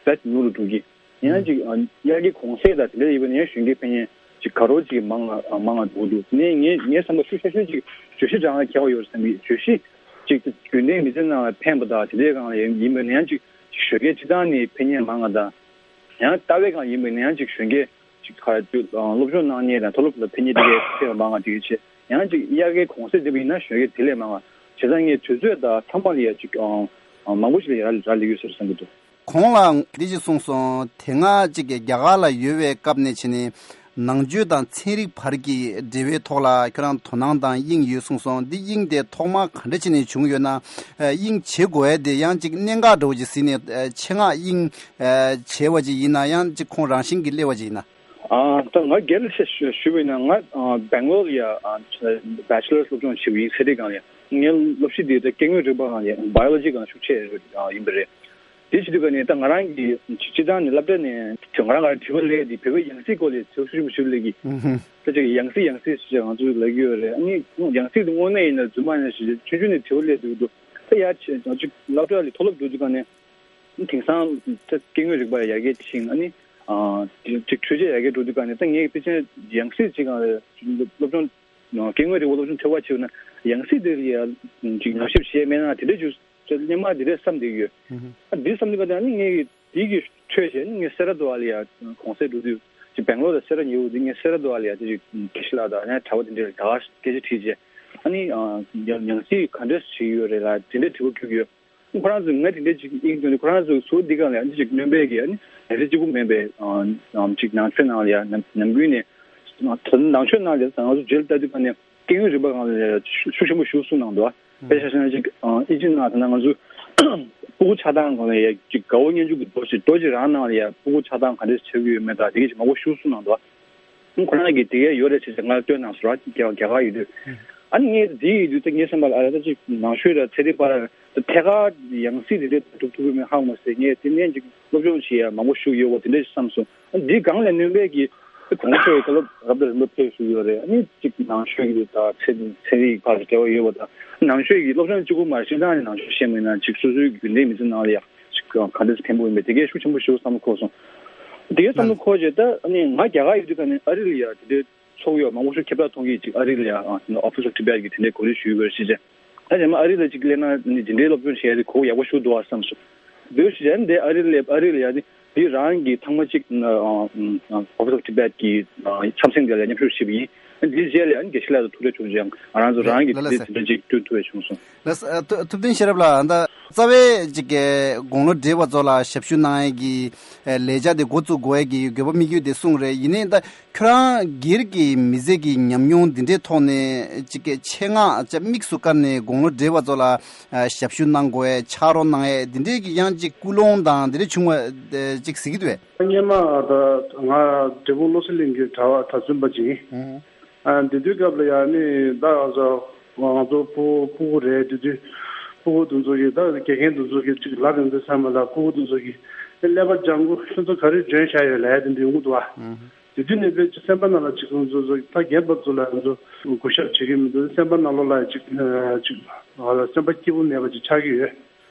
ཨ་ད་ཉུང་རུ་འགྲོ་གི། ཡང་ཅིག་ཨ་དབྱར་ཁའི་གུང་སེང་དང་དེ་འདྲ་ཡིན་པ་ནས་གཞོན་སྐྱེས་ཕན་ཡོན་ཅིག་ག་རོ་ཅིག་མང་ང་མང་ང་འགྲོ་གི་འདུག་དེ་ནས་ངས་ངའི་བསམ་པ་ཤུགས་ཆེ་ཤོས་ཅིག་བརྗོད་གཞི་སྦྱང་ཡ་ཁྱད་པར་ཡོད་བསམ་གི། བརྗོད་གཞི་ཅིག་དགོན་སྡེའི་མི་ཚེ་ནང་ལ་ཕན་པ་དང་དེ་འདྲའི་སྒང་ལ་ཡིན་པ་ནས་ཡང་ཅིག་གཞོན་སྐྱེས་སྤྱིར་བཏང་ནས་ཕན་ཡོན་མང་ང་དང་། ཡང་ལྟ་བའི་སྒང་ཡིན་པ་ནས་ཡང་ཅིག་གཞོན་སྐྱེས་ཅིག་ག་རེ་སློབ་སྦྱོང་གནང་མཁན་དང་མཐོ་སློབ་ལ་ཕན་མཁན་དེ་གའི་ཕན་པ་མང་ང་དེ་གའི་ཆེད་ཡང་ཅིག་དབྱར་ཁའི་གུང་སེང་འདི་པ་ཡིན་ན་གཞོན་སྐྱེས་དེ་ལས་མང་ང་བྱས་ཙང་ངས་དུས་ཚོད་དང་ཚང་མ་ལ་ཡ་ཅིག་ཨང་ཨང་མང་པོ་ཞིག་ལ་ཡ་རག་ལས་ཡོད་ཟེར་བསམ་གྱི་འདུག་གོང་ལ་འདི་ཅིག་གསུངས་སོང་། དེ་སྔ་ཅིག་གི་རྒྱ་གར་ལ་ཡོད་པའི་སྐབས་ནས་བྱས་ནས་ནང་ཆོས་དང་ཚན་རིག་བར་གྱི་འབྲེལ་བའི་ཐོག་ལ་ཁྱོད་རང་དོ་སྣང་དང་དབྱིངས་ཡོད་གསུངས་སོང་། འདི་དབྱིངས་དེ་ཐོག་མར་ག་འདྲ་བྱས་ནས་བྱུང་ཡོད་ན། དབྱིངས་བྱེད་དགོས་ཡ་དེ་ཡང་ཅིག་གནད་འགག་འདྲ་བོ་ཅིག་ཟིན་ནས་ཆེད་མངགས་དབྱིངས་བྱས་པ་ཅིག་ཡིན་ན་ཡང་ཅིག་ཁོང་རང་བཞིན་གྱིས་སླེབས་པ་ཅིག་ཡིན་ན། ཨ་ད་ང་སྒེར་ལ་ཞུ་ཞུ་བ་ཡིན་ན་ང་ཨ་སྦེང་ལོར་ལ་ཡ་ཨ་བྷེ་ཆེ་ལར་སློབ་སྦྱོང་བྱས་པ་ཡིན། ཚན་རིག་སྒང་ལ་ཡ། ངའི་སློབ་གཞི་དེ་ད་སྐྱེ་དངོས་རིག་པ་སྒང་ལ་ཡ་བྷ་ཡོ་ལོ་ཇི་སྒང་ཤུགས་ཆེ་ཡིན་པ་རེད། དེ་བྱེད་དུས་ཀ་ནས་ད་ང་རང་གི་སྤྱི་བཏང་ནས་སློབ་གྲྭ་ནས་ང་རང་ག་དྲི་བ་སླེབས་དེ་བོད་པའི་ཡང་སྲིད་སྐོར་ལ་ཚོགས་ཞུགས་ཞུ་ལས་ཀྱི་ད་ཅིག་ཡང་སྲིད་ཡང་སྲིད་ཞེས་ང་ཚོས་ལབ་ཀྱི་ཡོད་རེད། ཨ་ནི་ཡང་སྲིད་དེ་དངོས་གནས་ཡིན་ན་རྫུན་མ་ཡིན་ན་ཞེས་ཆུང་ཆུང་ནས་དྲི་བ་སླེབས་འདུག་འདུག་ད་ཡར་ཆེ་ཅིག་སློབ་གྲྭ་ལ་མཐོ་སློབ་འགྲོ་དུས་ཀ་ནས་དེང་སང་ད་སྐྱེ་དངོས་རིག་པ་ཡར་རྒྱས་ཕྱིན། ཨ་ནི་ཅིག་འཕྲུལ་ཆས་ཡར་རྒྱས་འགྲོ་དུས་ཀ་ནས་ད་ངས་ཕལ་ཆེར་ཡང་སྲིད་ཅིག་སློབ་སྦྱོང་སྐྱེ་དངོས་རིག་པ་སློབ་སྦྱོང་ཐོས་པ་བྱས་ན་ཡང་སྲིད་དེ་ལ་ཡ་ཅིག་ཉམས་ཞིབ་བྱས་མེད་ན་དེ་འདྲ་ཅིག་སླེབས་མ་དེ་འདྲ་བསམ་བསྡད་ཡོད། ཨ་འདི་བསམ་དུས་ཀ་ད་ནི་ངས་དེའི་གི་འཕྲོས་བྱས་ནི་ངས་སེ་ར་མདོ་བ་ལ་ཡ་གུང་སེང་འགྲོ་དུས་ཅིག་སྦེང་ལོར་ལ་སེ་ར་ཉེ་བོ་དེ་ངས་སེ་ར་མདོ་བ་ལ་ཡ་དེ་ཅིག་དགེ་བཤེས་ལགས་དང་ཡང་གྲྭ་པ་དེ་འདྲ་ལ་ད་ག་སྐད་ཆ་དྲིས་རྗེས་ཨ་ནི་ཡང་ཡང་སྲིད་ག་འདྲས་བྱེད་ཀྱི་ཡོད་རེད་ལ་དེ་འདྲའི་དྲི་བ་འདྲི་གི་ཡོད། ཁོ་རང་ཚོས་ངས་དེ་འདྲའི་ཅིག་དབྱིངས་སྟོན་ནས་ཁོ་རང་ཚོས་ཟུར་འདི་སྒང་ལ་ཡང་ཅིག་སྣོན་པའི་གི་ཨ་ནི་ལས་རིགས་གཅིག་པུ་མིན་པའི་ཨམ་ཅིག་ནང་ཆོས་ནང་ལ་ཡང་ནམ་ནམ་རྒྱུན་ནས་ད་ནང་ཆོས་ནང་ལ་ཡང་ང་ཚོ་རྗེས་ལ་ལྟ་དུས་ཀ་ནས་སྐྱེ་དངོས་རིག་པ་སྒང་ལ་ཡང་ཤུགས་ཤུགས་ཆེན་པོ་ཞིག་གསུངས་གནང་འདུག་དཔེ་ཆ་བཞག་ན་ཅིག་ཨིན་ཇི་ནང་ད་ལྟ་ང་ཚོ་སྤུ་གུ་ཆགས་སྟངས་སྒང་ལ་ཡང་ཅིག་དགའ་བོ་སྙན་ཞུ་གི་རྡོ་ཞིག་རྡོ་ཅིག་རང་ནང་ལ་ཡང་སྤུ་གུ་ཆགས་སྟངས་ག་འདྲས་ཆགས་ཀྱི་ཡོད་མེད་དང་དེ་གས་ཅིག་མང་པོ་ཞིག་གསུངས་གནང་འདུག་ཁོ་རང་གིས་དེ་གས་ཡོད་རེད་ཟེར་ཏེ་ང་སྟོན་གནང་སོང་ར་རྒྱ་རྒྱ་གར་ཡོད་དུས། ཨ་ནི་ངས་དེ་ཡོད་དུས་ད་ངའི་བསམ་པ་ལ་ཨ་ར་ད་ཅིག་ནང་ཆོས་ར་ཚན་རིག་པ་ར་ད་ཐད་ཀར་ཡང་སྲིད་དེ་འདྲས་སྒྲུབ་ཐུབ་ཀྱི་མེད་ཧ་གོ་མ་སོང་། ངས་དེ་ནས་ཅིག་སློབ་སྦྱོང་བྱེད་ཡ་མང་པོ་ཞིག་ཡོད་པ་དེ་འདྲས་ཞིག་བསམ་སོང་། ཨ་འདིའི་སྒང་ལ་སྣོན་པའི་གི་ད་གོང་ས་མཆོག་གི་བཀའ་སློབ་རབ་དང་རིམ་པ་ཕེབས་བཞུགས་ཡོད་རེད། ཨ་ནི་ཅིག་ནང་ཆོས་ཀྱི་ད་ཚན་ཚན་རིག་བར་དུ་འབྲེལ་བ་ཡོད་པ་དང་ནང་ཆོས་ཀྱི་སློབ་སྦྱོང་གཅིག་པུ་མ་རེད། སྤྱིར་བཏང་ནས་ནང་ཆོས་ཤེས་མེད་ན་ཅིག་སོ་སོའི་རྒྱུན་ལྡན་མི་ཚེ་ནང་ལ་ཡ་ཅིག་ག་འདྲས་ཕན་པོ་ཡིན་པས་དེ་གས་ཤུགས་ཆེན་པོ་ཞིག་བསམ་བློ་འཁོར་སོང་། དེ་གས་བསམ་བློ་འཁོར་རྗེས་ད་ཨ་ནི་ང་རྒྱ་གར་ཡོད་དུས་ཀ་ནས་ཨ་རི་ལ་ཡ་དེ་འདྲའི་ཚོགས་ཡོད་མང་པོ་ཞིག་ཁྱབ་བསྒྲགས་གཏོང་གི་ཅིག་ཨ་རི་ལ་ཡ་ཨ་Office of Tibet གི་དེ་འདྲའི་གོ་སྒྲིག་ཞུས་ཡོད་རེད་ཟེར་བྱས། ད་རྗེས་མ་ཨ་རི་ལ་ཅིག་སླེབས་ན་ནི་དེ་འདྲའི་སློབ་སྦྱོང་བྱེད་ཡ་དེ་གོ་ཡག་པོ་ཞིག་འདུག་ཨ་བསམ་སོང་། འདུག་ཟེར་བྱས་འདི་ཨ་རི་ལ་སླེབས་ཨ་རི་ལ་ཡ་དེ་འདི་རང་གི་ཐེངས་མ་གཅིག་Office of Tibet གི་འཆམ་སེང་དེ་ལ་མཉམ་ཞུགས་བྱས་པ་ཡིན། འདིའི་རྗེས་ལ་ཡང་དགེ་བཤེས་ལགས་དང་ཐུག་འཕྲད་བྱུང་རྗེས་ང་རང་ཚོ་རང་གི་ལ་ལ་དེ་ཟེར་དེ་འདྲ་ཅིག་བསྐྲུན་ཐུབ་པ་བྱུང་སོང་། ལགས་སོ། ཨ་ཐུབ་ཐུབ་བསྟན་ཤེས་རབ་ལགས། ཨ་ད་རྩ་བའི་ཅིག་གི་དགུང་ལོ་བགྲེས་པ་ཚོ་ལ་ཞབས་ཞུ་གནང་ཡས་ཀྱི་ཨ་ལས་འཆར་དེ་འགོ་བཙུགས་དགོས་ཡས་ཀྱི་དགོས་པ་དམིགས་ཡུལ་དེ་གསུངས་རེད། ཡིན་ནའི་ད་ཁྱོད་རང་སྒེར་གྱི་མི་ཚེ་གི་ཉམས་མྱོང་འདི་འདྲའི་ཐོག་ནས་ཅིག་གི་ཆེད་མངགས་ཅིག་དམིགས་སུ་བཀར་ནས་དགུང་ལོ་བགྲེས་པ་ཚོ་ལ་ཨ་ཞབས་ཞུ་གནང་དགོས་ཡས་ཕྱག་རོགས་གནང་ཡས་འདི་འདྲའི་གི་ཡང་ཅིག་ཀུན་སློང་དང་འདི་འདྲ་བྱུང་བ་ཅིག་གཟིགས་ཀྱི་འདུག་གས། སྔོན་མ་ད་ང་འབྲས་སྤུངས་བློ་གསལ་གླིང་གི་གྲྭ་བ་གྲྭ་བཙུན་པ་ཅིག་ཡིན། ཨ་འདི་དུས་སྐབས་ལ་ཡང་ནི་ད་ང་ཚོ་ང་ཚོ་ཕྲུ་གུ་ཕྲུ་གུ་རེད། དེ་དུས་ཕྲུ་གུ་དེ་ཚོ་གིས་ད་དགེ་རྒན་དེ་ཚོ་གིས་ཅིག་ལབ་ཡོང་དུས་ཚང་མ་ལ་ཕྲུ་གུ་དེ་ཚོ་གིས་ཀླད་པ་ལྗང་གུ་ཁྱོད་ཚོ་ག་རེ་འཇོན་བཞག་ཡོད་ལབ་ཡ་དེ་འདྲ་ཡོང་གི་འདུག་ཨ། དེ་དུས་ནས་དཔེ་ཅིག་སེམས་པ་ནང་ལ་ཅིག་ང་ཚོ་ཚོ་ད་རྒན་པ་ཚོ་ལ་ང་ཚོ་གུས་ཞབས་བྱེད་ཀྱི་མི་འདུག་སེམས་པ་ནང་ལོགས་ལ་ཅིག་ཅིག་ང་ལ་སེམས་པ་སྐྱིད་པོ་མེད་པ་ཅིག་ཆགས་ཀྱི་ཡོད།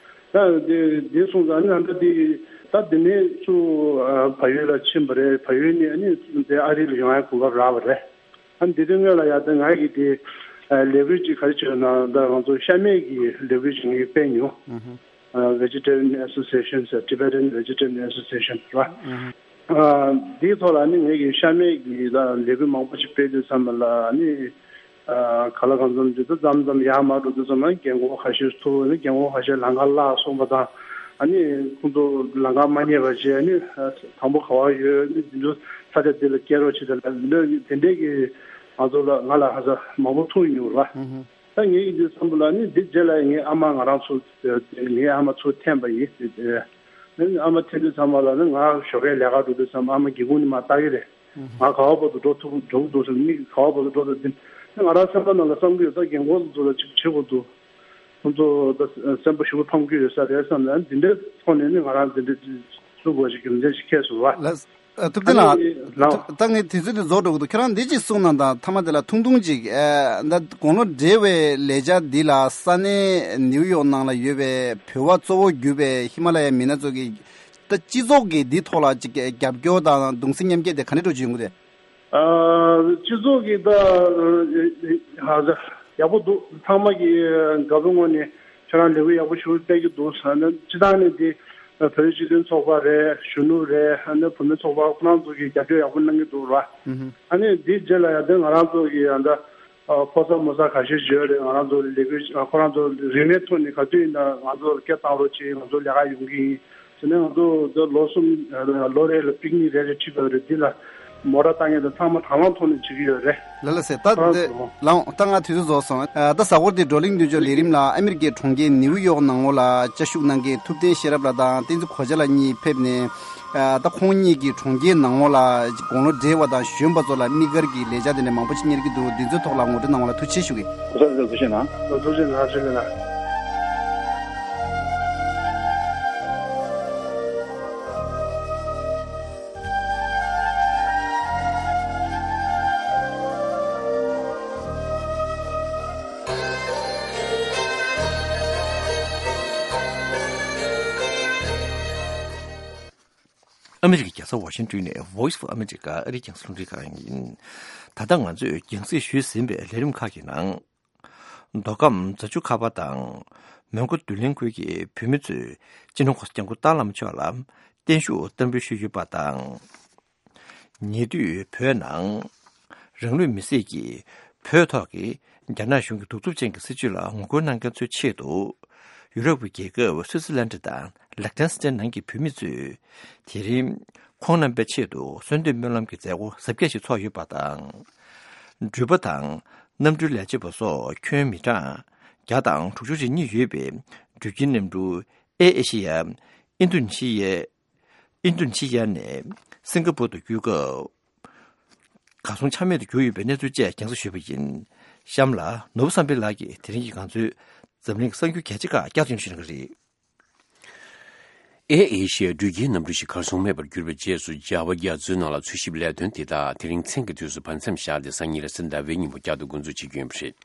ད་དེ་དེ་སོང་ཙང་ཨ་ནི་ཨ་འདྲ་དེ་ད་དེ་ནས་ཚུར་བལ་ཡུལ་ལ་ཕྱིན་པ་རེད། བལ་ཡུལ་ནས་ཨ་ནི་དེ་ཨ་རི་ལ་ཡོང་ཡ་གོ་སྐབས་རག་པ་རེད། ཨ་ནི་དེ་དུས་སྔོན་ལ་ཡ་ད་ང་གིས་དེ་ལས་འགུལ་ཅིག་ག་རེ་བྱས་ན་ད་ང་ཚོ་ཤ་མེད་ཀྱི་ལས་འགུལ་ཅིག་ངས་སྤེལ་མྱོང་། Vegetarian Association ཟེར། Tibetan Vegetarian Association རེད་བ། ཨ་འདིའི་ཐོག་ལ་ནི་ངེད་ཀྱིས་ཤ་མེད་ཀྱི་ལས་འགུལ་མང་པོ་ཞིག་སྤེལ་དུས་ཙམ་པ་ལ་ནི་ཨ་ག་ལ་གང་འཚམ་ཅིག་ད་མཚམས་མཚམས་ཡར་མར་འགྲོ་དུས་ཙམ་པ་རྒན་གོག་ཁ་ཤས་ཐུག་ནི་རྒན་གོག་ཁ་ཤས་ལམ་ཁ་བརླག་སོང་བ་དང་ཨ་ནི་ཁོང་ཚོ་ལམ་ཁ་མ་རྙེད་པ་བྱས་ནི་དང་པོ་ག་བ་ཡོད་ནི་འདི་ཚོ་ས་ཆ་འདི་ལ་སྐྱེལ་རོགས་བྱེད་དེ་ལ་འདི་འདྲ་དེ་འདྲས་ཀྱི་ང་ཚོ་ལ་ང་ལ་ཧ་ཅང་མང་པོ་ཐུག་མྱོང་ར། ད་ངེད་ཀྱི་འདི་བསམ་བློ་ལ་ནི་འདི་རྗེས་ལ་ངའི་ཨ་མ་ང་རང་ཚོ་ངའི་ཨ་མ་ཚུར་འཐེན་པ་ཡིན། ཨ་མ་འཐེན་དུས་ཚང་མ་ལ་ནི་ང་ཞོགས་ཀས་ལས་ཀ་འགྲོ་དུས་ཙམ་ཨ་མ་སྒེའུ་ཁུང་ནས་མར་ལྟ་གི་རེད། ང་ག་བ་བར་དུ་འགྲོ་ཐུབ་འགྲོ་གི་འདུག་ཟེར་མིག་ག་བ་བར་དུ་འགྲོ་ཐུབ་འདི་ང་རང་སེམས་པ་ནང་ལ་བསམ་གི་ཡོད། ད་རྒན་གོག་ཚོ་ལ་ཅིག་བྱེད་དགོས་འདུག་ཁོང་ཚོ་ད་སེམས་པ་ཞེ་པོ་ཕམ་གི་ཡོད་ས་རེད་བསམ་ནས་འདི་འདྲའི་ཐོག་ནས་ནི་ང་རང་འདི་འདྲའི་བཟོ་དགོས་ཞིག་རྒྱུ་མཚན་ཞིག་ཁེལ་སོང་བ། ལགས། ཨ་ཐུབ་བསྟན་ལགས། ཨ་ནི་ལགས། ཐུབ་ད་ངས་དུས་ཚོད་འདི་རྫོགས་འགྲོ་གི་འདུག་ཁྱོད་རང་འདི་གཅིག་གསུངས་གནང་དང་། མཐའ་མ་དེ་ལ་ཐུང་ཐུང་ཅིག་ཨ་ད་དགུང་ལོ་བགྲེས་པའི་ལས་འཆར་འདི་ལ་ས་གནས་ནིའུ་ཡོག་ནང་ལ་ཡོད་པའི་བོད་པ་གཙོ་བོ་གྱུར་པའི་ཧི་མ་ལ་ཡའི་མི་སྣ་ཚོ་གིས་ད་སྤྱི་ཚོགས་ཀྱི་འདི་ཐོག་ལ་ཅིག་རྒྱབ་སྐྱོར་དང་གདུང་སེམས་མཉམ་སྐྱེད་དེ་ག་འདྲ་འགྲོ་བཞིན་ཡོད་གི་རེད། ཨ་སྤྱི་ཚོགས་ཀྱི་ད་ཧ་ཅང་ཡག་པོ་འདུག་ཚང་མ་གིས་དགའ་པོའི་ངང་ནས་ཁྱེད་རང་ལས་འགུལ་ཡག་པོ་ཞིག་སྤེལ་གྱི་འདུག་ཟེར་ནས་སྤྱི་བཏང་ནས་འདི་བོད་རིགས་སྤྱི་མཐུན་ཚོགས་པ་རེད། གཞོན་ནུ་རེད། ཨ་ནི་བུད་མེད་ཚོགས་པ་ཁོ་རང་ཚོ་གིས་རྒྱབ་སྐྱོར་ཡག་པོ་གནང་གི་འདུག་ར། ཨ་ནི་འདིའི་རྗེས་ལ་ཡང་དེ་ང་རང་ཚོ་གི་ཡང་ད་ཕོ་གསར་མོ་གསར་ཁ་ཤས་ཡོད་རེད། ང་རང་ཚོ་ལས་འགུལ་ཁོ་རང་ཚོ་རིན་མེད་ཐོག་ནས་ག་དུས་ཡིན་ན་ང་ཚོར་སྐད་བཏང་རོགས་གྱིས། ང་ཚོ་ལས་ཀ་ཡོང་གི་ཡིན་ཟེར་ནས་ང་ཚོ་ད་ལོ་གསུམ་ལོ་རེ་ལ་པིག་ནིག་རེ་རེ་ཁྲིད་པ་རེད། འདི་ལ་མོ་ཊ་བཏང་མཁན་དང་ཚང་མ་དང་བླངས་ཐོག་ནས་བྱེད་ཀྱི་ཡོད་རེད། ལགས་ལགས་སེ། ད་ཨ་འདི་ལགས་ད་ང་དུས་ཚོད་རྫོགས་སོང་། ཨ་ད་གཟའ་འཁོར་འདི་བགྲོ་གླེང་མདུན་ལྕོག་ལས་རིམ་ལ་ཨ་མེ་རི་ཀའི་གྲོང་ཁྱེར་ནིའུ་ཡོག་ནང་ལོགས་ལ་བཅའ་བཞུགས་གནང་མཁན་ཐུབ་བསྟན་ཤེས་རབ་ལགས་དང་བསྟན་འཛིན་གོ་ཆ་ལགས་གཉིས་ཕེབས་ནས། ཨ་ད་ཁོང་གཉིས་ཀྱིས་གྲོང་ཁྱེར་ནང་ལོགས་ལ་དགུང་ལོ་བགྲེས་པ་དང་གཞོན་པ་ཚོ་ལ་དམིགས་བཀར་གྱི་ལས་འཆར་དེ་འདྲ་མང་པོ་ཞིག་གཉེར་གྱི་འདུག་འདི་ཚོའི་ཐོག་ལ་ངོ་སྤྲོད་གནང་བ་ལ་ཐུགས་རྗེ་ཆེ་ཞུ་གི། ཐུགས་རྗེ་གནང་། ཐུགས་རྗེ་གནང་། ཐུགས་རྗེ་གནང་། ཨ་མི་རི་ཀའི་རྒྱལ་ས་ཝ་ཤིང་ཏོན་ནས་Voice of America ཨ་རིའི་རྒྱང་སྲིང་རླུང་འཕྲིན་ཁང་ཡིན། ད་ལྟ་ང་ཚོས་རྒྱང་སྲིང་ཞུས་ཟིན་པའི་ལས་རིམ་ཁག་གི་ནང་། མདོ་ཁམས་རྫ་ཆུ་ཁ་པ་དང་། མོན་གྷོ་བདུད་གླིང་ཁུལ་གྱི་བོད་མི་ཚོས་སྤྱི་ནོར་༧གོང་ས་༧སྐྱབས་མགོན་ཏཱ་ལའི་བླ་མ་མཆོག་ལ་བརྟན་བཞུགས་བསྟར་འབུལ་ཞུས་ཡོད་པ་དང་། ཉེ་དུས་བོད་ནང་རང་ལུས་མེར་སྲེག་གིས་བོད་ཐོག་གི་རྒྱ་ནག་གཞུང་གི་གདུག་རྩུབ་ཅན་གྱི་སྲིད་བྱུས་ལ་ངོ་རྒོལ་གནང་མཁན་ཚོའི་ཆེད་དུ། ཡུ་རོབ་ཀྱི་རྒྱལ་ཁབ་སུད་སི་ལན་ཌི་དང་ལིག་ཏེན་སི་ཏན་ནང་གི་བོད་མི་ཚོས་དེ་རིང་ཁོང་རྣམ་པའི་ཆེད་དུ་གསོལ་འདེབས་སྨོན་ལམ་གྱི་མཛད་སྒོ་གཟབ་རྒྱས་ཤིག་ཚོགས་ཡོད་པ་དང་། འགྲུལ་པ་དང་གནམ་གྲུའི་ལས་བྱེད་པ་སོགས་ཁྱོན་མི་གྲངས་བརྒྱ་དང་དྲུག་ཅུ་རེ་གཉིས་ཡོད་པའི་འགྲུལ་སྐྱེལ་གནམ་གྲུ་ཨེ་ཨེ་ཤི་ཡ། ཨིན་དོ་ནེ་ཤི་ཡའི། ཨིན་དོ་ནེ་ཤི་ཡ་ནས་སིང་ག་པུར་དུ་བསྐྱོད་སྐབས། གར་སོང་ཆ་མེད་དུ་གྱུར་ཡོད་པའི་གནས་ཚུལ་བཅས་རྒྱང་སྲིང་ཞུས་པ་ཡིན། གཤམ་ལ་ནོར་བུ་བསམ་འཕེལ་ལགས་ཀྱིས་དེ་རིང་གི་ང་ཚོའི་འཛམ་གླིང་གི་གསར་འགྱུར་གལ་ཆེ་ཁག་བསྐྱར་དུ་སྙན་ཞུ་གནང་གི་རེད། ཨེ་ཨེ་ཤི་ཡའི་འགྲུལ་སྐྱེལ་གནམ་གྲུ་ཞིག་གར་སོང་མེད་པར་གྱུར་པའི་རྗེས་སུ། འཇར་པ་རྒྱ་མཚོའི་ནང་ལ་འཚོལ་ཞིབ་ལས་དོན་དེ་དག་དེ་རིང་མཚན་གྱི་དུས་སུ་བར་མཚམས་བཞག་སྟེ། སང་ཉིན་རེས་གཟའ་ཟླ་བའི་ཉིན་མོ་བསྐྱར་དུ་འགོ་འཛུགས་བྱེད་ཀྱི་ཡོད་པ་རེད།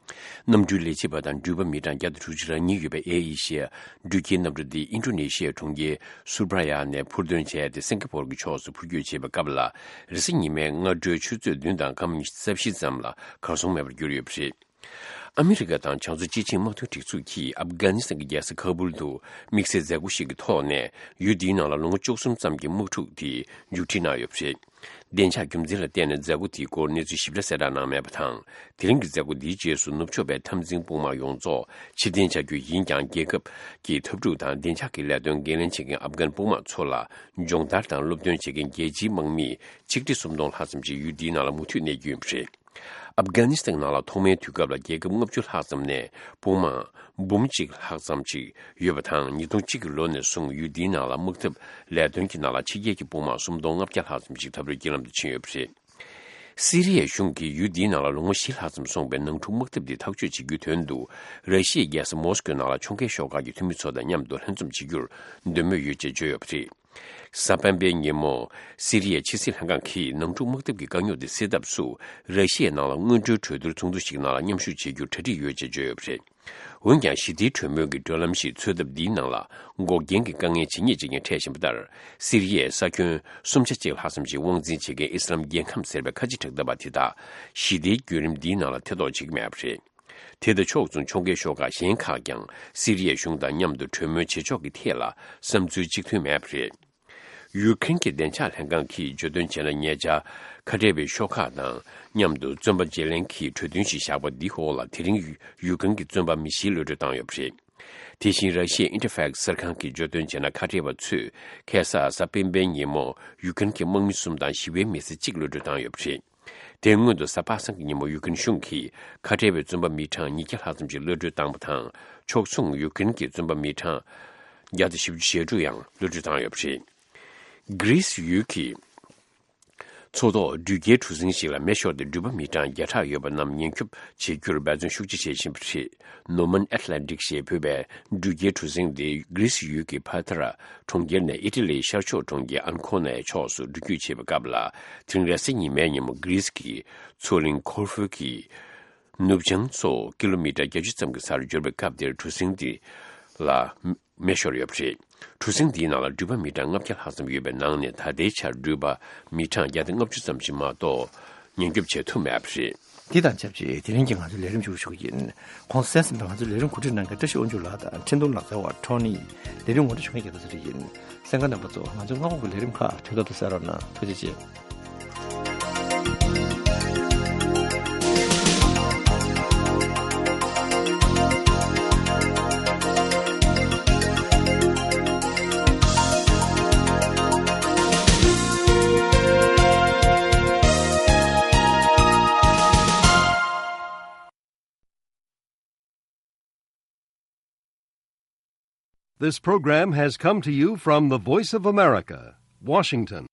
གནམ་གྲུའི་ལས་བྱེད་པ་དང་འགྲུལ་པ་མི་གྲངས་བརྒྱ་དང་དྲུག་ཅུ་རེ་གཉིས་ཡོད་པའི་ཨེ་ཨེ་ཤི་ཡ་འགྲུལ་སྐྱེལ་གནམ་གྲུ་འདི་ཨིན་ཌོ་ནེ་ཤི་ཡའི་གྲོང་ཁྱེར་སུར་བྷ་ཡ་ནས་འཕུར་འདོན་བྱས་ཏེ། སིང་ག་པོར་གྱི་ཕྱོགས་སུ་འཕུར་སྐྱོད་བྱེད་པའི་སྐབས་ལ། རེས་གཟའ་ཉི་མའི་སྔ་དྲོའི་ཆུ་ཚོད་བདུན་དང་སྐར་མ་ཉི་ཤུ་རྩ་བཞི་ཙམ་ལ་གར་སོང་མེད་པར་གྱུར་ཡོད་པ་རེད། ཨ་མི་རི་ཀ་དང་བྱང་མཚོ་སྤྱི་ཆིངས་དམག་དོན་སྒྲིག་འཛུགས་ཀྱིས་ཨབ་གྷ་ནི་སི་ཐན་གྱི་རྒྱལ་ས་ཁ་བུལ་དུ་དམིགས་བསལ་མཛད་སྒོ་ཞིག་གི་ཐོག་ནས། ཡུལ་འདིའི་ནང་ལ་ལོ་ངོ་བཅུ་གསུམ་ཙམ་གྱི་དམག་འཁྲུག་དེ་མཇུག་སྒྲིལ་གནང་ཡོད་པ་རེད། བདེ་འཇགས་རྒྱུ་མཚན་ལ་བརྟེན་ནས་མཛད་སྒོ་དེའི་སྐོར་གནས་ཚུལ་ཞིབ་ཕྲ་གསལ་བསྒྲགས་གནང་མེད་པ་དང་། དེ་རིང་གི་མཛད་སྒོ་འདིའི་རྗེས་སུ་ནུབ་ཕྱོགས་པའི་འཐབ་འཛིང་དཔུང་དམག་ཡོངས་རྫོགས་ཕྱིར་འཐེན་བྱ་རྒྱུ་ཡིན་ཀྱང་། རྒྱལ་ཁབ་ཀྱི་འཐབ་འཁྲུག་དང་བདེ་འཇགས་ཀྱི་ལས་དོན་འགན་ལེན་བྱེད་མཁན་ཨབ་གྷན་དཔུང་དམག་ཚོ་ལ་སྦྱོང་བརྡར་དང་སློབ་སྟོན་བྱེད་མཁན་རྒྱལ་སྤྱིའི་དམག་མི་ཆིག་ཁྲི་སུམ་སྟོང་ལྷག་ཙམ་ཞིག་ཡུལ་འདིའི་ནང་ལ་མུ་མཐུད་གནས་རྒྱུ་ཡིན་པ་རེད། ཨབ་གྷ་ནི་སི་ཐན་ནང་ལ་ཐོག་མའི་དུས་སྐབས་ལ་རྒྱལ་ཁབ་ལྔ་བཅུ་ལྷག་ཙམ་ནས་དཔུང་དམག་འབུམ་གཅིག་ལྷག་ཙམ་ཞིག་ཡོད་པ་དང་། ཉིས་སྟོང་གཅིག་གི་ལོ་ནས་བཟུང་ཡུལ་འདིའི་ནང་ལ་དམག་འཐབ་ལས་དོན་གྱི་ནང་ལ་ཕྱི་རྒྱལ་གྱི་དཔུང་དམག་སུམ་སྟོང་ལྔ་བརྒྱ་ལྷག་ཙམ་ཞིག་འཐབ་རོགས་ཀྱི་ལམ་དུ་ཕྱིན་ཡོད་པ་རེད། སི་རི་ཡའི་གཞུང་གིས་ཡུལ་འདིའི་ནང་ལ་ལོ་ངོ་བཞི་ལྷག་ཙམ་སོང་པའི་ནང་འཁྲུག་དམག་འཐབ་འདི་ཐག་གཅོད་བྱེད་རྒྱུའི་དོན་དུ། ར་ཤི་ཡའི་རྒྱལ་ས་མོ་སི་ཀོའི་ནང་ལ་ཕྱོགས་འགལ་ཤོག་ཁག་གི་འཐུས་མི་ཚོ་དང་མཉམ་དུ་ལྷན་འཛོམས་བྱེད་རྒྱུར་འདོད་མོས་ཡོད་ཅེས་བརྗོད་ཡོད་པ་རེད། གཟའ་སྤེན་པའི་ཉིན་མོ། སི་རི་ཡའི་ཕྱི་སྲིད་ལྷན་ཁང་གིས་ནང་འཁྲུག་དམག་འཐབ་ཀྱི་དཀའ་རྙོག་དེ་སེལ་ཐབས་སུ། ར་ཤི་ཡའི་ནང་ལ་སྔོན་འགྲོའི་གྲོས་བསྡུར་ཚོགས་འདུ་ཞིག་ནང་ལ་མཉམ་ཞུགས་བྱེད་རྒྱུར་གྲ་སྒྲིག་ཡོད་ཅེས་བརྗོད་ཡོད་པ་རེད། འོན་ཀྱང་། ཞི་བདེའི་གྲོས་མོལ་གྱི་གྲོས་ལམ་ཞིག་འཚོལ་ཐབས་འདིའི་ནང་ལ་འགོག་རྐྱེན་གྱི་དཀའ་ངལ་ཇི་སྙེད་ཅིག་ཀྱང་འཕྲད་བཞིན་པ་ལྟར། སི་རི་ཡའི་ས་ཁྱོན་སུམ་ཆ་གཅིག་ལྷག་ཙམ་ཞིག་དབང་འཛིན་བྱེད་མཁན་ཨི་སི་ལམ་རྒྱལ་ཁམས་ཟེར་བའི་ཁ་ཆེ་དྲག་ལྡན་པ་དེ་དག་ཞི་བདེའི་བརྒྱུད་རིམ་འདིའི་ནང་ལ་ཐེ་གཏོགས་བྱེད་ཀྱི་མེད་པ་རེད། དེ་དང་ཕྱོགས་མཚུངས་ཕྱོགས་འགལ་ཤོག་ཁག་གཞན་ཁག་ཀྱང་སི་རི་ཡའི་གཞུང་དང་མཉམ་དུ་གྲོས་མོལ་བྱེད་ཕྱོགས་ཀྱི་ཐད་ལ་བསམ་ཚུལ་གཅིག་མཐུན་མེད་པ་རེད། ཡུ་ཀེ་རེན་གྱི་བདེ་འཇགས་ལྷན་ཁང་གིས་བརྗོད་དོན་བྱས་ན། ཉེ་ཆར་ཁ་བྲལ་བའི་ཤོག་ཁག་དང་མཉམ་དུ་བཙོན་པ་བརྗེ་ལེན་གྱི་གྲོས་མཐུན་ཞིག་བཞག་པ་འདིའི་འོག་ལ། དེ་རིང་ཡུ་ཀེ་རེན་གྱི་བཙོན་པ་མི་བཞི་གློད་གྲོལ་བཏང་ཡོད་པ་རེད། དེ་བཞིན་ར་ཤི་ཡའི་ཨིན་ཊར་ཕེག་སི་གསར་ཁང་གིས་བརྗོད་དོན་བྱས་ན། ཁ་བྲལ་བ་ཚོས་ཁ་སང་གཟའ་སྤེན་པའི་ཉིན་མོ་ཡུ་ཀེ་རེན་གྱི་དམག་མི་གསུམ་དང་ཞི་བའི་མི་སེར་གཅིག་གློད་གྲོལ་བཏང་ཡོད་པ་རེད། དེའི་སྔོན་དུ་གཟའ་པ་སངས་ཀྱི་ཉིན་མོ་ཡུ་ཀེ་རེན་གཞུང་གིས་ཁ་བྲལ་བའི་བཙོན་པ་མི་གྲངས་ཉིས་བརྒྱ་ལྷག་ཙམ་ཞིག་གློད་གྲོལ་བཏང་བ་དང་། ཕྱོགས་མཚུངས་ཡུ་ཀེ་རེན་གྱི་བཙོན་པ་མི་གྲངས་བརྒྱ་དང་བཞི་བཅུ་ཞེ་དྲུག་ཡང་གློད་གྲོལ་བཏང་ཡོད་པ་རེད། གྷི་རིས་ཡུལ་གྱི་མཚོ་ཐོག་འགྲུལ་སྐྱེལ་གྲུ་གཟིངས་ཤིག་ལ་མེ་ཤོར་ཏེ། འགྲུལ་པ་མི་གྲངས་བརྒྱ་ཕྲག་ཡོད་པ་རྣམས་ཉེན་སྐྱོབ་བྱེད་རྒྱུར་འབད་བརྩོན་ཤུགས་ཆེ་བྱེད་བཞིན་པ་རེད། ནོ་མན་ཨེཊ་ལན་ཊིག་ཞེས་འབོད་པའི་འགྲུལ་སྐྱེལ་གྲུ་གཟིངས་དེ་གྷི་རིས་ཡུལ་གྱི་ཕ་ཐ་ར་གྲོང་ཁྱེར་ནས་ཨི་ཊ་ལིའི་ཤར་ཕྱོགས་གྲོང་ཁྱེར་ཨན་ཁོ་ནའི་ཕྱོགས་སུ་འགྲུལ་སྐྱོད་བྱེད་པའི་སྐབས་ལ། དེ་རིང་རེས་གཟའ་ཉི་མའི་ཉིན་མོ་གྷི་རིས་ཀྱི་མཚོ་གླིང་ཁོར་ཧྥུ་གི་ནུབ་བྱང་མཚོ་ཀི་ལོ་མི་ཊར་བརྒྱད་ཅུ་ཙམ་གྱི་སར་འབྱོར་བའི་སྐབས་དེར་གྲུ་གཟིངས་དེ་ལ་མེ་ཤོར་ཡོད་པ་རེད། གྲུ་གཟིངས་འདིའི་ནང་ལ་འགྲུལ་པ་མི་གྲངས་ལྔ་བརྒྱ་ལྷག་ཙམ་ཡོད་པའི་ནང་ནས། ད་ལྟའི་ཆར་འགྲུལ་པ་མི་གྲངས་བརྒྱ་དང་ལྔ་བཅུ་ཙམ་ཞིག་མ་གཏོགས་ཉེན་སྐྱོབ་བྱེད་ཐུབ་མེད་པ་རེད། འདི་དང་ཆབས་ཅིག་དེ་རིང་གི་ང་ཚོའི་ལས་རིམ་མཇུག་ཞུ་གི་ཡིན། གོང་གསལ་ཟིན་པའི་ང་ཚོའི་ལས་རིམ་གོ་སྒྲིག་གནང་མཁན་བཀྲ་ཤིས་དབང་ཕྱུག་ལགས་དང་འཕྲིན་གཏོང་ལག་རྩལ་བ་ཁྲོ་ནི། ལས་རིམ་ངོ་སྤྲོད་ཞུ་མཁན་རྒྱལ་ཐོག་ཚེ་རིང་ཡིན། གསན་མཁན་རྣམ་པ་ཚོ། ང་ཚོའི་སྔ་དགོང་གི་ལས་རིམ་ཁག་དོན་ཐོག་ཏུ་གསན་རོགས་གནང་། ཐུགས་རྗེ་ཆེ། This program has come to you from the Voice of America, Washington.